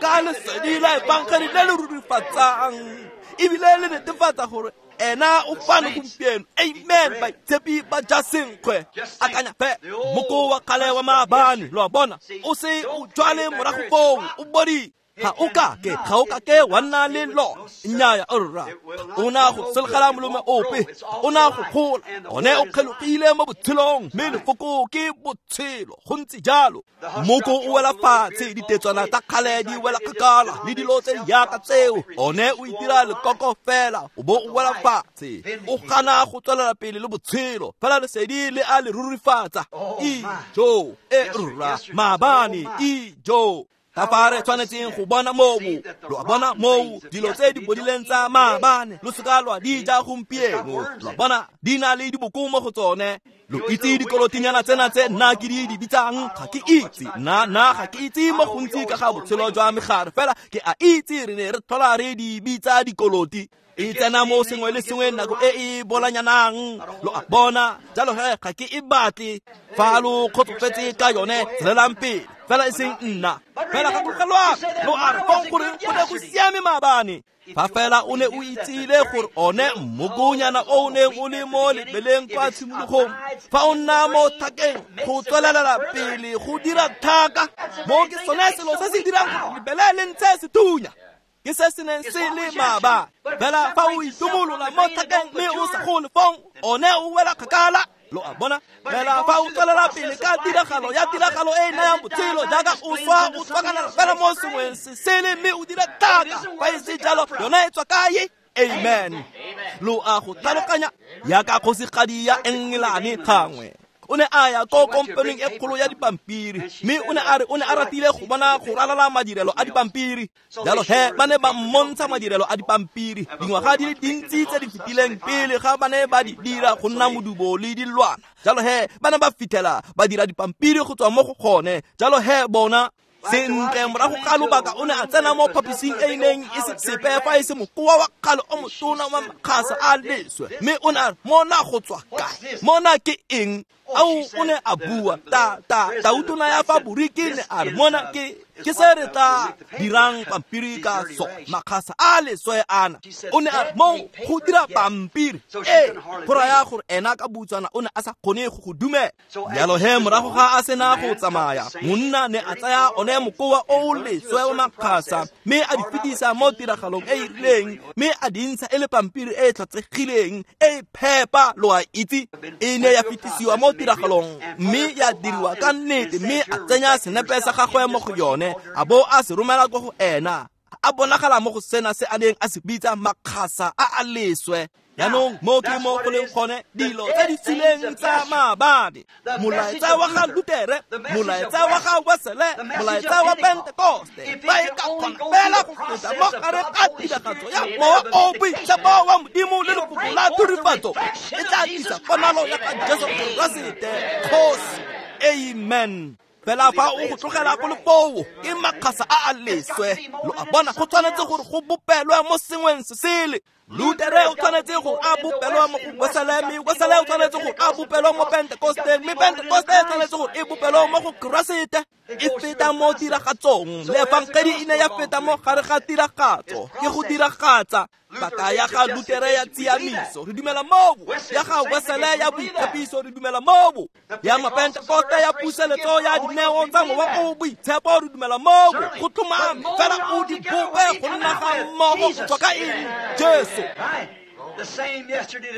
ka lesedi la efangedi le le rurifatsang ebile le netefatsa gore ena o fano gompieno. Amen. Baitshepi ba ja senkgwe. Akanya fe moko wa kgale wa maabane, lo a bona, o se o jwale morago foo o bodile. Ga o kake ga o kake wa nna le lona. Nnyaya rra, o na go sologela molome ope, o na go gola, one o kgelogile mo botshelong, mme lefoko ke botshelo. Go ntse jalo. Moko o wela fatshe, ditetswana tsa kgale di wela kgakala le dilo tse di yaka tseo, one o itira lekoko fela o bo o wela fatshe, o gana go tswelela pele le botshelo fela lesedi le a le rurifatsa. Ijo e rra maabane, ijo. Ka fa re tshwanetseng go bona moo, lo a bona moo dilo tse di bodileng tsa maabane lo seka lwa di ja gompieno. Lo a bona di na le diboko mo go tsone. Lo itse dikolotinyana tsena tse nna ke di di bitsang, ga ke itse nna nna ga ke itse mo gontsi ka ga botshelo jwa megare, fela ke a itse re ne re tlhola re di bitsa dikoloti. E tsena mo sengwe le sengwe nako e e bolanyanang, lo a bona. Jalo he ga ke e batle. Fa lo kgotsofetse ka yone tswelelang pele, fela e seng nna. Fela gakologelwang, lo a re fong gore go ne go siame maabane. Fa fela o ne o itsile gore one mmokonyana o o neng o le mo lebeleng kwa tshimologong, fa o nna mo thakeng go tswelela pele go dira thaka, mo ke sone selo se se dirang gore lebele le ntshe sethunya. Ke se se neng se le maabane. Fela fa o itumolola mo thakeng mme o sa gole fong, one o wela kgakala. Lo a bona? Fela fa o tswelela pele ka tiragalo ya tiragalo e e nayang botshelo jaaka o swa o tswakanela fela mo sengweng se sele mme o dira thata. Fa e se jalo yone e tswa kae? Amen. Lo a go tlhaloganya yaka kgosigadi ya Engelane gangwe. O ne a ya ko kompaneng e kgolo ya dipampiri mme o ne a re o ne a ratile go bona go ralala madirelo a dipampiri. Jalo he ba ne ba mmontsha madirelo a dipampiri dingwaga di le dintsi tse di fetileng pele ga ba ne ba di dira go nna modubo le dilwana. Jalo he ba ne ba fitlhela ba dira dipampiri go tswa mo go gone. Jalo he bona sentle morago ga lobaka o ne a tsena mo phaposing e e neng e se sepe fa e se mokoa wa kgale o motona wa makgasa a leswe mme o ne a re mona go tswa kae, mona ke eng? Ao o ne a bua ta ta tautona ya faboriki ne a re mona ke ke se re tla dirang pampiri ka so makgasa a leswe ana. O ne a re mo go dira pampiri e go raya gore ena ka butswana o ne a sa kgone go go dumela. Jalo he morago ga a sena go tsamaya monna ne a tsaya one mokoa o leswe wa makgasa mme a di fetisa mo tiragalong e e rileng mme a di ntsha e le pampiri e e tlhatsegileng e e phepa lo a itse. E ne ya fetisiwa mo tiragalong mme ya diriwa ka nnete mme a tsenya senepe sa gagwe mo go yone a bo a se romela ko go ena. A bonagala mo go sena se a neng a se bitsa makgasa a a leswe. Jaanong mo ke mo go leng gone dilo tse di suleng tsa maabane, molaetsa wa ga Lutere, molaetsa wa ga Wesele, molaetsa wa Pentekoste, ba e ka kgona fela go feta mo gare ga tiragatso ya Mowa o o Boitshepo wa Modimo le lefoko la thurifatso e tla tlisa ponalo ya ga Jesu Keresete Kgosi. Amen. Fela fa o go tlogela go le foo ke makgasa a a leswe. Lo a bona, go tshwanetse gore go bopelwe mo sengweng se sele. Lutere o tshwanetse go a bopelwa mo go Wesele, mme Wesele o tshwanetse go a bopelwa mo Pentekoste, mme Pentekoste e tshwanetse go e bopelwa mo go Keresete. E feta mo tiragatsong. Lefangedi e ne ya feta mo gare ga tiragatso ke go diragatsa. Paka ya ga Lutere ya tshiamiso re dumela moo, ya ga Wesele ya boitshepiso re dumela moo, ya Mapentekoste ya puseletso ya dineo tsa Mowa o o Boitshepo re dumela moo. Go tlhomame fela o di bope go nna ga mmogo go tswa ka eng? Jesu.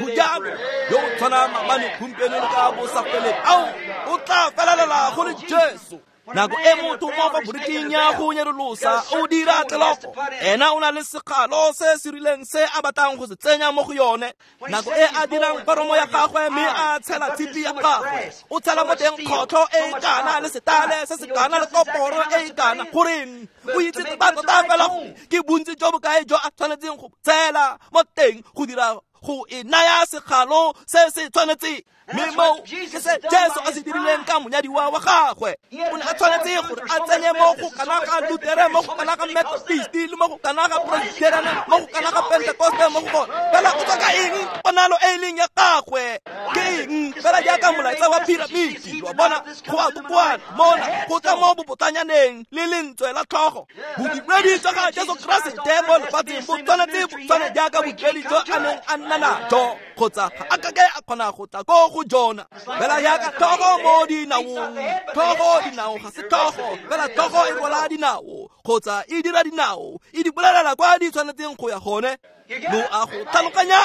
Bojalo yo o tshwana maabane gompieno le ka bosafeleng ao o tla felelela go le Jesu. Nako e motho mo faboriking ya go nyerolosa o dira tleloko, ena o na le sekgalo se se rileng se a batlang go se tsenya mo go yone. Nako e a dirang foromo ya gagwe mme a tshela tshipi ya gagwe, o tshela mo teng kgotlho e e kana le setale se se kana le koporo e e kana. Goreng o itse tota fela gore ke bontsi jo bokae jo a tshwanetseng go tshela mo teng go dira go e naya sekgalo se se tshwanetseng. Mme mo ke se Jesu a se dirileng ka monyadiwa wa gagwe. O ne a tshwanetse gore a tsenye mo go kana ga Lutere, mo go kana ga Methodist, le mo go kana ga Presbyterian, mo go kana ga Pentekoste, mo go gone. Fela o tswa ka eng? Ponalo e e leng ya gagwe ke eng? Fela jaaka molaetsa wa piramiti, lo a bona, go a kokoana mona go tla mo bobotlanyaneng le lentswe la tlhogo. Bodiredi jwa ga Jesu Keresete mo lefatsheng bo tshwanetse bo tshwane jaaka bodiredi jo a neng a nna najo, kgotsa ga a kake a kgona go tla ko go jona. Fela jaaka tlhogo mo dinaong, tlhogo dinao ga se tlhogo, fela tlhogo e rwala dinao kgotsa e dira dinao, e di bolelela kwa di tshwanetseng go ya gone. Lo a go tlhaloganya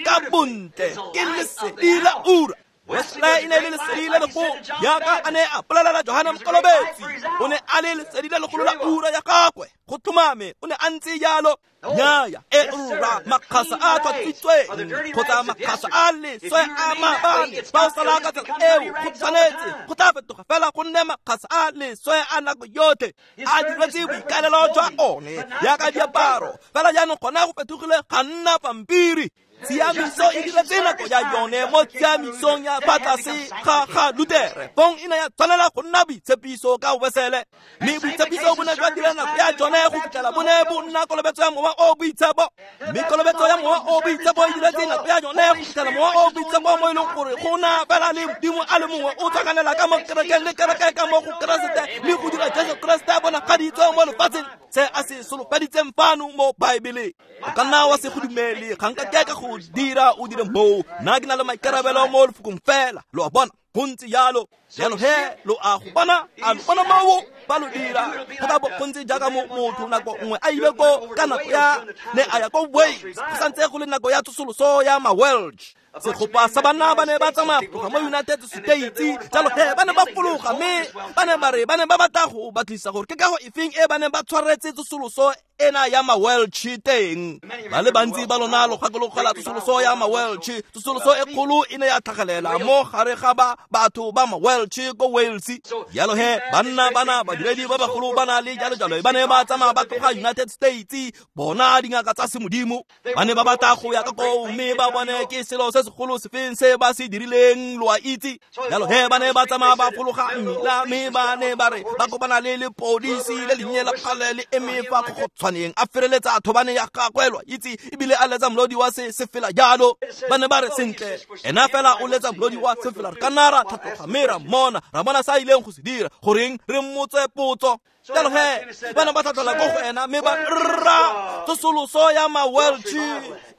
ka bontle ke lesedi la ura. Wesley e ne le lesedi le legolo jaaka a ne a bolelela Johane Mokolobetsi. O ne a le lesedi le legolo la ura ya gagwe. Go tlhomame o ne a ntse jalo. Nnyaya e rra makgasa a tlhatswitsweng kgotsa makgasa a leswe a maabane fa o sala ka tsela eo go tshwanetse go tla fetoga fela go nne makgasa a leswe a nako yotlhe a diretse boikaelelo jwa one jaaka diaparo. Fela jaanong gona go fetogile ga nna pampiri. Tshiamiso e diretse nako ya yone mo tshiamisong ya fa tlase ga ga Lutere. Fong e ne ya tshwanela go nna boitshepiso ka Wesele, mme boitshepiso bo ne jwa dira nako ya jone go fitlhela bo ne bo nna kolobetso ya Mowa o o Boitshepo. Mme kolobetso ya Mowa o o Boitshepo e diretse nako ya yone go fitlhela Mowa o o Boitshepo mo e leng gore go na fela le Modimo a le mongwe o tlhakanela ka mo kerekeng le kereke ka mo go Keresete mme go dira Jesu Keresete a bonagaditswe mo lefatsheng se a se solofeditseng fano mo Baebeleng. O ka nna wa se go dumele, ga nka ke ka go dira o dire moo. Nna ke na le maikarabelo mo lefokong fela. Lo a bona, go ntse jalo. Jalo he lo a go bona, a lo bona moo ba lo dira. Go tla bo go ntse jaaka motho nako nngwe a ile ko ka nako ya ne a ya ko Wales, go santse go le nako ya tsosoloso ya ma-Welsh. Segopa sa banna ba ne ba tsamaya go tloga mo United States, jalo he ba ne ba fologa mme ba ne ba re ba ne ba batla go batlisa gore ke kago efeng e ba neng ba tshwaretse tsosoloso ena ya ma-Welsh teng. Ba le bantsi ba lona lo gakologela tsosoloso ya ma-Welsh. Tsosoloso e kgolo e ne ya tlhagelela mo gare ga ba batho ba ma-Welsh ko Wales. Jalo he banna bana badiredi ba bagolo ba na le jalo jalo ba ne ba tsamaya ba tloga United States, bona dingaka tsa semodimo. Ba ne ba batla go ya ka koo mme ba bone ke selo se segolo sefeng se ba se dirileng, lo a itse. Jalo he ba ne ba tsamaya ba fologa mmila mme ba ne ba re ba kopana le lepodisi le lennye la kgale le eme fa kgotshwaneng a fereletsa thobane ya gagwe, lo a itse, ebile a letsa molodi wa se sefela jalo. Ba ne ba re sentle, ena fela o letsa molodi wa sefela, re ka nna ra tlhatloga mme ra mmona, ra bona sa ileng go se dira, goreng re mmotse potso. Jalo he ba ne ba tlhatlhola ko go ena mme ba rra tsosoloso ya ma-Welsh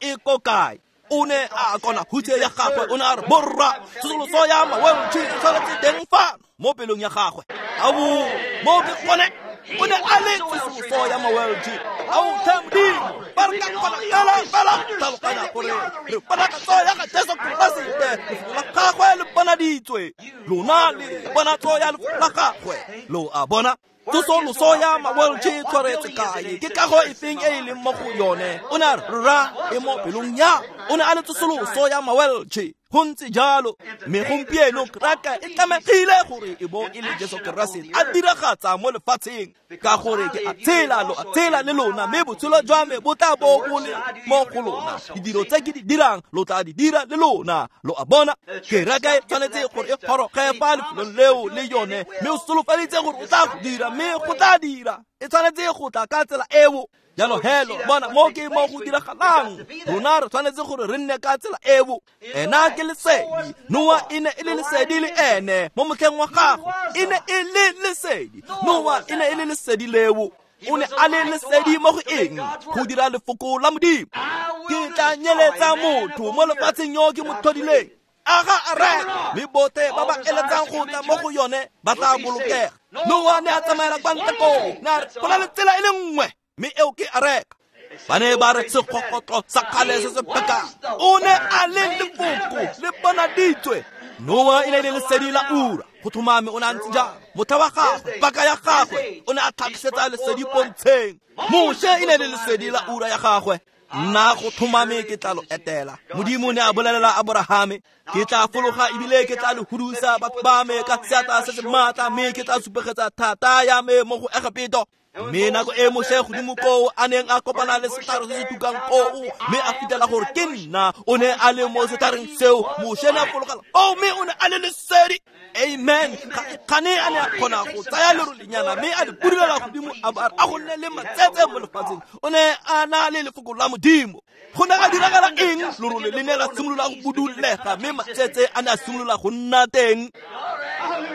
e ko kae? O ne a kona hutshe ya gagwe, o ne a re borra tsosoloso ya ma-Welsh e tshwanetse teng fano mo pelong ya gagwe. Ao mo ke gone o ne a le tsosoloso ya ma-Welsh. Ao tlhe Modimo, ba re ka kgona fela fela tlhaloganya gore re ponatso ya ga Jesu Keresete, lefoko la gagwe le bonaditswe, lona le ponatso ya lefoko la gagwe, lo a bona. Tsosoloso ya ma-Welsh e tshwaretse kae? Ke kago efeng e e leng mo go yone? O ne a re rra e mo pelong ya. O ne a le tsosoloso ya ma-Welsh. Go ntse jalo. Mme gompieno kereke e tlamegile gore e bo e le Jesu Keresete a diragatsa mo lefatsheng, ka gore ke a tshela, lo a tshela le lona, mme botshelo jwa me bo tla bo bo le mo go lona. Ditiro tse ke di dirang lo tla di dira le lona, lo a bona. Kereke e tshwanetse gore e goroge fa lefelong leo le yone, mme o solofeditse gore o tla go dira, mme go tla dira. E tshwanetse go tla ka tsela eo. Jalo he lo bona mo ke mo go diragalang. Rona re tshwanetse gore re nne ka tsela eo. Ena ke lesedi. Noa e ne e le lesedi le ene mo motlheng wa gagwe, e ne e le lesedi. Noa e ne e le lesedi leo. O ne a le lesedi mo go eng? Go dira lefoko la Modimo. Ke tla nyeletsa motho mo lefatsheng yo ke mo tlhodileng. Aga a reka, mme botlhe ba ba eletsang go tla mo go yone ba tla bolokega. Noa ne a tsamaela kwa ntle koo, ne a re go na le tsela e le nngwe, mme eo ke areka. Ba ne ba re segogotlo sa kgale se se pekang. O ne a le lefoko le bonaditswe. Noa e ne e le lesedi la ura. Go tlhomame o ne a ntse jang? Motlha wa gagwe, paka ya gagwe, o ne a tlhagisetsa lesedi pontsheng. Moshe e ne e le lesedi la ura ya gagwe. Nna go tlhomame ke tla lo etela. Modimo ne a bolelela Aborahame, ke tla fologa ebile ke tla le hudusa batho ba me ka seatla se se maatla, mme ke tla supegetsa thata ya me mo go Egepeto. Mme nako e Moshe godimo koo a neng a kopana le setlhare se se tukang koo, mme a fitlhela gore ke nna, o ne a le mo setlhareng seo. Moshe ne a fologela oo, mme o ne a le lesedi. Amen. Gane a ne a kgona go tsaya lerolenyana mme a le budulela godimo, a ba a go nne le matsetse mo lefatsheng. O ne a na le lefoko la Modimo. Go ne ga diragala eng? Lerole le ne la simolola go budulega, mme matsetse a ne a simolola go nna teng.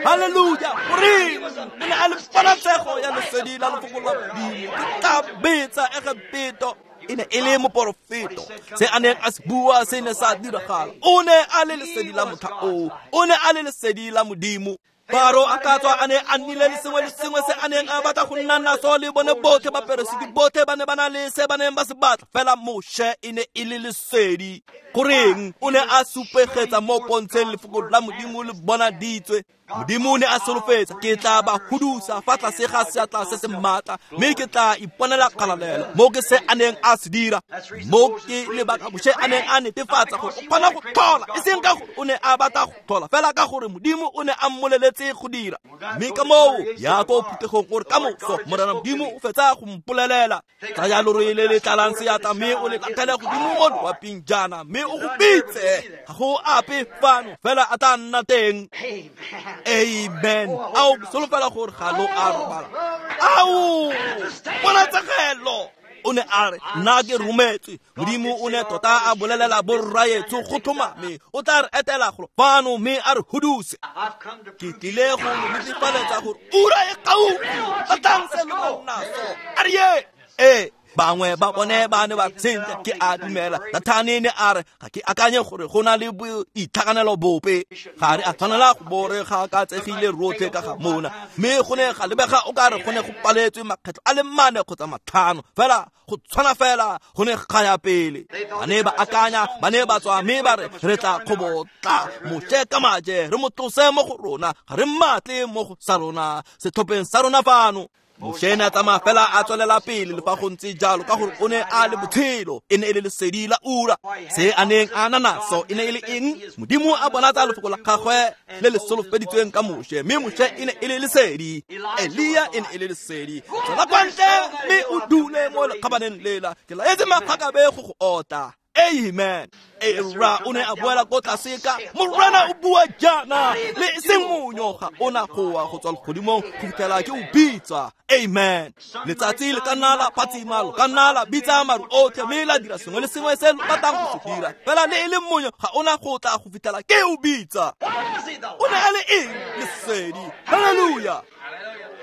Haleluja. Goreng? O ne a le ponatshego ya lesedi la lefoko la Modimo. Ke tla betsa Egepeto. E ne e le moporofeto. Se a neng a se bua se ne sa diragala. O ne a le lesedi la motlha oo. O ne a le lesedi la Modimo. Faro a ka tswa a ne a nnile le sengwe le sengwe se a neng a batla go nna naso, le bone botlhe baperesiti botlhe ba ne ba na le se ba neng ba se batla. Fela Moshe e ne e le lesedi. Goreng? O ne a supegetsa mo pontsheng lefoko la Modimo le bonaditswe. Modimo ne a solofetsa, ke tla ba hudusa fa tlase ga seatla se se maatla, mme ke tla iponela kgalalelo. Mo ke se a neng a se dira. Mo ke lebaka Moshe a neng a netefatsa gore o kgona go tlhola, e seng ka gore o ne a batla go tlhola, fela ka gore Modimo o ne a mmoleletse go dira. Mme ka moo ya ko phuthegong gore ka moso Morena Modimo o fetsa go mpolelela, tsaya lorole le le tlalang seatla mme o le latlhele godimo mo loaping jaana, mme o go bitse. Ga go ape fano, fela a tla nna teng. Amen. Ao solofela gore ga lo a robala. Ao ponatsegelo. O ne a re nna ke rometswe. Modimo o ne tota a bolelela borraetsho go tlhomame o tla re etela golo fano mme a re huduse. Ke tlile go lo netefaletsa gore ura e gaufi. Batlang se lo nang naso. A re ye. Ee, Bangwe ba bone ba ne ba sentle ke a dumela. Dathane ne a re ga ke akanye gore go na le boitlhaganelo bope. Ga re a tshwanela go bo re gakatsegile rotlhe ka ga mona. Mme go ne ga lebega o ka re go ne go paletswe makgetlho a le mane kgotsa matlhano. Fela go tshwana fela go ne ga ya pele. Ba ne ba akanya, ba ne ba tswa mme ba re re tla kgobotla Moshe ka maje re mo tlose mo go rona, ga re mmatle mo go sa rona setlhopheng sa rona fano. Moshe ne a tsamaya fela a tswelela pele le fa go ntse jalo, ka gore o ne a le botshelo, e ne e le lesedi la ura. Se a neng a na naso e ne e le eng? Modimo a bonatsa lefoko la gagwe le le solofeditsweng ka Moshe, mme Moshe e ne e le lesedi, Elia e ne e le lesedi. Tswela kwa ntle mme o dule mo lekgabaneng lela, ke laetse magakabe go go otla. Amen. Era o ne a boela ko tlase ka Morena o bua jaana, le e seng monyo ga ona goa go tswa legodimong go fitlhela ke o bitsa. Amen. Letsatsi le ka nna la phatsima, lo ka nna la bitsa maru otlhe, mme la dira sengwe le sengwe se lo batlang go se dira, fela le e le monyo ga ona go tla go fitlhela ke o bitsa. O ne a le eng? Lesedi. Hallelujah.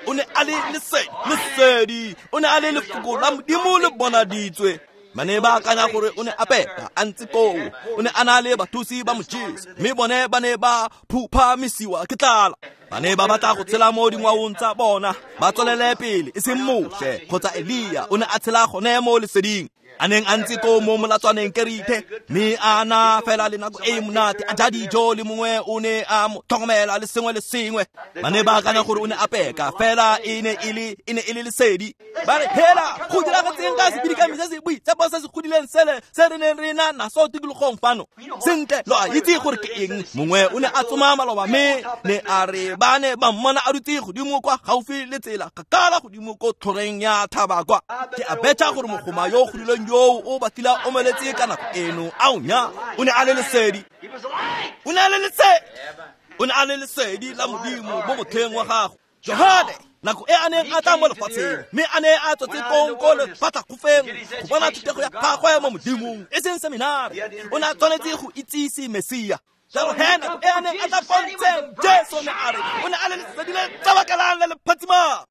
O ne a le lesedi, lesedi. O ne a le lefoko la Modimo le bonaditswe. Ba ne ba akanya gore o ne a pepa a ntse koo, o ne a na le bathusi ba mo jesa, mme bone ba ne ba phuphamisiwa ke tlala. Ba ne ba batla go tshela mo dingwaong tsa bona, ba tswelele pele, e seng Moshe kgotsa Elia. O ne a tshela gone mo leseding, a neng a ntse koo mo molatswaneng Kerithe, mme a na fela le nako e e monate, a ja dijo le mongwe o ne a mo tlhokomela le sengwe le sengwe. Ba ne ba akanya gore o ne a peka, fela e ne e le e ne e le lesedi. Ba re hela go diragetseng ka sebidikami se se boitshepo se se godileng sele se re neng re na naso tikologong fano. Sentle, lo a itse gore ke eng? Mongwe o ne a tsoma maloba, mme ne a re ba ne ba mmona a dutse godimo kwa gaufi le tsela, kgakala godimo ko tlhoreng ya thaba kwa. Ke a betšha gore mogoma yo o godileng yo o batlile a omeletse ka nako eno. Ao nya, o ne a le lesedi. O ne a le lesedi. O ne a le lesedi la Modimo mo motlheng wa gagwe. Johane, nako e a neng a tla mo lefatsheng, mme a ne a tswetse kong ko lefatlhakgofeng go bona thutego ya gagwe mo Modimong, e seng seminari. O ne a tshwanetse go itsise Mesia. Jalo he nako e a neng a tla pontsheng, Jesu ne a re o ne a le lesedi le tsabakelang le le phatsimang.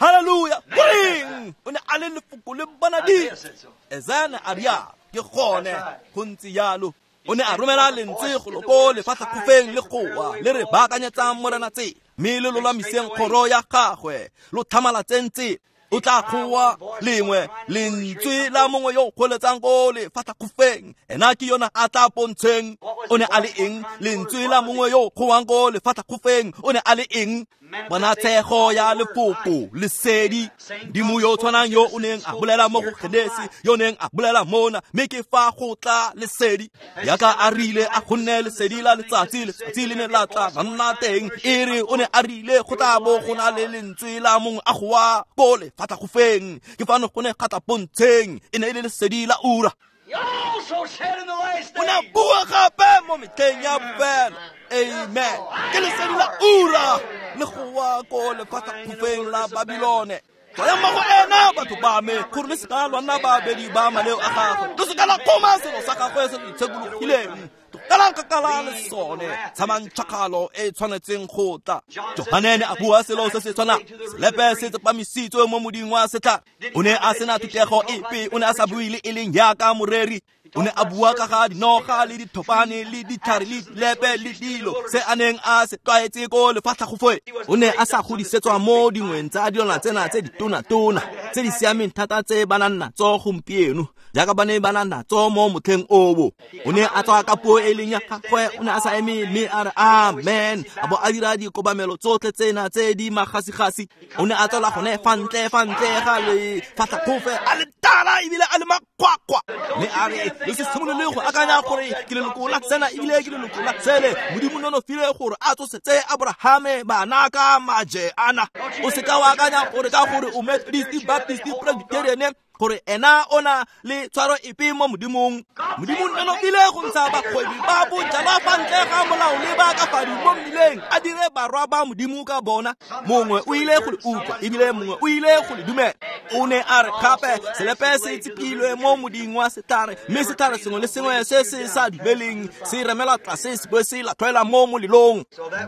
Hallelujah. Goreng? O ne a le lefoko le bonaditswe. Esaya a rialo, ke gone go ntse jalo. O ne a romela lentswe go lo ko lefatlhakgofeng le goa le re baakanyetsang Morena tsela, mme le lolamiseng kgoro ya gagwe, lo tlhamalatseng tsela. O tla goa lengwe lentswe la mongwe yo o kgoletsang ko lefatlhakgofeng, ena ke yona a tla pontsheng. O ne a le eng? Lentswe la mongwe yo o goang ko lefatlhakgofeng. O ne a le eng? Ponatshego ya lefoko, lesedi. Modimo yo o tshwanang yo o neng a bolela mo go Genesi, yo neng a bolela mona, mme ke fa go tla lesedi. Yaka a rile a go nne lesedi la letsatsi, letsatsi le ne la tla la nna teng. E re o ne a rile go tla bo go na le lentswe la mongwe a goa ko lefatlhakgofeng, ke fano go ne ga tla pontsheng, e ne e le lesedi la ura. O ne a bua gape mo metlheng ya bofelo. Amen. Ke lesedi la ura le goa ko lefatlhakgofeng la Babilone. Tswayang mo go ena batho ba me, gore le seka lwa nna babedi ba maleo a gagwe, le seka la kgoma selo sa gagwe se se itshekologileng. Tlogelang kgakala le sone, tshamang tšhakgalo e e tshwanetseng go tla. Johane ne a bua selo se se tshwanang, selepe se tsepamisitswe mo moding wa setlhare. O ne a sena thutego epe, o ne a sa bue le e leng jaaka moreri. O ne a bua ka ga dinoga le dithopane le ditlhare le dilepe le dilo se a neng a se tlwaetse ko lefatlhakgofeng. O ne a sa godisetswa mo dingweng tsa dilwana tsena tse ditonatona tse di siameng thata tse ba nang natso gompieno, jaaka ba ne ba na natso mo motlheng oo. O ne a tswa ka puo e leng ya gagwe, o ne a sa eme mme a re amen, a bo a dira dikobamelo tsotlhe tsena tse di magasigasi. O ne a tswela gone fa ntle fa ntle ga lefatlhakgofe a le tala ebile a le makgwakgwa, mme a re le se simolole go akanya gore ke leloko la tsena ebile ke leloko la tsele. Modimo nonofile gore a tsosetse Abrahame bana ka maje ana. O seka wa akanya gore ka gore o Methodist, Baptist, Presbyterian, gore ena o na le tshwaro epe mo Modimong. Modimo nonofile go ntsha bakgwebi ba bojalwa fa ntle ga molao le ba ka fadi mo mmileng, a dire barwa ba Modimo ka bona. Mongwe o ile go le utlwa ebile mongwe o ile go le dumela. O ne a re gape selepe se tsipilwe mo moding wa setlhare, mme setlhare sengwe le sengwe se se sa dumeleng se remelwa tlase se bo se latlhelwa mo molelong.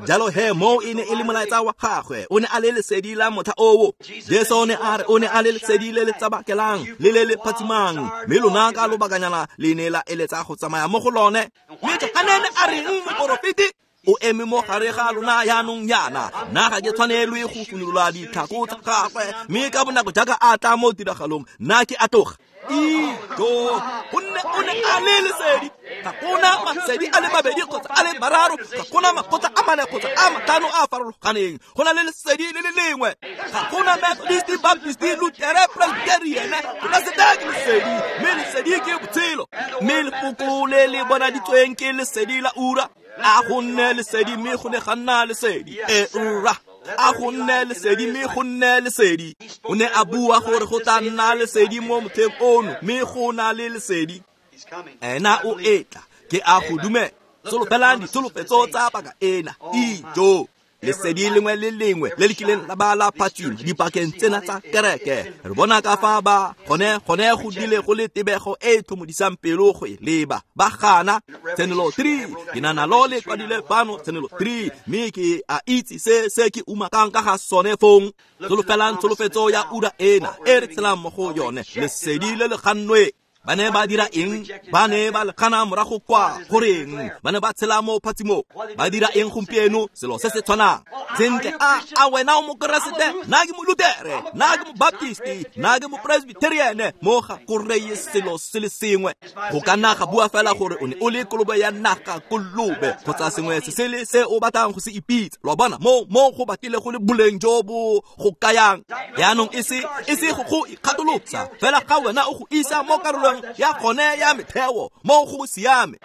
Jalo he mo e ne e le molaetsa wa gagwe, o ne a le lesedi la motlha oo. Jesu o ne a re o ne a le lesedi le le tsabakelang le le le phatsimang, mme lona ka lobakanyana le ne la eletsa go tsamaya mo go lone. Mme Johane ne a reng moporofeti? O eme mo gare ga lona jaanong jaana, nna ga ke tshwanelwe go funolola ditlhako tsa gagwe, mme ka bonako jaaka a tla mo tiragalong nna ke a tloga. Ijo, gonne o ne a le lesedi. Ga gona masedi a le mabedi kgotsa a le mararo, ga gona makgotla a mane kgotsa a matlhano a a farologaneng, go na le lesedi le le lengwe. Ga gona Methodist, Baptist, Lutere, Presbyterian, Keresete ke lesedi, mme lesedi ke botshelo, mme lefoko le le bonaditsweng ke lesedi la ura. A go nne lesedi, mme go ne ga nna lesedi. E ura, a go nne lesedi, mme go nne lesedi. O ne a bua gore go tla nna lesedi mo motlheng ono, mme go na le lesedi. Ena o etla, ke a go dumela. Solofelang ditsholofetso tsa paka ena. Ijo, lesedi lengwe le lengwe le le kileng la ba la phatsima dipakeng tsena tsa kereke, re bona ka fa ba gone gone go dile go le tebego e e tlhomodisang pelo go e leba. Ba gana Tshenolo three, ke na nalo le kwadile fano Tshenolo three, mme ke a itse se se ke umakang ka ga sone fong. Solofelang tsholofetso ya ura ena e re tshelang mo go yone, lesedi le le gannwe. Ba ne ba dira eng? Ba ne ba le gana morago kwa. Goreng? Ba ne ba tshela mo phatsimong. Ba dira eng gompieno? Selo se se tshwanang. Sentle, a a wena o mokeresete? Nna ke molutere, nna ke mobaptisti, nna ke mopresbyterian. Mo ga go reye selo se le sengwe. Go ka nna ga bua fela gore o ne o le kolobe ya naga kolobe kgotsa sengwe se sele se o batlang go se ipitsa. Lo a bona, mo mo go batlile go le boleng jo bo go kayang. Jaanong e se e se go go ikgatolosa fela ga wena o go isa mo karolong ya gone ya metheo, mo go siame.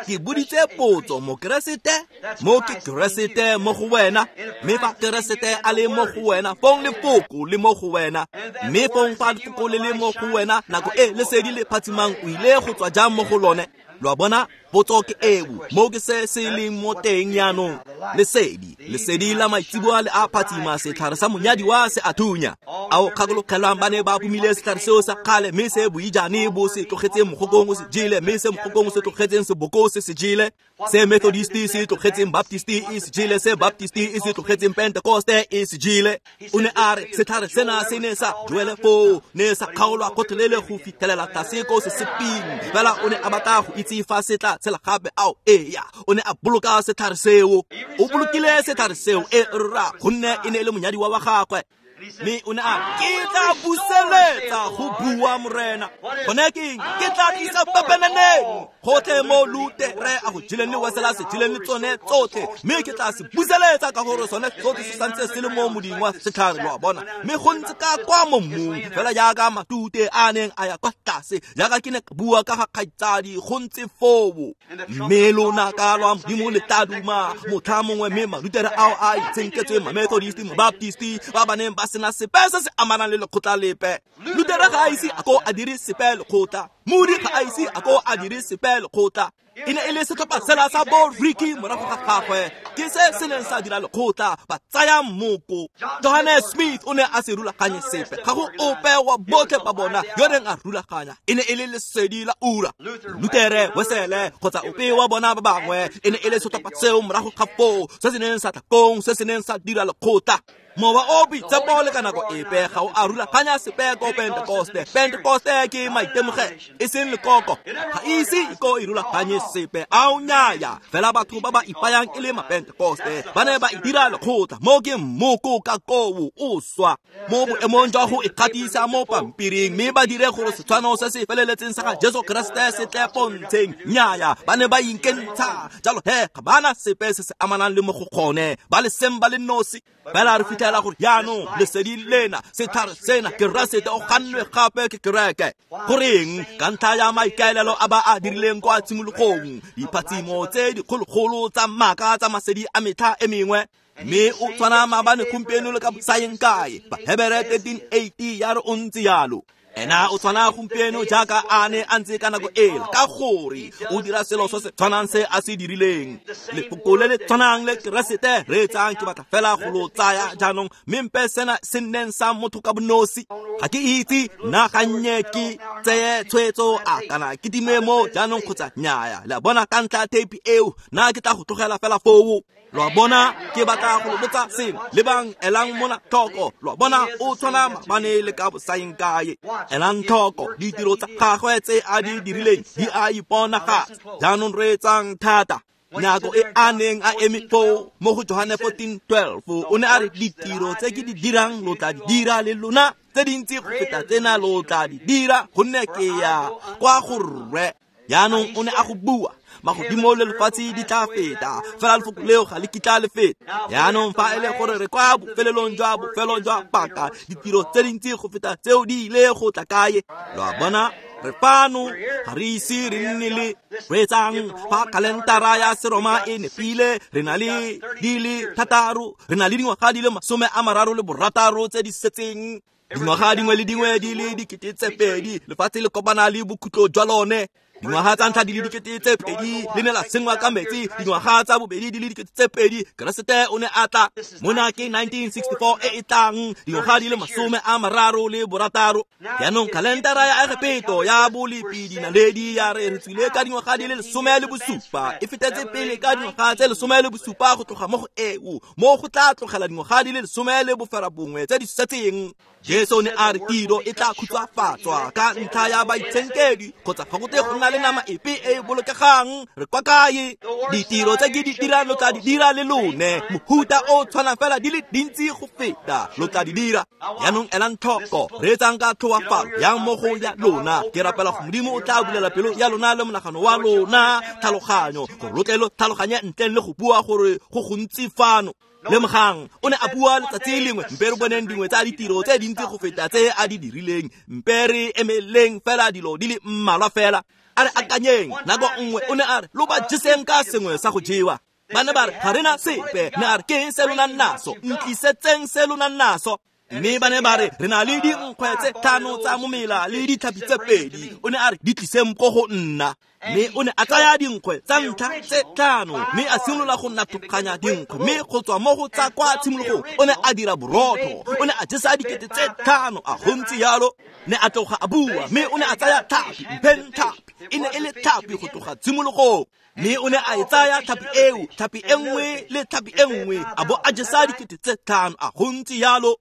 Ke boditse potso, mokeresete, mo ke Keresete mo go wena, mme fa Keresete a le mo go wena, fong lefoko le mo go wena, mme fong fa lefoko le le mo go wena, nako e lesedi le phatsimang o ile go tswa jang mo go lone? Lo a bona, potso ke eo, mo ke se se leng mo teng jaanong. Lesedi, lesedi la maitseboa le a phatsima, setlhare sa monyadiwa se a thunya. Ao kgakologelwang ba ne ba phumile setlhare seo sa kgale, mme se boijane bo se tlogetseng mogokong o se jele, mme se mogokong o se tlogetseng seboko se se jele, se Methodist se tlogetseng Baptist e se jele, se Baptist e se tlogetseng Pentecoste e se jele. O ne a re setlhare sena se ne sa duele foo, ne sa kgaolwa gotlhelele go fitlhelela tlase ko se seping. Fela o ne a batla go itse fa se tla tshela gape. Ao eya, o ne a boloka setlhare seo. O bolokile setlhare seo, e rra, gonne e ne e le monyadiwa wa gagwe. Mme o ne a ke tla buseletsa go bua Morena. Gone ke eng? Ke tla tlisa pepeneneng gotlhe mo Lutere a go jeleng le Wesela se jeleng le tsone tsotlhe, mme ke tla se buseletsa ka gore sone tsotlhe se santse se le mo moding wa setlhare. Lo a bona, mme go ntse ka kwa mo mmung fela jaaka matute a neng a ya kwa tlase, jaaka ke ne ka bua ka ga kgaitsadi, go ntse foo. Mme lonaka lwa Modimo le tla duma motlha mongwe, mme malutere ao a itshenketsweng Mamethodist, Mabaptist, ba ba neng ba sena sepe se se amanang le lekgotla lepe. Lutere ga a ise a ko a dire sepe lekgotla, Moody ga a ise a ko a dire sepe lekgotla. E ne e le setlhopha sela sa bo Ricky morago ga gagwe, ke se se neng sa dira lekgotla, ba tsaya mmoko. Johannes Smith o ne a se rulaganye sepe, ga go ope wa botlhe ba bona yo neng a rulaganya. E ne e le lesedi la ura. Lutere, Wesele kgotsa ope wa bona ba bangwe, e ne e le setlhopha seo morago ga foo se se neng sa tla kong, se se neng sa dira lekgotla. Mowa o boitshepo le ka nako epe ga o a rulaganya sepe ko Pentecoste. Pentecoste ke maitemogelo, e seng lekoko. Ga ise e ko e rulaganye sepe. Ao nnyaya, fela batho ba ba ipayang e le mapentecoste ba ne ba e dira lekgotla. Mo ke mmoko ka koo o swa mo boemong jwa go ikgatisa mo pampiring, mme ba dire gore setshwano se se feleletseng sa ga Jesu Keresete se tle pontsheng. Nnyaya, ba ne ba inkentsha. Jalo he, ga bana sepe se se amanang le mo go gone, ba le seng ba le nosi. Fela re fitlhela gore jaanong lesedi lena, setlhare sena, Keresete o gannwe gape ke kereke. Goreng? Ka ntlha ya maikaelelo a ba a dirileng kwa tshimologong, diphatsimo tse dikgologolo tsa maaka tsa masedi a metlha e mengwe. Mme o tshwana maabane, gompieno le ka bosaeng kae. Bahebere thirteen eighty ya re o ntse jalo. Ena o tshwana gompieno jaaka a ne a ntse ka nako ela, ka gore o dira selo se se tshwanang se a se dirileng. Lefoko le le tshwanang le Keresete reetsang, ke batla fela go lo tsaya jaanong, mme mpe sena se nneng sa motho ka bonosi. Ga ke itse nna gannye ke tseye tshwetso a kana ke time mo jaanong kgotsa nnyaya. Le a bona, ka ntlha ya theipi eo, nna ke tla go tlogela fela foo. Lo a bona, ke batla go lo botsa sengwe. Lebang, elang mona tlhoko. Lo a bona, o tshwana maabane le ka bosaeng kae. Elang tlhoko ditiro tsa gagwe tse a di dirileng di a iponagatsa. Jaanong reetsang thata. Nako e a neng a eme foo mo go Johane fourteen twelve, o ne a re ditiro tse ke di dirang lo tla di dira le lona, tse dintsi go feta tsena lo tla di dira, gonne ke ya kwa go Rre. Jaanong o ne a go bua, magodimo le lefatshe di tla feta, fela lefoko leo ga le kitla le feta. Jaanong fa e le gore re kwa bofelelong jwa bofelo jwa paka, ditiro tse dintsi go feta tseo di ile go tla kae? Lo a bona, re fano, ga re ise re nne le reetsang. Fa kalentara ya Seroma e nepile, re na le di le thataro, re na le dingwaga di le masome a mararo le borataro tse di setseng. Dingwaga dingwe le dingwe di le dikete tse pedi, lefatshe le kopana le bokhutlo jwa lone. Dingwaga tsa ntlha di le dikete tse pedi le ne la senngwa ka metsi, dingwaga tsa bobedi di le dikete tse pedi, Keresete o ne a tla. Mona ke nineteen sixty-four e e tlang, dingwaga di le masome a mararo le borataro. Jaanong kalendara ya Egepeto ya bolepi dinaledi ya re re tswile ka dingwaga di le lesome le bosupa, e fetetse pele ka dingwaga tse lesome le bosupa go tloga mo go eo, mo go tla tlogela dingwaga di le lesome le boferabongwe tse di setseng. Jesu ne a re tiro e tla khutshwafatswa ka ntlha ya baitshenkedi, kgotsa ga go tle go nna le nama epe e e bolokegang. Re kwa kae? Ditiro tse ke di dirang lo tla di dira le lone, mohuta o tshwanang fela di le dintsi go feta lo tla di dira. Jaanong elang tlhoko, reetsang ka tlhoafalo yang mo go ya lona. Ke rapela go Modimo o tla bulela pelo ya lona le monagano wa lona tlhaloganyo, gore lo tle lo tlhaloganye ntleng le go bua gore go gontsi fano. Lemogang, o ne a bua letsatsi lengwe, mpe re boneng dingwe tsa ditiro tse dintsi go feta tse a di dirileng, mpe re emeleng fela dilo di le mmalwa fela. A re akanyeng, nako nngwe o ne a re lo ba jeseng ka sengwe sa go jewa. Ba ne ba re ga re na sepe, ne a re ke eng se lo nang naso, ntlisetseng se lo nang naso. Mme ba ne ba re re na le dinkgwe tse tlhano tsa momela le ditlhapi tse pedi. O ne a re di tliseng ko go nna. Mme o ne a tsaya dinkgwe tsa ntlha tse tlhano, mme a simolola go nathokganya dinkgwe, mme go tswa mo go tsa kwa tshimologong o ne a dira borotho. O ne a jesa dikete tse tlhano, a go ntse yalo. Ne a tloga a bua, mme o ne a tsaya tlhapi, mpheng tlhapi, e ne e le tlhapi go tloga tshimologong. Mme o ne a e tsaya tlhapi eo, tlhapi e nngwe le tlhapi e nngwe, a bo a jesa dikete tse tlhano, a go ntse yalo.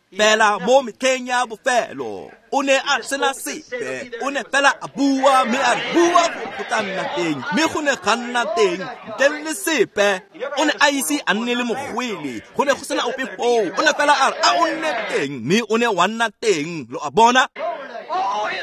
Fela mo metlheng ya bofelo o ne a sena sepe, o ne fela a bua, mme a re bua go tla nna teng, mme go ne ga nna teng ntle le sepe. O ne a ise a nne le mogwele, go ne go sena ope foo, o ne fela a re a o nne teng, mme o ne wa nna teng. Lo a bona?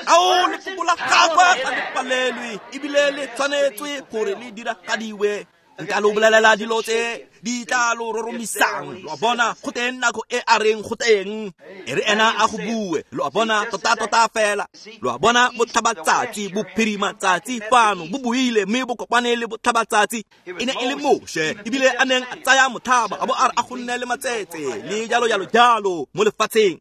Ao, lefoko la gagwe ga le palelwe, ebile le tshwanetswe gore le diragadiwe. Nka lo bolelela dilo tse di tla lo roromisang. Lo a bona, go teng nako e a reng go teng, e re ena a go bue. Lo a bona, tota-tota fela. Lo a bona, botlhabatsatsi, bophirimatsatsi fano bo buile, mme bo kopane le botlhabatsatsi. E ne e le Moshe, ebile a neng a tsaya mothaba, a bo a re a go nne le matsetse le jalo jalo jalo mo lefatsheng.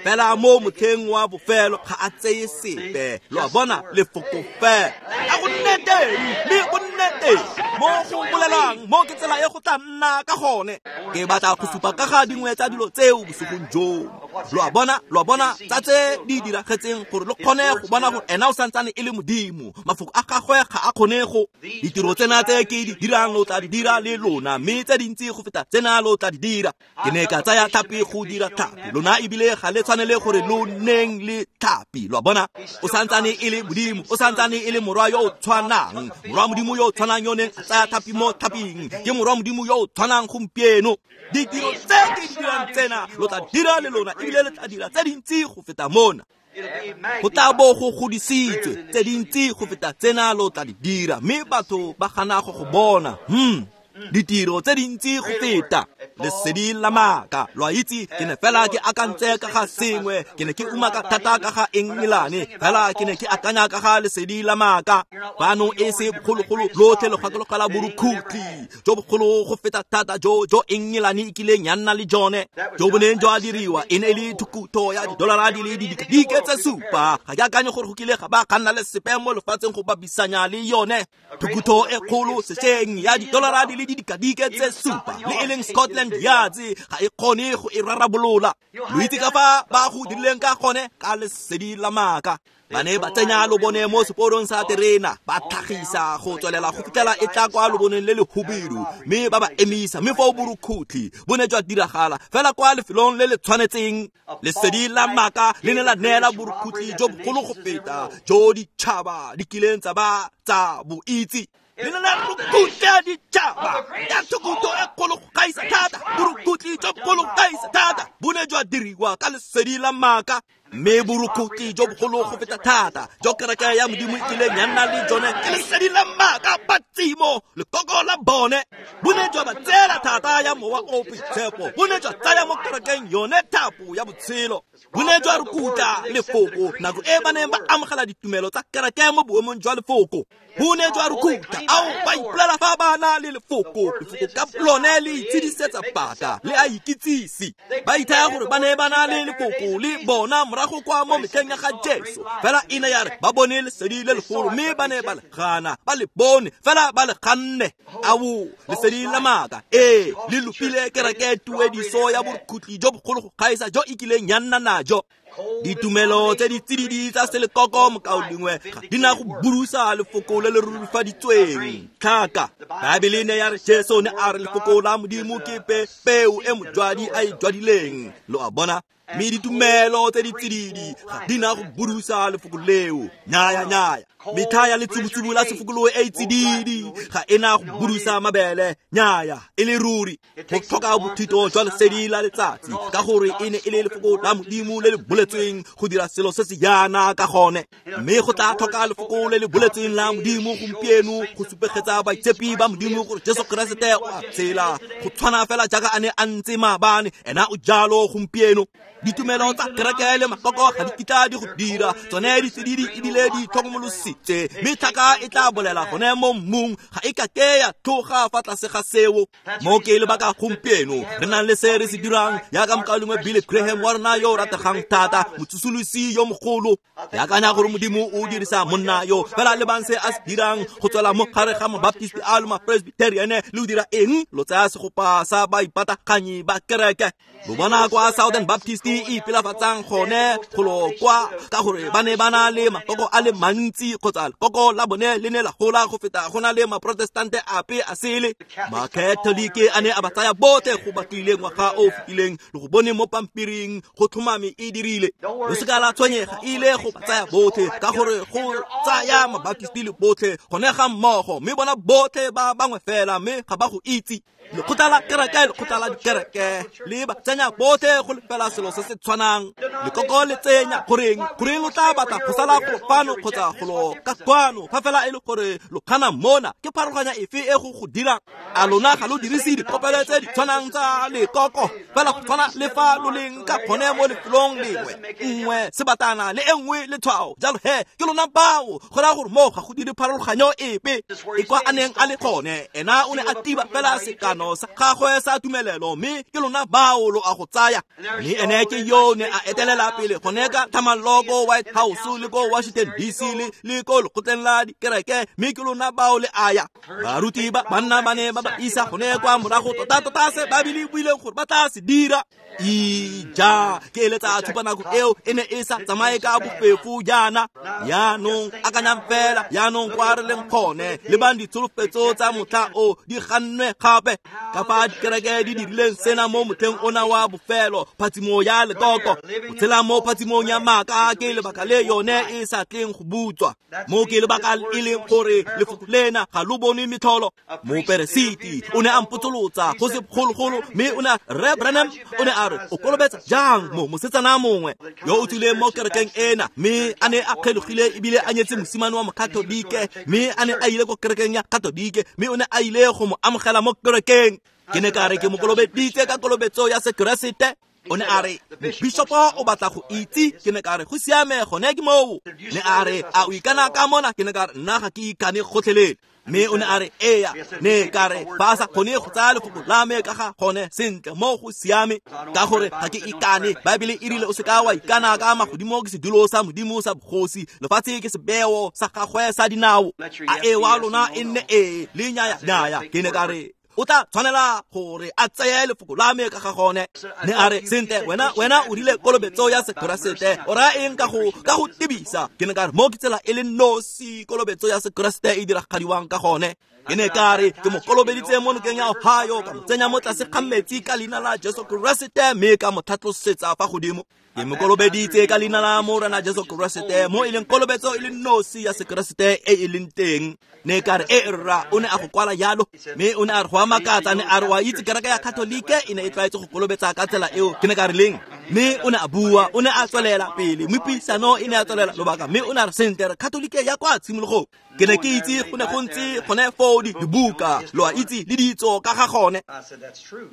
Fela mo motlheng wa bofelo ga a tseye sepe. Lo a bona, lefoko fela a go nne teng, mme go nne teng mo go bolelang, mo ke tsela e go tla nna ka gone. Ke batla go supa ka ga dingwe tsa dilo tseo bosigong joo. Lo a bona, lo a bona tsa tse di diragetseng, gore lo kgone go bona gore ena o santsane e le Modimo. Mafoko a gagwe ga a kgone go. Ditiro tsena tse ke di dirang lo tla di dira le lona, mme tse dintsi go feta tsena lo tla di dira. Ke ne ka tsaya tlhapi go dira tlhapi, lona ebile ga le tshwanele gore lo neng le tlhapi. Lo a bona, o santsane e le Modimo, o santsane e le morwa yo o tshwanang, morwa Modimo yo o tshwanang yo neng a tsaya tlhapi mo tlhaping, ke morwa Modimo yo o tshwanang gompieno. Ditiro tse ke di dirang tsena lo tla dira le lona, ebile le tla dira tse dintsi go feta mona. Go tla bo go godisitswe, tse dintsi go feta tsena lo tla di dira, mme batho ba gana go go bona. Hmm. Ditiro tse dintsi go feta. Lesedi la maaka, lo a itse, ke ne fela ke akantse ka ga sengwe, ke ne ke umaka thata ka ga Engelane, fela ke ne ke akanya ka ga lesedi la maaka. Fano e se bogologolo lotlhe lo gakologela borukhutlhi jo bogolo go feta thata jo jo Engelane e kileng ya nna le jone, jo bo neng jwa diriwa e ne e le thukutho ya didolara di le didikadike tse supa. Ga ke akanye gore go kile ga ba ga nna le sepe mo lefatsheng go bapisanya le yone. Thukutho e kgolo sešweng ya didolara di le didikadike tse supa, le e leng Scotland Yard ga e kgone go e rarabolola. Lo itse ka fa ba go dirileng ka gone ka lesedi la maaka. Ba ne ba tsenya lobone mo seporong sa terena, ba tlhagisa go tswelela go fitlhela e tla kwa loboneng le le hubidu, mme ba ba emisa, mme foo borukhutlhi bo ne jwa diragala fela kwa lefelong le le tshwanetseng. Lesedi la maaka le ne la neela borukhutlhi jo bogolo go feta jo ditšhaba di kileng tsa ba tsa bo itse. Le ne la rukutla ditšhaba ya thukutho e kgolo go gaisa thata, borukhutlhi jo bogolo go gaisa thata bo ne jwa diriwa ka lesedi la maaka. Mme borukhutlhi jo bogolo go feta thata jo kereke ya Modimo e kileng ya nna le jone ke lesedi la maaka. Patsimo lekoko la bone bo ne jwa ba tseela thata ya mowa o boitshepo, bo ne jwa tsaya mo kerekeng yone thapo ya botshelo, bo ne jwa rukutla lefoko nako e ba neng ba amogela ditumelo tsa kereke mo boemong jwa lefoko. Bo ne jwa rukutla, ao ba ipolela fa ba na le lefoko, lefoko ka lone le itshedisetsa paka le a ikitsise. Ba ithaya gore ba ne ba na le lefoko le bona morago kwa mo metlheng ya ga Jesu, fela e ne ya re ba bone lesedi le legolo, mme ba ne ba le gana, ba le bone fela ba le ganne. Ao lesedi la maaka ee le lopile kereke tuediso ya borukhutlhi jo bogolo go gaisa jo e kileng ya nna najo. Ditumelo tse di tsididi tsa selekoko mokaulengwe ga di na go burusa lefoko le le rurifaditsweng. Tlhaka Baebele ne ya re Jesu ne a re lefoko la Modimo ke pe peo e mojwadi a e jwadileng. Lo a bona? Mme ditumelo tse di tsididi ga di na go burusa lefoko leo. Nyaya nyaya. Metlha ya letsubutsubu la sefokolo e e tsididi ga e na go burusa mabele. Nyaya, e le ruri go tlhoka bothito jwa lesedi la letsatsi, ka gore e ne e le lefoko la Modimo le le boletsweng go dira selo se se yana ka gone. Mme go tla tlhoka lefoko le le boletsweng la Modimo gompieno go supegetsa baitshepi ba Modimo gore Jesu Keresete o a tshela, go tshwana fela jaaka a ne a ntse maabane, ena o jalo gompieno. Ditumelo tsa kereke le makoko ga di kitla di go dira, tsone di tsididi ebile di tlhokomolositse, mme tlhaka e tla bolela gone mo mmung, ga e ka ke ya tloga fa tlase ga seo. Mo ke lebaka gompieno re nang le se re se dirang, jaaka mokaulengwe Billy Graham wa rona yo o rategang thata, motsosolosi yo mogolo. Ke akanya gore Modimo o dirisa monna yo, fela lebang se a se dirang go tswela mo gare ga mabaptisti a le mapresbyterian, le o dira eng? Lo tsaya segopa sa baipataganyi ba kereke. Lo bona kwa Southern Baptist e ipelafatsang gone golo kwa, ka gore ba ne ba na le makoko a le mantsi, kgotsa lekoko la bone le ne la gola go feta go na le maprotestante ape a sele. Makatholike a ne a ba tsaya botlhe go batlile ngwaga o fetileng, le go bone mo pampiring go tlhomame e dirile. Lo seka la tshwenyega, e ile go ba tsaya botlhe, ka gore go tsaya mabaptisti le botlhe gone ga mmogo, mme bona botlhe ba bangwe fela, mme ga ba go itse. Lekgotla la kereke, lekgotla la dikereke le ba tsenya botlhe go lefela selo se se tshwanang. Lekoko le tsenya goreng goreng lo tla batla go sala golo fano kgotsa golo ka kwano, fa fela e le gore lo kgana mona, ke pharologanya efe e go go dirang? A lona ga lo dirise dikopelo tse di tshwanang tsa lekoko, fela go tshwana le fa lo leng ka gone mo lefelong lengwe, nngwe sebatana le e nngwe letshwao. Jalo he ke lona bao, go raya gore mo ga go dire pharologanyo epe. E kwa a neng a le gone, ena o ne a tiba fela sekano sa gagwe sa tumelelo, mme ke lona bao lo a go tsaya. Mme ene ke yo ne a etelela pele gone ka thamallo ko White House le ko Washington D C le le ko lekgotleng la dikereke, mme ke lona bao le aya. Baruti ba banna ba ne ba ba isa gone kwa morago tota-tota se ba bile buileng gore ba tla se dira. Ija ke eletsa tshupa nako eo e ne e sa tsamaye ka bofefo jaana. Yaanong akanyang fela, yaanong kwa re leng gone, lebang ditsholofetso tsa motlha o di gannwe gape. Ka fa dikereke di dirileng sena mo motlheng ona wa bofelo, phatsimo ya lekoko, go tshela mo phatsimong ya maaka ke lebaka le yone e sa tleng go butswa. Mo ke lebaka e leng gore lefoko lena ga lo bone metlholo. Moperesiti o ne a mpotsolotsa go se bogologolo, mme o ne a Rre Branham o ne a re o kolobetsa jang mo mosetsana mongwe yo o tswileng mo kerekeng ena, mme a ne a kgelogile ebile a nyetse mosimane wa mokatolike, mme a ne a ile ko kerekeng ya katolike, mme o ne a ile go mo amogela mo kerekeng. Ke ne ka re ke mo kolobeditse ka kolobetso ya Sekeresete. O ne a re bishopo o batla go itse. Ke ne ka re go siame, gone ke moo. Ne a re a o ikana ka mona? Ke ne ka re nna ga ke ikane gotlhelele. Mme o ne a re eya. Ne ka re ba sa kgone go tsaya lefoko la me ka ga gone sentle, mo go siame, ka gore ga ke ikane. Baebele e rile o se ka wa ikana ka magodimo ke sedulo sa Modimo sa bogosi, lefatshe ke sebeo sa gagwe sa dinao. A e wa lona e nne ee le nyaya nyaya. Ke ne ka re o tla tshwanela gore a tseye lefoko la me ka ga gone. Ne a re sentle, wena wena o rile kolobetso ya Sekeresete o raya eng ka go ka go tebisa? Ke ne ka re mo ke tsela e le nosi kolobetso ya Sekeresete e diragadiwang ka gone. Ke ne ka re ke mo kolobeditse mo nokeng ya Ohio, ka mo tsenya mo tlase ga metsi ka leina la Jesu Keresete, mme ka mo tlhatlosetsa fa godimo. Ke mo kolobeditse ka leina la Morena Jesu Keresete, mo e leng kolobetso e le nosi ya Sekeresete e e leng teng. Ne ka re e rra, o ne a go kwala jalo. Mme o ne a re go a makatsa, ne a re wa itse kereke ya Katolike e ne e tlwaetse go kolobetsa ka tsela eo. Ke ne ka re leng? Mme o ne a bua, o ne a tswelela pele, mme puisano e ne a tswelela lobaka. Mme o ne a re sentle, re Katolike ya kwa tshimologong. Ke ne ke itse go ne go ntse gone foo dibuka, lo a itse, le ditso ka ga gone.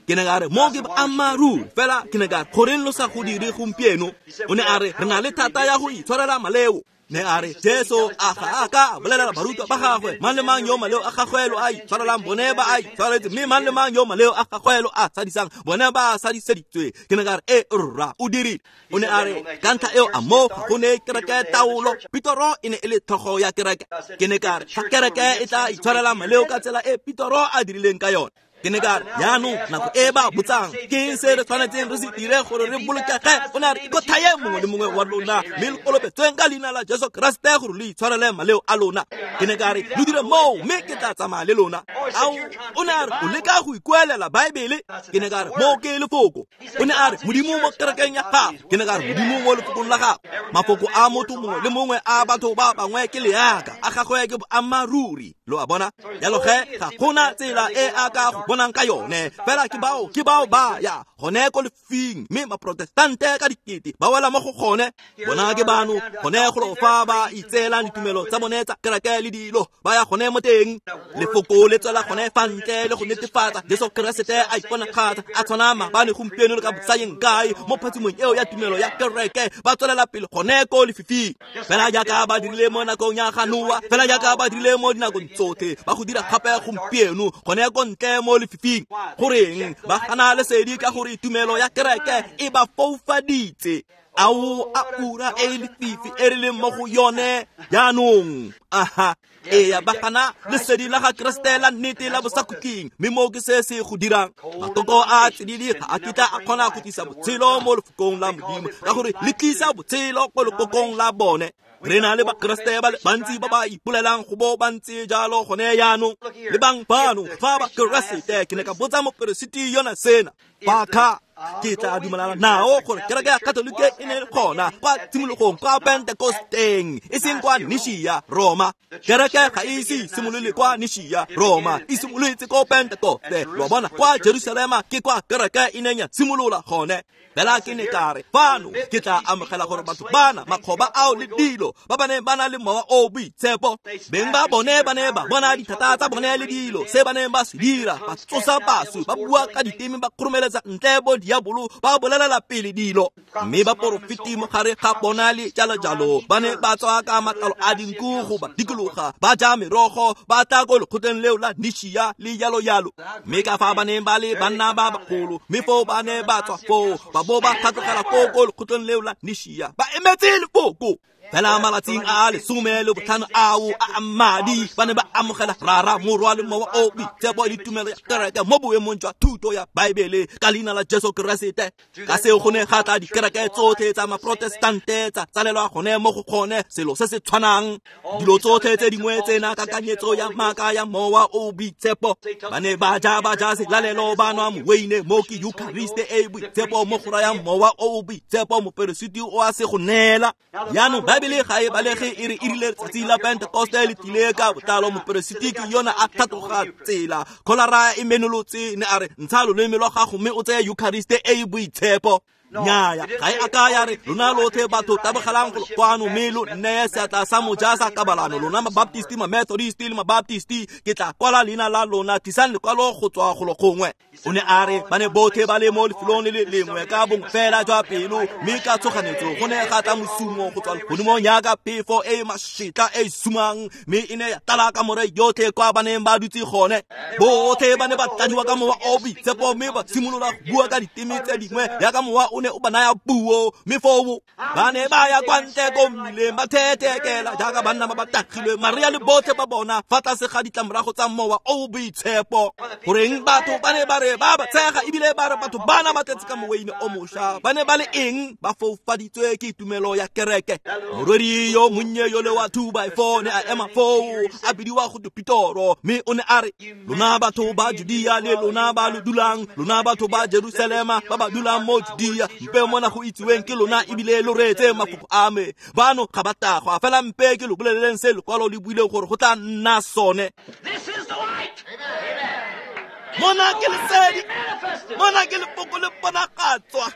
Ke ne ka re mo ke boammaaruri fela. Ke ne ka re goreng lo sa go dire gompieno? O ne a re re na le thata ya go itshwarela maleo. Ne a re Jesu a ga a ka bolelela barutwa ba gagwe, mang le mang yo maleo a gagwe lo a itshwarelang bone ba a itshwaretse, mme mang le mang yo maleo a gagwe lo a sadisang bone ba a sadiseditswe. Ke ne ka re e rra, o dirile. O ne a re ka ntlha eo a mo ga go ne kereke taolo. Petoro e ne e le tlhogo ya kereke. Ke ne ka re fa kereke e tla itshwarela maleo ka tsela e Petoro a dirileng ka yone. Ke ne ka re jaanong nako e ba botsang ke eng se re tshwanetseng re se dire gore re bolokege, o ne a re ikothaye mongwe le mongwe wa lona, mme le kolobetsweng ka leina la Jesu Keresete gore le itshwarele maleo a lona. Ke ne ka re lo dire moo, mme ke tla tsamaya le lona. Ao, o ne a re o leka go ikuelela Baebele. Ke ne ka re mo ke lefoko. O ne a re Modimo mo kerekeng ya gago. Ke ne ka re Modimo mo lefokong la gago. Mafoko a motho mongwe le mongwe a batho ba bangwe ke leaka, a gagwe ke boammaaruri. Lo a bona? Jalo ge ga gona tsela e a ka go bonang ka yone, fela ke bao ke bao ba ya gone ko lefing, mme maprotestante ka dikete ba wela mo go gone. Bona ke bano gone go fa ba itseelang ditumelo tsa bone tsa kereke le dilo, ba ya gone mo teng. Lefoko le tswela gone fa ntle le go netefatsa Jesu Keresete a iponagatsa a tshwana maabane, gompieno le ka bosayeng kae mo phatsimong eo ya tumelo ya kereke. Ba tswelela pele gone ko lefifing, fela jaaka ba dirile mo nakong ya ga Noa, fela jaaka ba dirile mo dinakong tsotlhe, ba go dira gape gompieno gone ko ntle mo lefifing. Goreng ba gana lesedi? Ka gore tumelo ya kereke e ba foufaditse. Ao a ura e lefifi e re leng mo go yone jaanong. Aha, eya, ba gana lesedi la ga Keresete la nnete la bosakhutleng, mme mo ke se se go dirang. Matoko a tsididi ga a kitla a kgona go tlisa botshelo mo lefokong la Modimo, ka gore le tlisa botshelo ko lekokong la bone. Re na le Bakeresete ba le bantsi ba ba ipolelang go bo ba ntse jalo gone jaanong. Le bang bano fa Bakeresete, ke ne ka botsa moperesiti yona sena, Baka ke tla dumelana nao gore kereke ya Katolike e ne le gona kwa tshimologong kwa Pentekosteng, e seng kwa Nishia Roma. Kereke ga e ise simolole kwa Nishia Roma, e simolotse ko Pentekoste. Lo bona kwa Jerusalema ke kwa kereke e neng ya simolola gone. Fela ke ne ka re fano ke tla amogela gore batho bana makgoba ao le dilo ba ba neng ba na le mowa o boitshepo, beng ba bone ba ne ba bona dithata tsa bone le dilo se ba neng ba se dira, ba tsosa baswi, ba bua ka diteme, ba kgoromeletsa ntle bo diabolo, ba bolelela pele dilo, mme ba porofeti mo gare ga bona le jalo jalo. Ba ne ba tswa ka matlalo a dinku go ba dikologa, ba ja merogo, ba tla ko lekgotleng leo la Nishia le jalo jalo. Mme ka fa ba neng ba le banna ba bagolo, mme foo ba ne ba tswa foo ba bo ba tlhatlogela ko ko lekgotleng leo la Nishia, ba emetse lefoko. Fela malatsing a lesome le botlhano ao a madi ba ne ba amogela Rara, Morwa le Mowa o Boitshepo le tumelo ya kereke mo boemong jwa thuto ya Baebele ka leina la Jesu Keresete. Ka seo go ne ga tla dikereke tsotlhe tsa maprotestante tsa tsalelwa gone mo go gone selo se se tshwanang. Dilo tsotlhe tse dingwe tsena kakanyetso ya maaka ya Mowa o Boitshepo. Ba ne ba ja ba ja selalelo, ba nwa moweine mo ke Eucharist e e boitshepo mo go rayang Mowa o Boitshepo, moperesiti o a se go neela. Jaanong Baebele ga e balege e re e rile letsatsi la Pentekoste le tlile ka botlalo moperesiti ke yona a tlhatloga tsela kholara e menolotse ne a re ntsha loleme lwa gago mme o tseye Eucharist e e boitshepo. Nnyaya ga e a ka ya re lona lotlhe batho tabogelang go kwano mme lo nneye seatla sa moja sa kabalano lona mabaptisti mamethodist le mabaptisti ke tla kwala leina la lona tlisang lekwalo go tswa golo gongwe. O ne a re ba ne botlhe ba le mo lefelong le le lengwe ka bongwe fela jwa pelo mme ka tshoganetso go ne ga tla mosumo go tswa legodimong jaaka phefo e e mašetla e e sumang mme e ne ya tlala kamore yotlhe kwa ba neng ba dutse gone. Botlhe ba ne ba tladiwa ka mowa o boitshepo mme ba simolola go bua ka diteme tse dingwe jaaka mowa o ne o ba naya puo mme foo ba ne ba ya kwa ntle ko mmileng ba thetekela jaaka banna ba ba tagilwe Maria le botlhe ba bona fa tlase ga ditlamorago tsa mowa o boitshepo. Goreng batho ba ne ba re ba ba tshega ebile ba re batho bana ba tletse ka moweine o mošwa ba ne ba le eng ba foufaditswe ke tumelo ya kereke. Morwedi yo monnye yo le wa two by four ne a ema foo a bidiwa go Pitoro mme o ne a re lona batho ba Judea le lona ba lo dulang lona batho ba Jerusalema ba ba dulang mo Judea mpe mona go itsiweng ke lona ebile lo reetse mafoko a me bano ga ba tagwa fela mpe ke lo boleleleng se lekwalo le buileng gore go tla nna sone. Mona ke lesedi, mona ke lefoko le bonagatswa.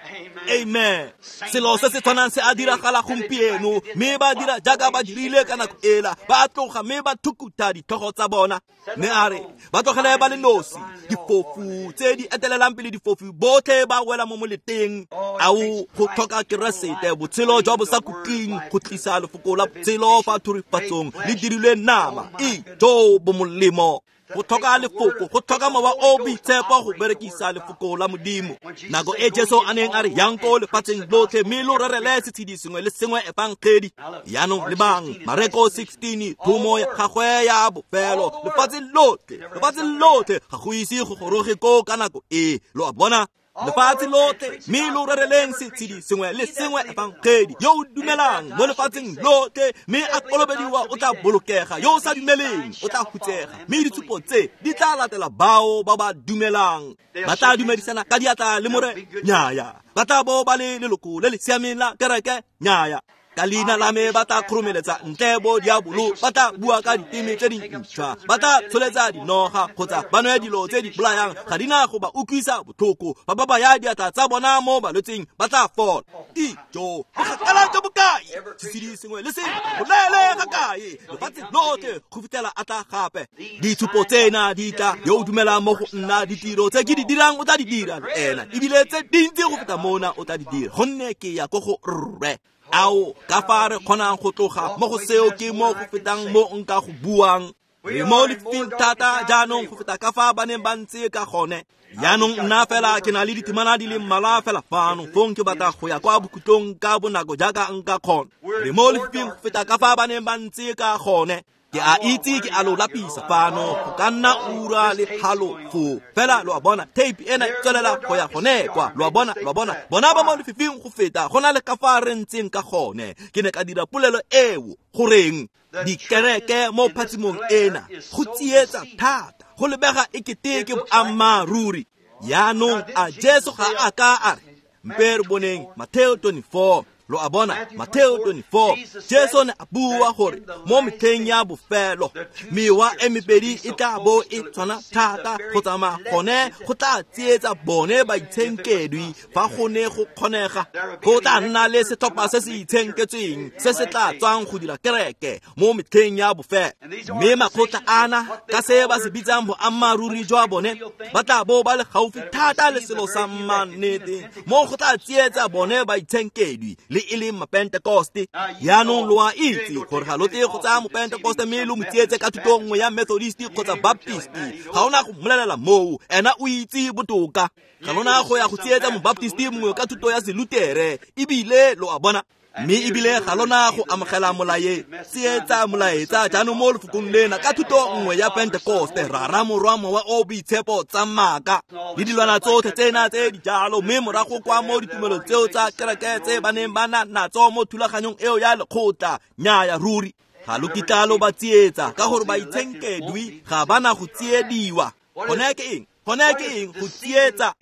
Amen. Selo se se tshwanang se a diragala gompieno mme ba dira jaaka ba dirile ka nako ela ba tloga mme ba thukutha ditlhogo tsa bona. Mme a re ba tlogele ba le nosi difofu tse di etelelang pele difofu botlhe ba wela mo moleteng. Ao go tlhoka Keresete botshelo jwa bosakhutleng go tlisa lefoko la botshelo fa thurifatsong le dirilwe nama e jo bo molemo. Go tlhoka lefoko go tlhoka mowa o boitshepo go berekisa lefoko la Modimo. Nako e Jesu a neng a re yang ko lefatsheng lotlhe mme lo rerele setshedi sengwe le sengwe efangedi. Jaanong lebang Mareko sixteen thomo ya gagwe ya bofelo lefatshe lotlhe lefatshe lotlhe ga go ise go goroge koo ka nako e lo a bona lefatshe lotlhe mme lo rereleng setshedi sengwe le sengwe efangedi. Yo o dumelang mo lefatsheng lotlhe mme a kolobediwa o tla bolokega yo o sa dumeleng o tla hutsega mme ditshupo tse di tla latela bao ba ba dumelang. Ba tla dumedisana ka diatla le more nnyaya ba tla bo ba le leloko le le siameng la kereke nnyaya ka leina la me ba tla kgoromeletsa ntle bo diabolo ba tla bua ka diteme tse dintšhwa ba tla tsholetsa dinoga kgotsa ba nwe dilo tse di bolayang ga di na go ba utlwisa botlhoko ba ba baya diatla tsa bona mo balwetseng ba tla fola. Ijo bokgakala jo bokae setshedi sengwe le sengwe go lele ga kae lefatshe lotlhe go fitlhela a tla gape. Ditshupo tsena di tla yo o dumelang mo go nna ditiro tse ke di dirang o tla di dira le ena ebile tse dintsi go feta mona o tla di dira gonne ke ya ko go rre. Ao ka fa re kgonang go tloga mo go seo ke mo go fetang mo nka go buang. Re mo lefifing thata jaanong go feta ka fa ba neng ba ntse ka gone. Jaanong nna fela ke na le ditemana di le mmalwa fela fano fong ke batla go ya kwa bokhutlong ka bonako jaaka nka kgona. Re mo lefifing go feta ka fa ba neng ba ntse ka gone. Ke a itse ke a lo lapisa fano go ka nna ura le halofo fela lo a bona tape ena e tswelela go ya gone kwa lo a bona lo a bona bona ba mo lefifing go feta go na le ka fa re ntseng ka gone. Ke ne ka dira polelo eo goreng dikereke mo phatsimong ena go tsietsa thata go lebega e kete ke boammaaruri. Jaanong a Jesu ga a ka a re mpe re boneng Mateo twenty-four lo a bona Mateo twenty-four Jesu ne a bua gore mo metlheng ya bofelo mewa e mebedi e tla bo e tshwana thata go tsamaya gone go tla tsietsa bone baitshenkedwi fa go ne go kgonega. Go tla nna le setlhopha se se itshenketsweng se se tla tswang go dira kereke mo metlheng ya bofelo mme makgotla ana ka se ba se bitsang boammaaruri jwa bone ba tla bo ba le gaufi thata le selo sa mannete mo go tla tsietsa bone baitshenkedwi le e leng mapentekoste. Jaanong lo a itse gore ga lo tle go tsaya mopentekoste mme lo mo tsietse ka thuto nngwe ya Methodist kgotsa Baptist. Ga ona go mmolelela moo ena o itse botoka. Ga lona go ya go tsietsa mobaptist mongwe ka thuto ya Selutere ebile lo a bona mme ebile ga lona go amogela molae tsietsa molaetsa jaanong mo lefokong lena ka thuto nngwe ya Pentekoste rara morwa mowa o boitshepo tsa maaka le dilwana tsotlhe tsena tse di jalo mme morago kwa mo ditumelo tseo tsa kereke tse ba neng ba na natso mo thulaganyong eo ya lekgotla. Nnyaya ruri ga lo kitla lo ba tsietsa ka gore baitshenkedwi ga ba na go tsiediwa. Gone ke eng? Gone ke eng go tsietsa?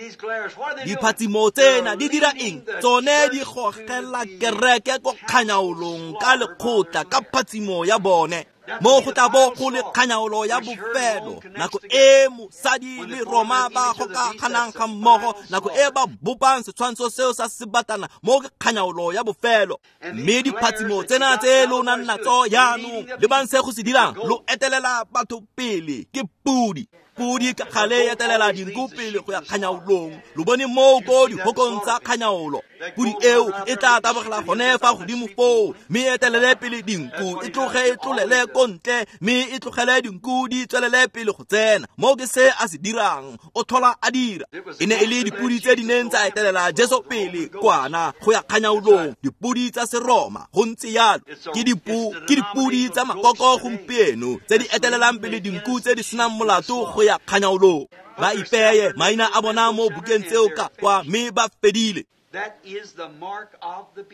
Diphatsimo tsena di dira eng? Tsone di gogela kereke ko kganyaolong ka lekgotla ka phatsimo ya bone. Mo go tla bo go le kganyaolo ya bofelo, nako e mosadi le Roma ba gokaganang ga mmogo, nako e ba bopang setshwantsho seo sa sebatana, mo ke kganyaolo ya bofelo. Mme diphatsimo tsena tse lo nang natso jaanong, lebang se go se dirang, lo etelela batho pele ke pudi. Pudi ka gale etelela dinku pele go ya kganyaolong. Lo bone moo ko dihokong tsa kganyaolo. Pudi eo e tla tabogela gone fa godimo foo, mme etelele pele dinku, e tloge e tlolele ko ntle, mme e tlogele dinku di tswelele pele go tsena. Moo ke se a se dirang, o tlhola a dira. E ne e le dipudi tse di neng tsa etelela Jesu pele kwana go ya kganyaolong, dipudi tsa Seroma, go ntse jalo. Ke dipu ke dipudi tsa makoko gompieno tse di etelelang pele dinku tse di senang molato go ya kganyaolong. Ba ipeye maina a bona mo bukeng tseo ka kwa, mme ba fedile.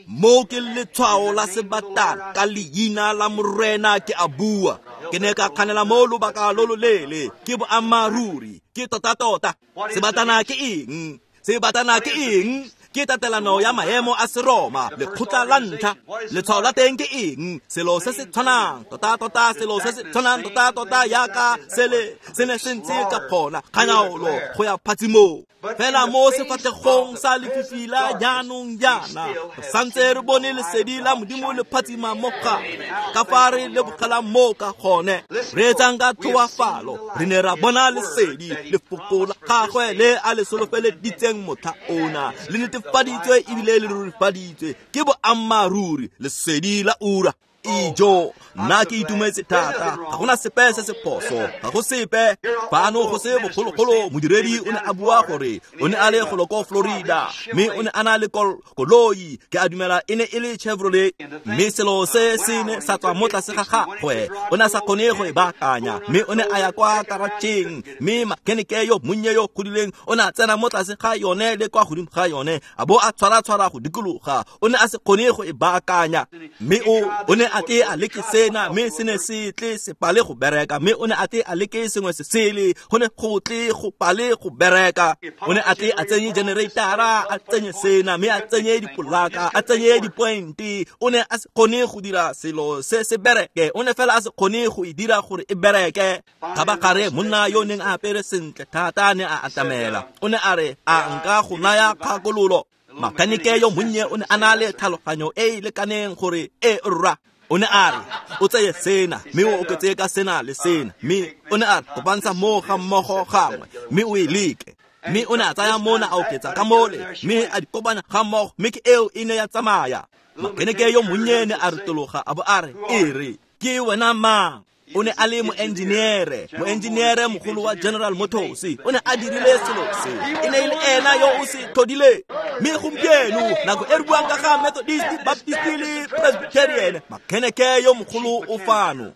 Mo ke letshwao la sebatana, ka leina la Morena ke a bua. Ke ne ka kganela mo lobaka lo loleele, ke boammaaruri, ke tota-tota. Sebatana ke eng? Sebatana ke eng? Ke tatelano ya maemo a Seroma, lekgotla la ntlha. Letshwao la teng ke eng? Selo se se tshwanang, tota-tota, selo se se tshwanang, tota-tota, yaka sele se ne se ntse ka gona, kganyaolo go ya phatsimong. Fela mo sefatlhegong sa lefifi la jaanong jaana, re santse re bone lesedi la Modimo le phatsima mo gare. Ka fa re lebogelang moo ka gone, re etsang ka tlhoafalo, re ne ra bona lesedi, lefoko la gagwe le a le solofeleditseng motlha ona, le netefaditswe ebile le rurifaditswe ke boammaaruri, lesedi la ura. Ijo, nna ke itumetse thata, ga gona sepe se se phoso, ga go sepe. Fano go se bogologolo, modiredi o ne a bua gore o ne a le golo ko Florida, mme o ne a na le koloi, ke a dumela e ne e le Chevrolet, mme selo se se ne sa tswa mo tlase ga gagwe, o ne a sa kgone go e baakanya, mme o ne a ya kwa karatšheng, mme makenike yo monnye yo godileng o ne a tsena mo tlase ga yone le kwa godimo ga yone, a bo a tshwara-tshwara go dikologa, o ne a se kgone go e baakanya, mme o o ne a tle a leke sena, mme se ne se tle se pale go bereka, mme o ne a tle a leke sengwe se sele, go ne go tle go pale go bereka. O ne a tle a tsenye generatora, a tsenye sena, mme a tsenye dipolaka, a tsenye dipointe. O ne a se kgone go dira selo se se bereke, o ne fela a se kgone go e dira gore e bereke. Kgabagare monna yo neng a apere sentle thata ne a atamela, o ne a re, a nka go naya kgakololo? Makanike yo monnye o ne a na le tlhaloganyo e e lekaneng gore e rra. O ne a re, o tseye sena, mme o oketse ka sena le sena, mme o ne a re, kopantsha moo ga mmogo gangwe, mme o e leke. Mme o ne a tsaya mona a oketsa ka mole, mme a di kopanya ga mmogo, mme ke eo e ne ya tsamaya. Makeneke yo monnye ne a retologa a bo a re, e re, ke wena mang? O ne a le moengineere, moengineere mogolo wa General Motors, o ne a dirile selo se, e ne e le ena yo o se tlhodileng. Mme gompieno, nako e re buang ka ga Methodist, Baptist le Presbyterian, makeneke yo mogolo o fano.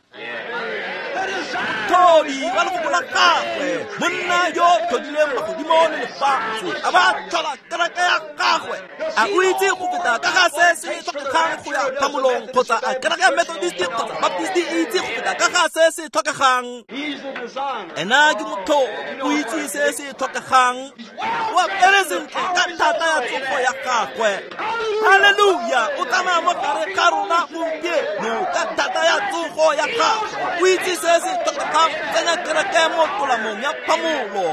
Motlhodi wa lefoko la gagwe, monna yo tlhodileng magodimo le lefatshe, a ba tlhola kereke ya gagwe. A o itse go feta ka ga se se tlhokegang go ya phamolong, kgotsa a kereke ya Methodist kgotsa Baptist e itse go feta ka ga se se tlhokegang? Ena ke motlhodi, o itse se se tlhokegang, o apere sentle ka thata ya tsogo ya gagwe. Haleluya, o tsamaya mo gare ga rona gompieno ka thata ya tsogo ya gagwe. O itse se se tlhokegang go tsenya kereke mo tolamong ya phamolo.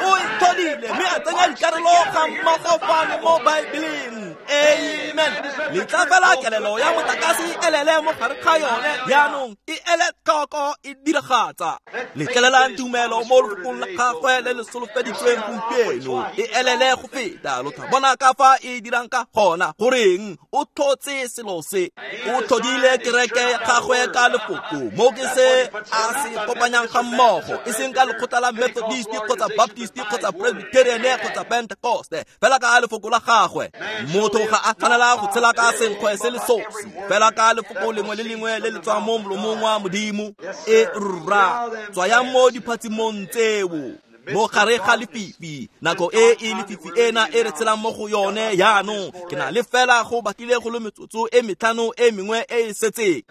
O e tlhodile mme a tsenya dikarolo ga mmogo fano mo Baebeleng. Amen. Letla fela kelelo ya motlakase e elele mo gare ga yone, jaanong e ele tlhoko e diragatsa. Letlelelang tumelo mo lefokong la gagwe le le solofeditsweng gompieno e elele go feta. Lo tla bona ka fa e dirang ka gona. Goreng o tlhotse selo se? O tlhodile kereke ya gagwe ka lefoko, mo ke se a se kopanyang ga mmogo, e seng ka lekgotla la Methodist kgotsa Baptist kgotsa Presbyterian kgotsa Pentecost, fela ka lefoko la gagwe. Motho ga a tshwanela go tshela ka senkgwe se le sosi, fela ka lefoko lengwe le lengwe le le tswang mo molomong wa Modimo. E rra, tswayang mo diphatsimong tseo. Mo gare ga lefifi, nako e e lefifi ena e re tshelang mo go yone jaanong, ke na le fela go batlile go le metsotso e metlhano e mengwe e e setseng.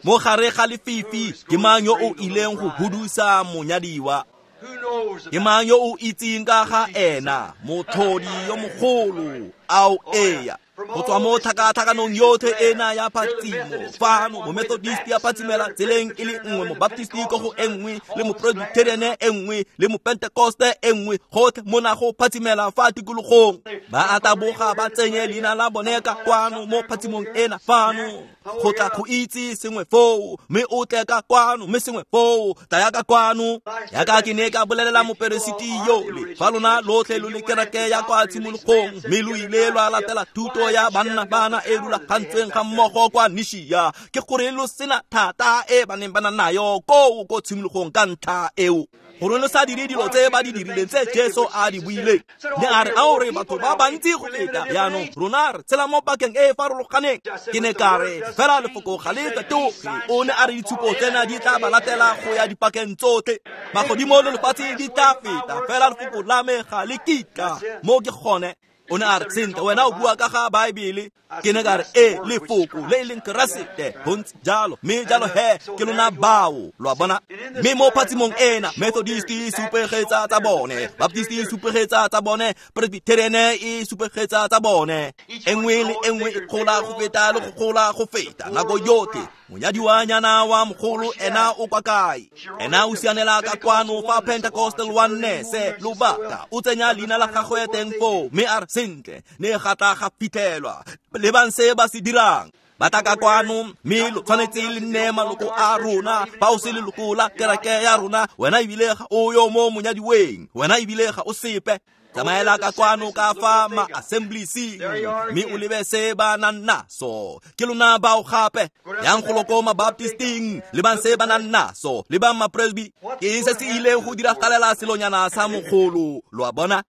Mo gare ga lefifi, ke mang yo o ileng go hudusa monyadiwa? Ke mang yo o itseng ka ga ena, motlhodi yo mogolo, ao eya. Go tswa mo tlhakatlhakanong yotlhe ena ya phatsimo fano, momethodist ya phatsimela tseleng e le nngwe, mobaptist ko go e nngwe, le mopresbyterian e nngwe, le mopentekoste e nngwe, gotlhe mona go phatsimela fa tikologong. Ba a taboga ba tsenye leina la bone ka kwano mo phatsimong ena fano, go tla go itse sengwe foo, mme o tle ka kwano, mme sengwe foo, tlaya ka kwano. Yaka ke ne ka bolelela moperesiti yole, fa lona lotlhe lo le kereke ya kwa tshimologong, mme lo ile lwa latela thuto ya banna bana e rulagantsweng ga mmogo kwa Nishia, ke gore lo sena thata e ba neng ba na nayo koo ko tshimologong ka ntlha eo, gore lo sa dire dilo tse ba di dirileng tse Jesu a di buileng. Ne a re, ao re batho ba bantsi go feta jaanong, rona re tshela mo pakeng e e farologaneng. Ke ne ka re, fela lefoko ga le fetoge. O ne a re ditshupo tsena di tla ba latela go ya dipakeng tsotlhe, magodimo le lefatshe di tla feta, fela lefoko la me ga le kitla. Mo ke gone. O ne a re, sentle, wena o bua ka ga Baebele. Ke ne ka re, e lefoko le e leng Keresete, go ntse jalo, mme jalo he ke lona bao, lo a bona. Mme mo phatsimong ena, Methodist e supegetsa tsa bone, Baptist e supegetsa tsa bone, Presbyterian e supegetsa tsa bone. E nngwe le e nngwe e gola go feta le go gola go feta nako yotlhe. Monyadiwanyana wa mogolo ena o kwa kae? Ena o sianela ka kwano fa Pentecostal Oneness lobaka, o tsenya leina la gagwe teng foo, mme a re, sentle, ne ga tla ga fitlhelwa. Lebang se ba se dirang. Ba tla ka kwano, mme lo tshwanetse le nne maloko a rona. Fa o se leloko la kereke ya rona, wena ebile ga o yo mo monyadiweng, wena ebile ga o sepe. Tsamaela ka kwano ka fa ma-assembliesing, mme o lebe se ba nang naso. Ke lona bao gape. Yang golo ko ma-baptisting, lebang se ba nang naso, lebang ma-presby. Ke eng se se ileng go diragalela selonyana sa mogolo, lo a bona?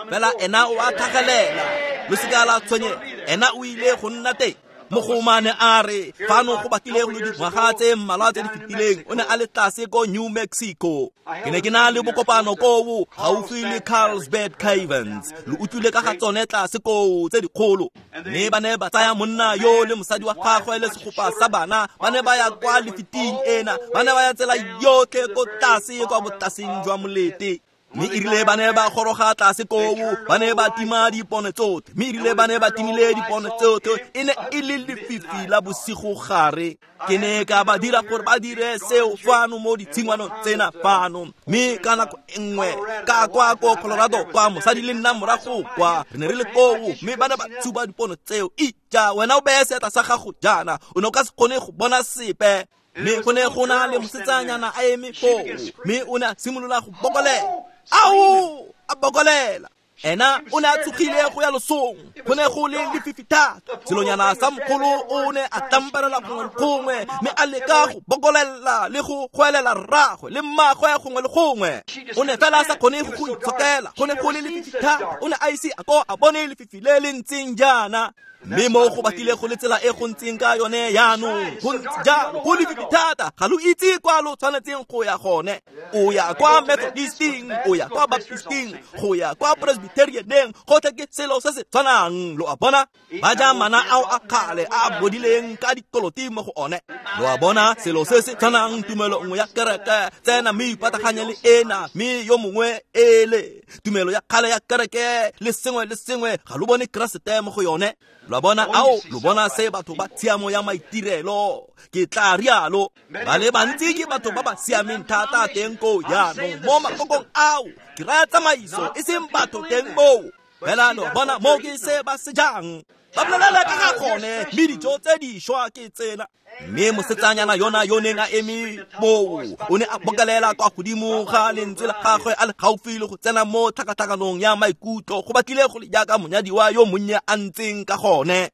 Fela ena o a tlhagelela, lo seka la tshwenyega, ena o ile go nna teng. Mogomane a re, fano go batlile go le dingwaga tse mmalwa tse di fetileng, o ne a le tlase ko New Mexico. Ke ne ke na le bokopano koo gaufi le Carlsbad Caverns. Lo utlwile ka ga tsone tlase koo tse dikgolo. Mme ba ne ba tsaya monna yo le mosadi wa gagwe le segopa sa bana, ba ne ba ya kwa lefiting ena, ba ne ba ya tsela yotlhe ko tlase kwa botlaseng jwa molete. Mme erile ba ne ba goroga tlase koo, ba ne ba tima dipone tsotlhe. Mme erile ba ne ba timile dipone tsotlhe, e ne e le lefifi la bosigo gare. Ke ne ka ba dira gore ba dire seo fano mo ditshingwanong tsena fano. Mme ka nako e nngwe ka kwa ko Colorado kwa, mosadi le nna morago kwa, re ne re le koo, mme ba ne ba tshuba dipone tseo. Ija, wena o beye seatla sa gago jaana, o ne o ka se kgone go bona sepe. Mme go ne go na le mosetsanyana a eme foo, mme o ne a simolola go bokolela. Ao, a bokolela. Ena o ne a tsogile go ya losong, go ne go le lefifi thata. Selonyana sa mogolo o ne a tlamparela gongwe le gongwe, mme a leka go bokolela le go goelela rraagwe le mmagwe gongwe le gongwe. O ne fela a sa kgone go go itshokela, go ne go le lefifi thata. O ne a ise a ko a bone lefifi le le ntseng jaana. Mme mo go batlile go le tsela e go ntseng ka yone jaanong, go ntse jalo, go lefifi thata, ga lo itse kwa lo tshwanetseng go ya gone. O ya kwa Methodisting, o ya kwa Baptisting, go ya kwa Presbyterianeng, gotlhe ke selo se se tshwanang, lo a bona. Ba ja mana ao a kgale a a bodileng ka dikoloti mo go one, lo a bona. Selo se se tshwanang, tumelo nngwe ya kereke, tsena mme ipataganye le ena, mme yo mongwe ele tumelo ya kgale ya kereke le sengwe le sengwe, ga lo bone Keresete mo go yone. Lo a bona, ao lo bona se batho ba tshiamo ya maitirelo, ke tla rialo. Ba le bantsi ke batho ba ba siameng thata teng koo jaanong mo makokong ao, ke raya tsamaiso e seng batho teng moo. Fela lo bona mo ke se ba se jang, ba bolela ka ga gone, mme dijo tse dišwa ke tsena. Mme mosetsanyana yona yo neng a eme moo, o ne a bokalela kwa godimo ga lentswe la gagwe a le gaufi le go tsena mo tlhakatlhakanong ya maikutlo, go batlile go le jaaka monyadiwa yo monnye a ntseng ka gone.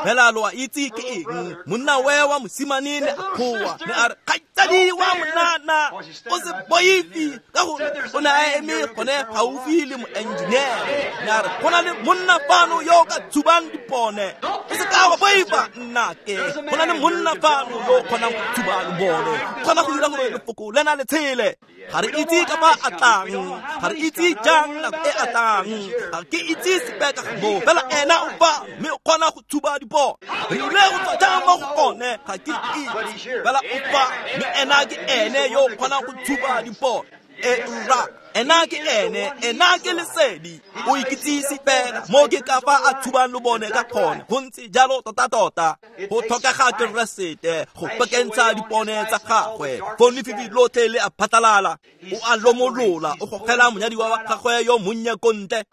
Fela lo a itse ke eng, monna we wa mosimane ne a kgowa, ne a re, kgaitsadi wa monana, o se boife, ka gore o ne a eme gone gaufi le moengineere. Ne a re, go na le monna fano yo o ka tshubang dipone, o se ka wa boifa, nnake, go na le monna fano yo o kgonang go tshuba lobone, kgona go dira gore lefoko lena le tshele. Ga re itse ka fa a tlang, ga re itse jang nako e a tlang, ga ke itse sepe ka ga moo, fela ena o fa, mme o kgona go tshuba dipone. Re ile go tswa jang mo go one, ga ke itse, fela o fa, mme ena ke ene yo o kgonang go tshuba dipone. E rra, ena ke ene, ena ke lesedi. O ikitsise fela mo ke ka fa a thubang lo bone ka gone. Go ntse jalo tota-tota. Go tlhokega Keresete go pekentsha dipone tsa gagwe. Foo lefifi lotlhe le a phatlalala. O a lomolola, o gogela monyadiwa wa gagwe yo monnye ko ntle.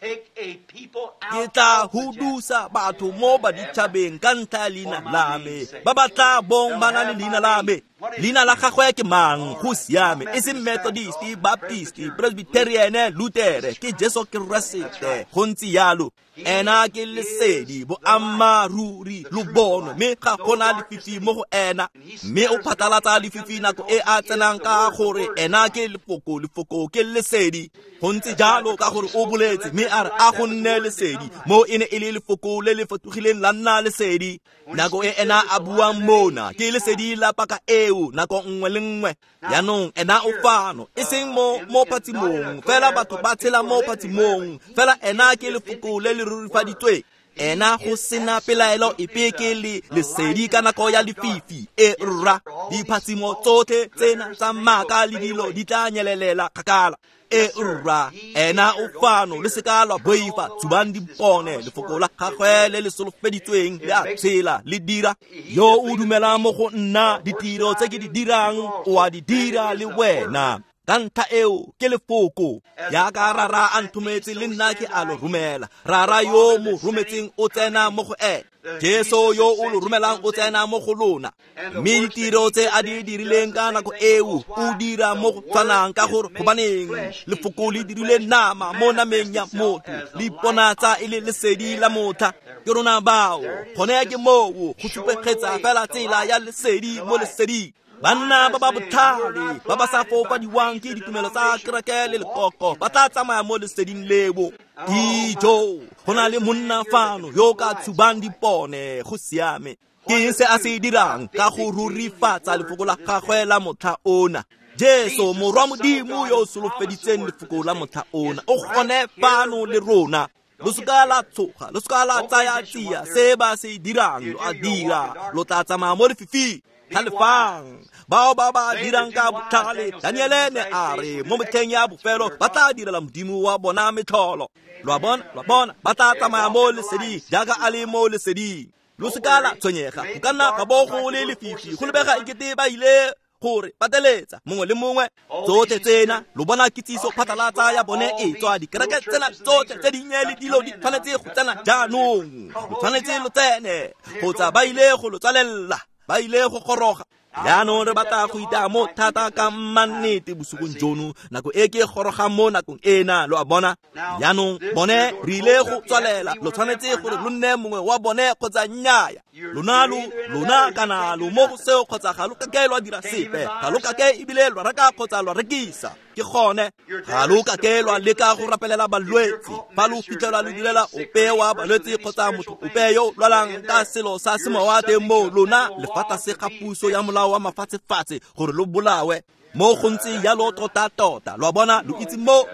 Ke tla hudusa batho mo baditšhabeng ka ntlha ya leina la me, ba ba tla bong ba na le leina la me. Leina la gagwe ke mang? Go siame, e seng Methodist, Baptist, Presbyterian, Lutere, ke Jesu Keresete. Go ntse jalo. Ena ke lesedi, boammaaruri, lo bonwe, mme ga gona lefifi mo go ena. Mme o phatlalatsa lefifi nako e a tsenang ka gore ena ke lefoko, lefoko ke lesedi. Go ntse jalo ka gore o boletse, mme a re a go nne lesedi. Mo e ne e le lefoko le le fetogileng la nna lesedi. Nako e ena a buang mona ke lesedi la paka eo nako nngwe le nngwe. Jaanong ena o fano, e seng mo mo phatsimong, fela batho ba tshela mo phatsimong, fela ena ke lefoko le le rurifaditsweng. Ena go sena pelaelo epe ke le lesedi ka nako ya lefifi. E rra, diphatsimo tsotlhe tsena tsa maaka le dilo di tla nyelelela kgakala. E rra, ena o fano, le seka lwa boifa, tshubang dipone, lefoko la gagwe le le solofeditsweng le a tshela le dira. Yo o dumelang mo go nna, ditiro tse ke di dirang o a di dira le wena. Ka ntlha eo ke lefoko. Jaaka Rara a nthometse le nna ke a lo romela. Rara yo mo rometseng o tsena mo go ene. Jesu yo o lo romelang o tsena mo go lona. Mme ditiro tse a di dirileng ka nako eo o dira mo go tshwanang, ka gore gobaneng lefoko le dirile nama mo nameng ya motho, le iponatsa e le lesedi la motlha. Ke rona bao, gone ke moo go supegetsa fela tsela ya lesedi mo leseding. Banna ba ba botlhale ba ba sa fofadiwang ke ditumelo tsa kereke le lekoko ba tla tsamaya mo leseding leo. Dijo, go na le monna fano yo ka tshubang dipone. Go siame. Ke eng se a se dirang ka go rurifatsa lefoko la gagwe la motlha ona? Jesu morwa Modimo yo o solofeditseng lefoko la motlha ona o gone fano le rona. Lo seka la tshoga, lo seka la tsaya tsia se ba se dirang, lo a dira, lo tla tsamaya mo lefifing. Tlhalefang bao ba ba dirang ka botlhale. Daniele ne a re mo metlheng ya bofelo ba tla direla Modimo wa bona metlholo. Lo a bona, lo a bona, ba tla tsamaya mo leseding jaaka a le mo leseding. Lo seka la tshwenyega, go ka nna ga bo go le lefifi, go lebega ekete ba ile gore pateletsa mongwe le mongwe. Tsotlhe tsena lo bona kitsiso phatlalatsa ya bone e tswa dikereke tsena tsotlhe tse dinnye le dilo di tshwanetse go tsena jaanong. Lo tshwanetse lo tsene kgotsa ba ile go lo tswalela, ba ile go goroga. Jaanong re batla go itaya mo thata ka mannete bosigong jono, nako e ke gorogang mo nakong ena, lo a bona. Jaanong bone re ile go tswalela, lo tshwanetse gore lo nne mongwe wa bone kgotsa nnyaya. Lona lo lona kana lo mo go seo kgotsa ga lo kake lwa dira sepe, ga lo kake ebile lwa reka kgotsa lwa rekisa. Ke gone, ga lo kake lwa leka go rapelela balwetse. Fa lo fitlhelwa lo direla ope wa balwetse kgotsa motho ope yo lwalang ka selo sa semowa teng mo lona, le fa tlase ga puso ya molao wa mafatshefatshe gore lo bolawe. Mo go ntse jalo tota-tota, lo a bona, lo itse moo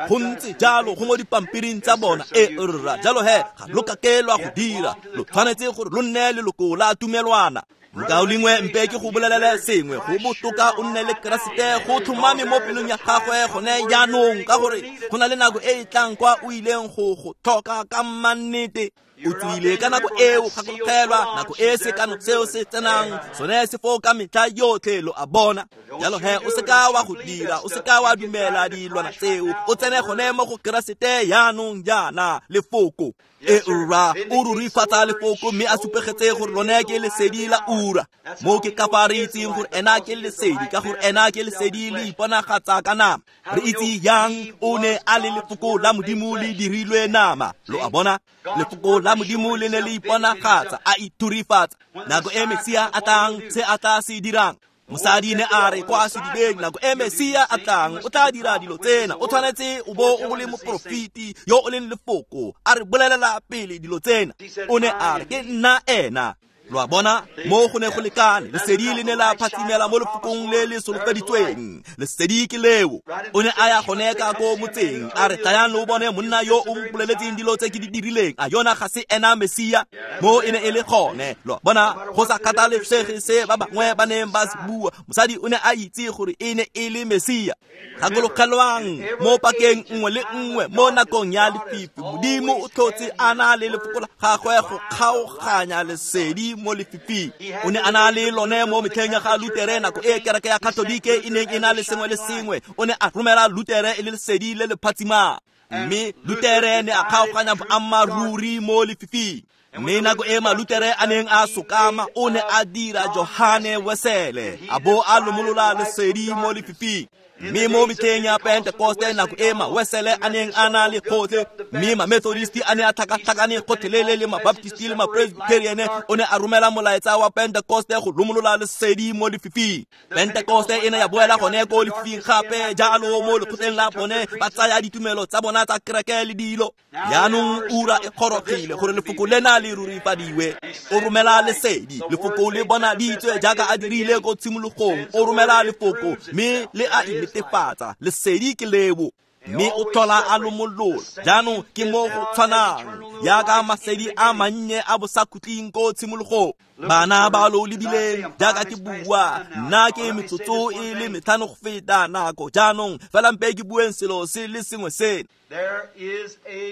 go ntse jalo go mo dipampiring tsa bona. E rra, jalo he ga lo kake lwa go dira, lo tshwanetse gore lo nne leloko la tumelwana. Mokaulengwe, mpe ke go bolelele sengwe, go botoka o nne le Keresete go tlhomame mo pelong ya gagwe gone jaanong, ka gore go na le nako e e tlang kwa o ileng go go tlhoka ka mannete. O tswile ka nako eo, gakologelwa nako e sekano seo se tsenang sone se foo ka metlha yotlhe, lo a bona. Jalo he o seka wa go dira, o seka wa dumela dilwana tseo, o tsene gone mo go Keresete jaanong jaana, lefoko. E rra, o rurifatsa lefoko mme a supegetse gore lone ke lesedi la ura. Mo ke ka fa re itseng gore ena ke lesedi, ka gore ena ke lesedi le iponagatsa ka nama. Re itse yang o ne a le lefoko la Modimo le dirilwe nama, lo a bona. Lefoko la Modimo le ne le iponagatsa, a ithurifatsa. Nako e Mesia a tlang, se a tla se dirang. Mosadi ne a re kwa sedibeng, nako e Mesia a tlang o tla dira dilo tsena. O tshwanetse o bo o le moporofeti yo o leng lefoko, a re bolelela pele dilo tsena. O ne a re ke nna ena. Lo a bona, mo go ne go lekane, lesedi le ne la phatsimela mo lefokong le le solofeditsweng. Lesedi ke leo. O ne a ya gone ka ko motseng, a re tlayang lo bone monna yo o mpoleletseng dilo tse ke di dirileng. A yona ga se ena Mesia? Mo e ne e le gone. Lo a bona, go sa kgathalesege se ba bangwe ba neng ba se bua, mosadi o ne a itse gore e ne e le Mesia. Gakologelwang, mo pakeng nngwe le nngwe mo nakong ya lefifi, Modimo o tlhotse a na le lefoko la gagwe go kgaoganya lesedi mo lefifing. O ne a na le lone mo metlheng ya ga Lutere, nako e kereke ya Katolike e neng e na le sengwe le sengwe. O ne a romela Lutere e le lesedi le le phatsimang, mme Lutere ne a kgaoganya boammaaruri mo lefifing. Mme nako e Malutere a neng a sokama, o ne a dira Johane Wesele, a bo a lomolola lesedi mo lefifing. Mme mo metlheng ya Pentekoste, nako e Mawesele a neng a na le kgotlhe, mme Mamethodisti a ne a tlhakatlhakane gotlhelele le Mabaptisti le Mapresbyteriane, o ne a romela molaetsa wa Pentekoste go lomolola lesedi mo lefifing. Pentekoste e ne ya boela gone ko lefifing gape, jalo mo lekgotleng la bone ba tsaya ditumelo tsa bona tsa kereke le dilo. Jaanong ura e gorogile gore lefoko lena le rurifadiwe. O romela lesedi, lefoko le bonaditswe jaaka a dirile ko tshimologong. O romela lefoko mme le a inetefatsa, lesedi ke leo. Mme o tlhola a lomolola. Jaanong ke mo go tshwanang jaaka masedi a mannye a bosakhutleng ko tshimologong. Bana ba lo lebileng jaaka ke bua, nna ke metsotso e le metlhano go feta nako. Jaanong fela mpe ke bueng selo se le sengwe seno.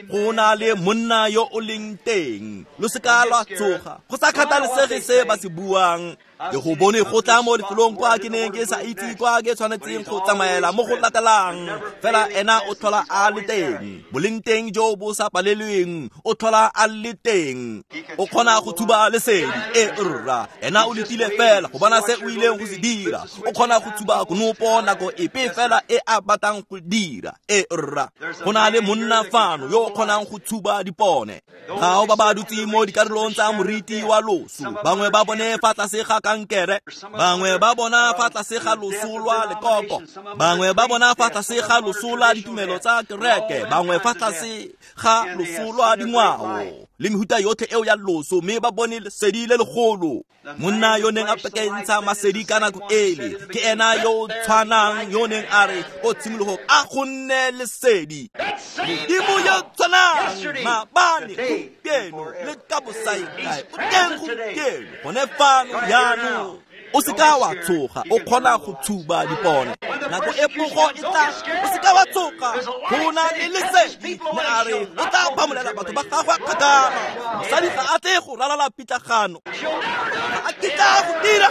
Go na le monna yo o leng teng, lo se ka lwa tsoga, go sa kgathalesege se ba se buang. Ke go bone go tla mo lefelong kwa ke neng ke sa itse kwa ke tshwanetseng go tsamaela mo go latelang. Fela ena o tlhola a le teng, boleng teng jo bo sa palelweng, o tlhola a le teng. O kgona go thuba lesedi, e rra, ena o letile fela go bona se o ileng go se dira. O kgona go thuba konopo nako epe fela e a batlang go dira, e rra. Go na le monna fano yo o kgonang go thuba dipone. Bao ba ba dutseng mo dikarolong tsa moriti wa loso, bangwe ba bone fa tlase ga kankere, bangwe ba bona fa tlase ga loso lwa lekoko, bangwe ba bona fa tlase ga loso lwa ditumelo tsa kereke, bangwe fa tlase ga loso lwa dingwao le mehuta yotlhe eo ya loso, mme ba bone lesedi le legolo. Monna yo neng a pekentsha masedi ka nako ele ke ena yo o tshwanang yo neng a re ko tshimologong a go nne lesedi. Modimo yo tshwanang maabane, gompieno le ka bosaikae, o teng gompieno gone fano jaanong. O se ka wa tsoga, o kgona go tshuba dipone. Nako e pogo e tla, o se ka wa tsoga, go na le lesedi. Ne a re o tla phamolela batho ba gagwe kgakala. Mosadi ga a tle go ralala pitlagano, ga a kitla go dira.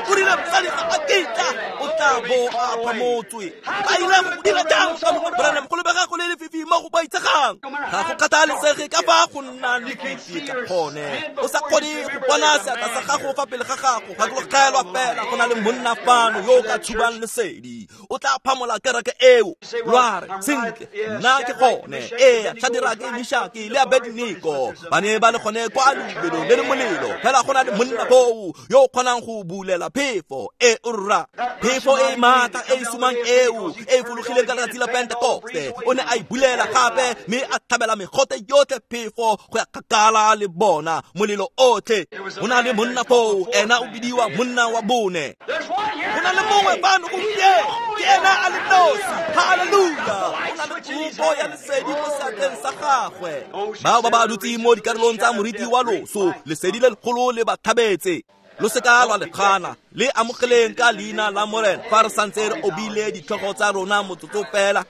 O rile mosadi ga a kitla, o tla bo a phamotswe. Ba ile go dira jang ka mo Branham? Go lebega go le lefifi mo go boitshegang. Ga go kgathalesege ka fa go nna lefifi ka gone, o sa kgone go bona seatla sa gago fa pele ga gago. Gakologelwa fela go na le monna fano yo o ka thubang lesedi, o tla phamola kereke eo. Lwa re sentle, nna ke gone. Ee, Shadrake, Meshake le Abednego ba ne ba le gone kwa lebelong le le molelo. Fela go na le monna foo yo o kgonang go bulela phefo e rra, phefo e maatla e e sumang eo e e fologileng ka letsatsi la Pentekoste. O ne a e bulela gape mme a tlhabela megote yotlhe phefo go ya kgakala le bona molelo otlhe. Go na le monna foo, ena o bidiwa monna wa bone. Go na le mongwe fano gompieno, ke ena a le nosi. Haleluya! Go na le kopo ya lesedi mo seatleng sa gagwe. Bao ba ba dutseng mo dikarolong tsa moriti wa loso, lesedi le legolo le ba thabetse. Lo se ka lwa le gana, le amogeleng ka leina la Morena. Fa re santse re obile ditlhogo tsa rona motsotso fela.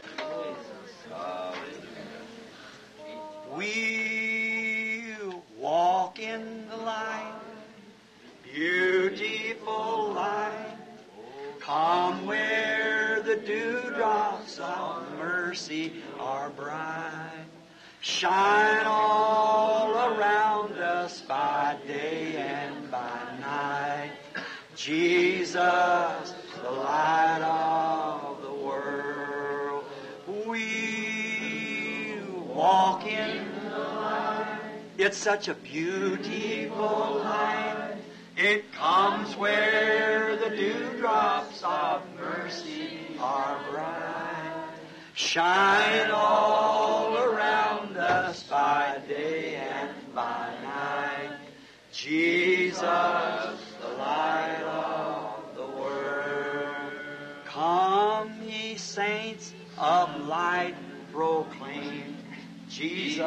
We walk in the light, beautiful light. Come where the dewdrops of mercy are bright. Shine all around us by day and by night. Jesus, the light of the world. We walk in the light. It's such a beautiful light. It comes where the dewdrops of mercy are bright. Shine all around us by day and by night. Jesus, the light of the world. Come, ye saints of light, proclaim Jesus,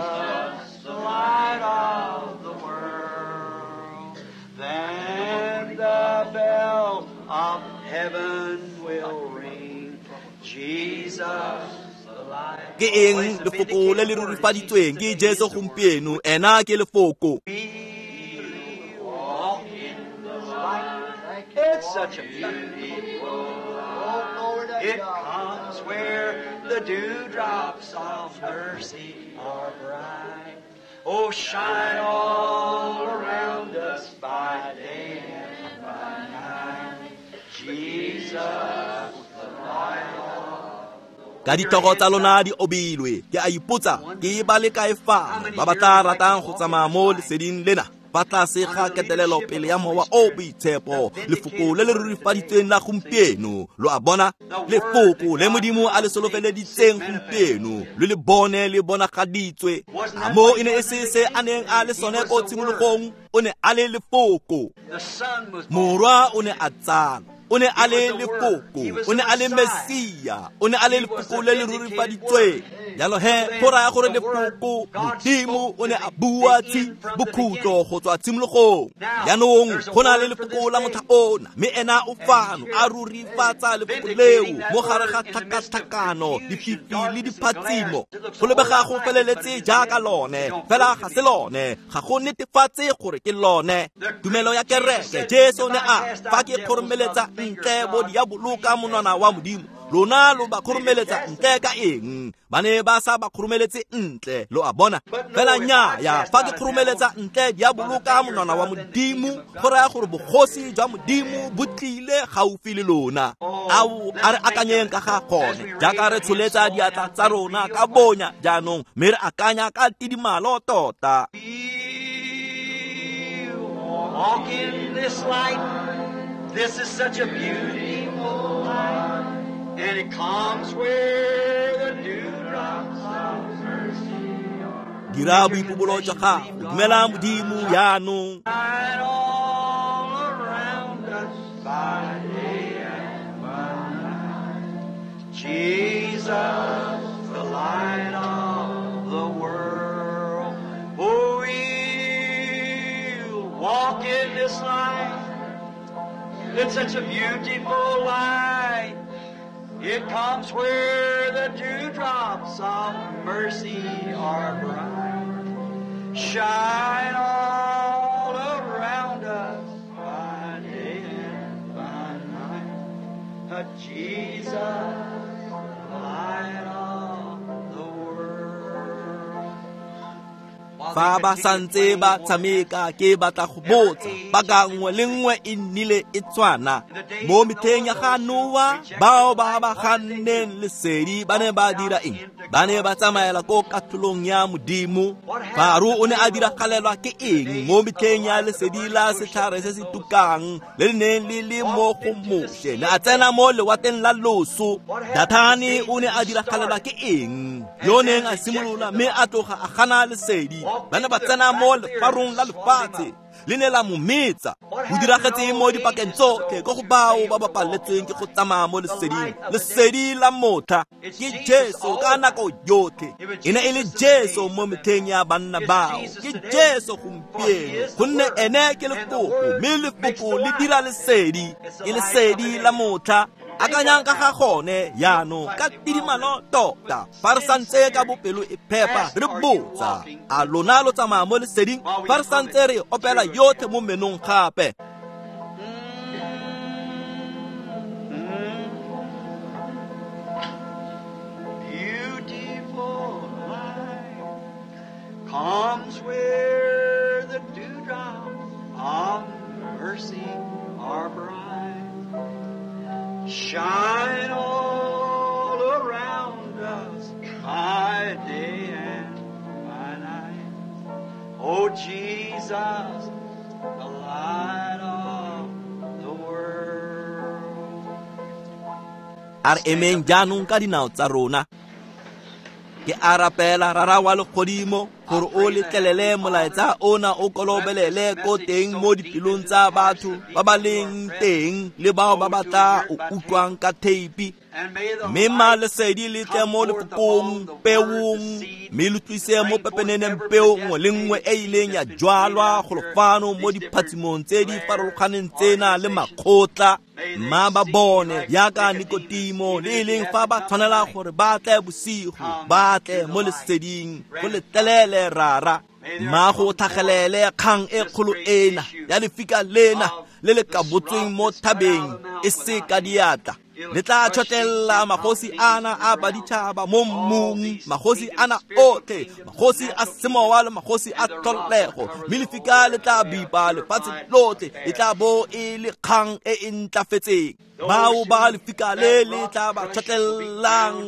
the light of the world. Then the bell of heaven will ring. Jesus, the light. Ke eng lefoko le le rurifaditsweng ke Jesu gompieno, ena ke lefoko. We walk in the light. It's such a beautiful light. It comes where the dewdrops of mercy are bright. Oh, shine all around us by day and by night. Jesus, the light of Ka ditlhogo tsa lona di obilwe, ke a ipotsa ke ba le kae fano ba ba tla ratang go tsamaya mo leseding lena fa tlase ga ketelelo pele ya mowa o boitshepo, lefoko le le rurifaditsweng la gompieno. Lo a bona, lefoko le Modimo a le solofeleditseng gompieno lo le bone le bonagaditswe. A mo e ne e se se a neng a le sone ko tshimologong, o ne a le lefoko. The Son was born. Morwa o ne a tsalwa, o ne a le lefoko, o ne a le Mesia, o ne a le lefoko le le rurifaditsweng. Jalo he, go raya gore lefoko Modimo o ne a bua tshi bokhutlo go tswa tshimologong. Jaanong go na le lefoko la motlha ona, mme ena o fano a rurifatsa lefoko leo mo gare ga tlhakatlhakano, dififi le diphatsimo. Go lebega go feleletse jaaka lone, fela ga se lone, ga go netefatse gore ke lone. Tumelo ya kereke, Jesu ne a fa ke kgoromeletsa ntle bo diabolo ka monwana wa Modimo, lona lo ba kgoromeletsa ntle ka eng? Ba ne ba sa ba kgoromeletse ntle, lo a bona. Fela nnyaa, fa ke kgoromeletsa ntle diabolo ka monwana wa Modimo, go raya gore bogosi jwa Modimo bo tlile gaufi le lona. Ao, a re akanyeng ka ga gone, jaaka re tsholetsa diatla tsa rona ka bonya jaanong, mme re akanya ka tidimalo tota. We walk in this light. This is such a beautiful light. And it comes where the dewdrops of mercy are. Dira boipobolo jwa gago, dumela Modimo jaanong. Shine all around us by day and by night. Jesus, the light of the world. Oh, we'll walk in this light. It's such a beautiful light. It comes where the dewdrops of mercy are bright. Shine all around us by day and by night. Jesus, the light of the world. Fa ba santse ba tshameka, ke batla go botsa, paka nngwe le nngwe e nnile e tshwana. Mo metlheng ya ga Noa, bao ba ba ganneng lesedi ba ne ba dira eng? Ba ne ba tsamaela ko katlholong ya Modimo. Faro o ne a diragalelwa ke eng mo metlheng ya lesedi la setlhare se se tukang le le neng le le mo go Moshe? Ne a tsena mo lewatleng la loso. Dathane o ne a diragalelwa ke eng? Yo neng a simolola mme a tloga a gana lesedi. Ba ne ba tsena mo lefarong la lefatshe, le ne la mo metsa. Go diragetse mo dipakeng tsotlhe ko go bao ba ba paletsweng ke go tsamaya mo leseding. Lesedi la motlha ke Jesu ka nako yotlhe. E ne e le Jesu mo metlheng ya banna bao, ke Jesu gompieno, gonne ene ke lefoko, mme lefoko le dira lesedi. Ke lesedi la motlha. Akanyang ka ga gone jaanong ka tidimalo tota, fa re santse ka bopelo e phepa re botsa, a lona lo tsamaya mo leseding? Fa re santse re opela yotlhe mo menong gape. Beautiful light comes where the dewdrops of mercy are bright. Shine all around us by day and by night. Oh Jesus, the light of the world. A re emeng jaanong ka dinao tsa rona. Ke a rapela rara wa legodimo gore o letlelele molaetsa ona o kolobelele ko teng mo dipelong tsa batho ba ba leng teng le bao ba ba tla o utlwang ka theipi. Mme ma lesedi le tle mo lefokong peong, mme le tlise mo pepeneneng peo nngwe le nngwe e ileng ya jwalwa golo fano mo diphatsimong tse di farologaneng tsena le makgotla. Mma ba bone jaaka Nikodimo le e leng fa ba tshwanela gore ba tle bosigo, ba tle mo leseding go letlelele rara. Mma go tlhagelele kgang e kgolo ena ya lefika lena le le kabotsweng mo thabeng e se ka diatla. Le tla tšhotlela magosi ana a baditšhaba mo mmung, magosi ana otlhe, magosi a semowa le magosi a tlholego, mme lefika le tla bipa lefatshe lotlhe, e tla bo e le kgang e e ntlafetseng. Bao ba lefika le le tla ba tšhotlelang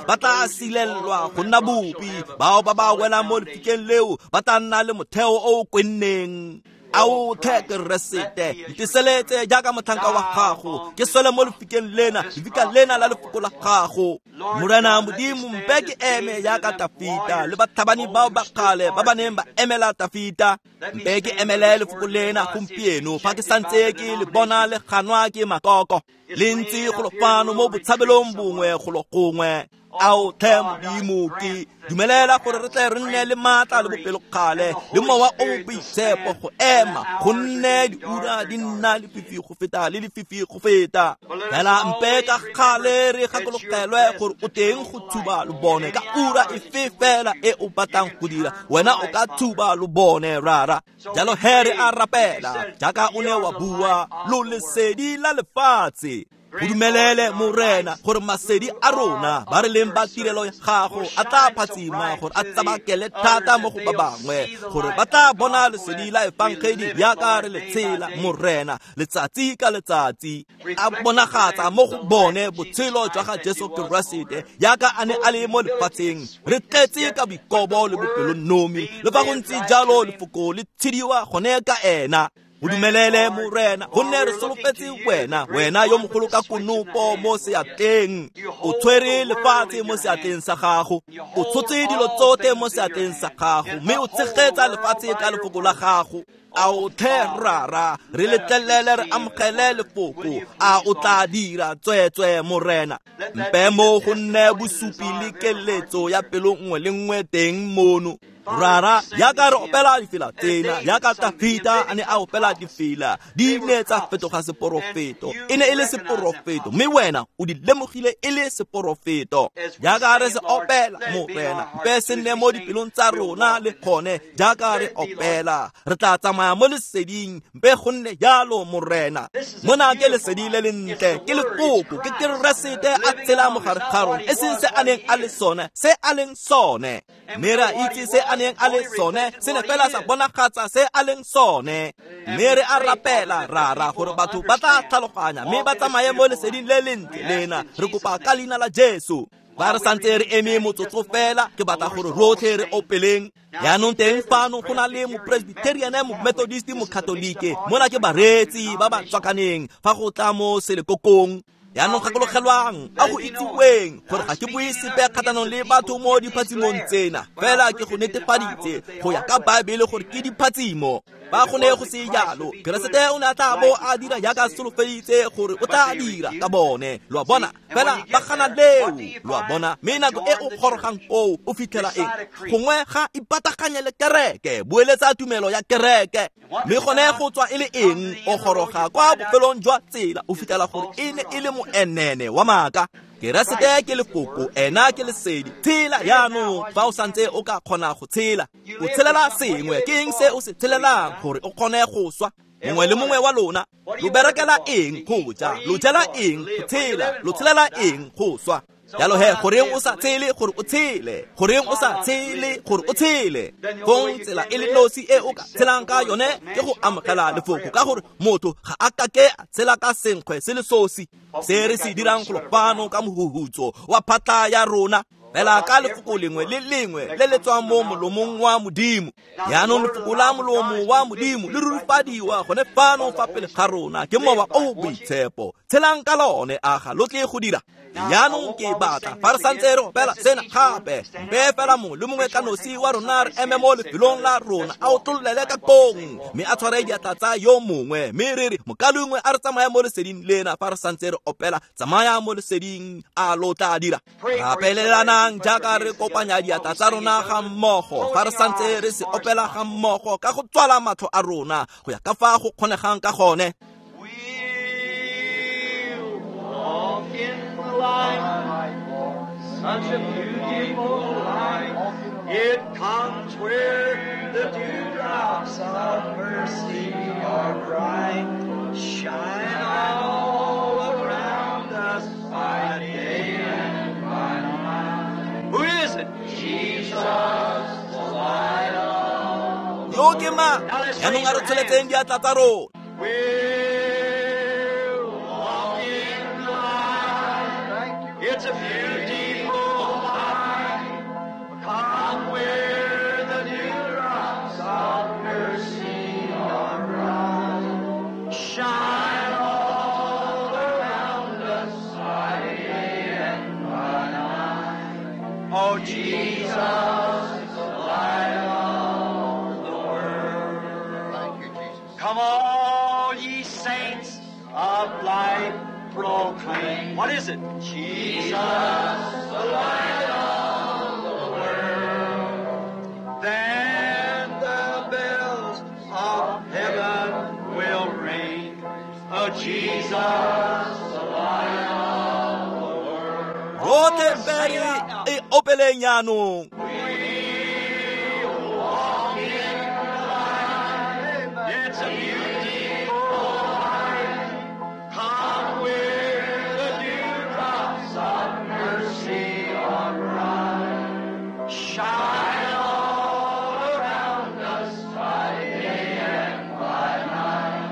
ba tla silelwa go nna bopi, bao ba ba welang mo lefikeng leo ba tla nna le motheo o o kwenneng. Ao tlhe Keresete, nteseletse jaaka motlhanka wa gago, ke swele mo lefikeng lena, lefika lena la lefoko la gago. Morena Modimo, mpe ke eme jaaka Tafita le batlhabani bao ba kgale ba ba neng ba emela Tafita. Mpe ke emele lefoko lena gompieno fa ke santse ke le bona le ganwa ke makoko, le ntse golo fano mo botshabelong bongwe golo gongwe. Ao tlhe Modimo, ke dumelela gore re tle re nne le maatla le bopelokgale le mowa o boitshepo go ema, gonne diura di nna lefifi go feta le lefifi go feta. Fela mpe ka gale re gakologelwe gore o teng go tshuba lobone ka ura efe fela e o batlang go dira, wena o ka tshuba lobone rara. Jalo he re a rapela jaaka o ne wa bua, lo lesedi la lefatshe. Go dumelele Morena gore masedi a rona ba re leng ba tirelo ya gago a tla phatsima gore a tsabakele thata mo go ba bangwe, gore ba tla bona lesedi la efangedi jaaka re le tshela Morena letsatsi ka letsatsi, a bonagatsa mo go bone botshelo jwa ga Jesu Keresete jaaka a ne a le mo lefatsheng. Re tletse ka boikobo le bopelonomi, le fa go ntse jalo lefoko le tshediwa gone ka ena. O dumelele Morena, gonne re solofetse wena, wena yo mogolo ka konopo mo seatleng. O tshwere lefatshe mo seatleng sa gago, o tshotse dilo tsotlhe mo seatleng sa gago, mme o tshegetsa lefatshe ka lefoko la gago. A o tlhe rara, re letlelele re amogele lefoko, a o tla dira tsweetswe Morena. Mpe mo go nne bosupi le keletso ya pelo nngwe le nngwe teng mono. Rara, jaaka re opela difela tsena, jaaka Tafita a ne a opela difela, di ne tsa fetoga seporofeto. E ne e le seporofeto, mme wena o di lemogile e le seporofeto. Jaaka re se opela Morena, mpe se nne mo dipelong tsa rona le gone jaaka re opela. Re tla tsamaya mo leseding, mpe go nne jalo Morena. Mona ke lesedi le lentle, ke lefoko, ke Keresete a tshela mo gare ga rona, e seng se a neng a le sone, se a leng sone. Mme re a itse se a neng a le sone, se ne fela sa bonagatsa se a leng sone. Mme re a rapela rara gore batho ba tla tlhaloganya mme ba tsamaye mo leseding le lentle lena. Re kopa ka leina la Jesu. Ba re santse re eme motsotso fela, ke batla gore rotlhe re opeleng. Jaanong teng fano go na le mopresbyterian, momethodist, mokatolike, mona ke bareetsi ba ba tswakaneng fa go tla mo selekokong. Jaanong gakologelwang a go itsiweng gore ga ke bue sepe kgatlhanong le batho mo diphatsimong tsena, fela ke go netefaditse go ya ka Baebele gore ke diphatsimo. Ba go ne go se jalo, Keresete o ne a tla bo a dira jaaka solofeditse gore o tla dira ka bone. Lo a bona, fela ba gana leo. Lo a bona, mme nako e o gorogang koo o fitlhela eng? Gongwe ga ipataganye le kereke, boeletsa tumelo ya kereke. Mme gone go tswa e le eng? O goroga kwa bofelong jwa tsela, o fitlhela gore e ne e le moenene wa maaka. Keresete ke lefoko, ena ke lesedi. Tshela jaanong fa o santse o ka kgona go tshela. O tshelela sengwe, ke eng se o se tshelelang gore o kgone go swa? Mongwe le mongwe wa lona, lo berekela eng go ja? Lo jela eng go tshela? Lo tshelela eng go swa? Jalo he, goreng o sa tshele gore o tshele? Goreng o sa tshele gore o tshele? Fong tsela e le nosi e o ka tshelang ka yone ke go amogela lefoko, ka gore motho ga a kake a tshela ka senkgwe se le sosi. Se re se dirang golo fano ka mohuhutso wa phatla ya rona, fela ka lefoko lengwe le lengwe le le tswang mo molomong wa Modimo. Jaanong lefoko la molomo wa Modimo le rurifadiwa gone fano fa pele ga rona ke mowa o boitshepo. Tshelang ka lone, a ga lo tle go dira. Jaanong ke batla fa re santse re opela sena gape, mpe fela mongwe le mongwe ka nosi wa rona re eme mo lefelong la rona, a otlololele ka kong mme a tshware diatla tsa yo mongwe, mme re re mokalengwe a re tsamaya mo leseding lena fa re santse re opela tsamaya mo leseding a lo tla dira. Rapelelanang jaaka re kopanya diatla tsa rona ga mmogo fa re santse re se opela ga mmogo ka go tswala matlho a rona go ya ka fa go kgonegang ka gone. Such a beautiful light, it comes where the dewdrops of mercy are bright, shine all around us by day and by night. Who is it? Jesus, the light of the Yo ke mang? Jaanong a re tsholetseng diatla tsa rona. We'll walk in the light. It's a beautiful light. Come where the dewdrops of mercy are bright. Shine all around us by day and by night. Oh, Jesus, the light of the world. Thank you, Jesus. Come all ye saints of light, proclaim. What is it? Jesus, the light of the world. Then the bells of heaven will ring. Oh, Jesus, the light of the world. Rotlhe mpe re e opeleng jaanong. We walk in the light. It's a beautiful light. Come where the dewdrops of mercy are bright. Shine all around us by day and by night.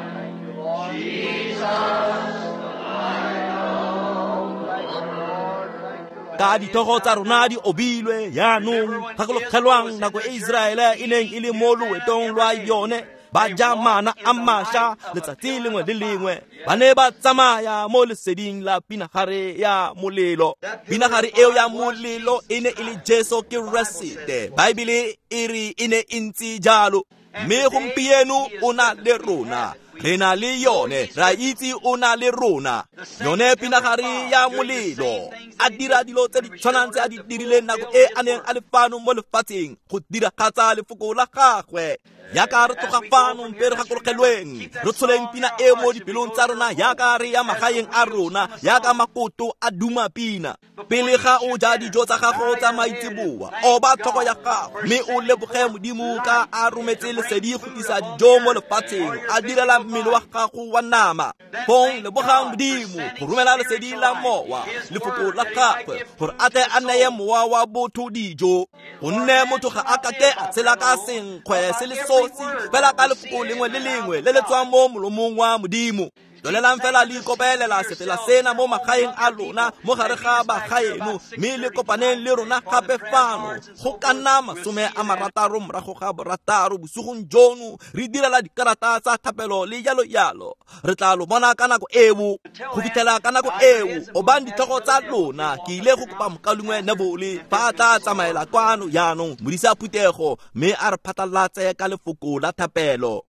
Jesus, the light of the world. Ka dithogo tsa rona di obilwe jaanong, gakologelwang nako e Iseraele e neng e le mo loetong lwa yone, ba ja mana a mašwa letsatsi lengwe le lengwe, ba ne ba tsamaya mo leseding la pinagare ya molelo. Pinagare eo ya molelo e ne e le Jesu Keresete. Baebele e re e ne e ntse jalo, mme gompieno o na le rona. Re na le yone, ra itse o na le rona. Yone pinagare ya molelo a dira dilo tse di tshwanang tse a di dirileng nako e a neng a le fano mo lefatsheng go diragatsa lefoko la gagwe. Yaka re tloga fano mpe re gakologelweng, re tsholeng pina e mo dipelong tsa rona yaka re ya magaeng a rona, yaka makoto a duma pina. Pele ga o ja dijo tsa gago tsa maitseboa, oba tlhogo ya gago mme o leboge Modimo ka a rometse lesedi go tlisa dijo mo lefatsheng, a direla mmele wa gago wa nama. Fong lebogang Modimo go romela lesedi la mowa, lefoko la gagwe, gore a tle a neye mowa wa botho dijo. Gonne motho ga a kake a tshela ka senkgwe se le sosi, fela ka lefoko lengwe le lengwe le le tswang mo molomong wa Modimo. Tswelelang fela le ikopelela sefela sena mo magaeng a lona, mo gare ga bagaeno, mme le kopaneng le rona gape fano go ka nna masome a marataro morago ga borataro bosigong jono, re direla dikarata tsa thapelo le jalo jalo. Re tla lo bona ka nako eo. Go fitlhela ka nako eo, obang ditlhogo tsa lona. Ke ile go kopa mokalengwe Nebole fa a tla tsamaela kwano jaanong, modisa phuthego, mme a re phatlalatse ka lefoko la thapelo.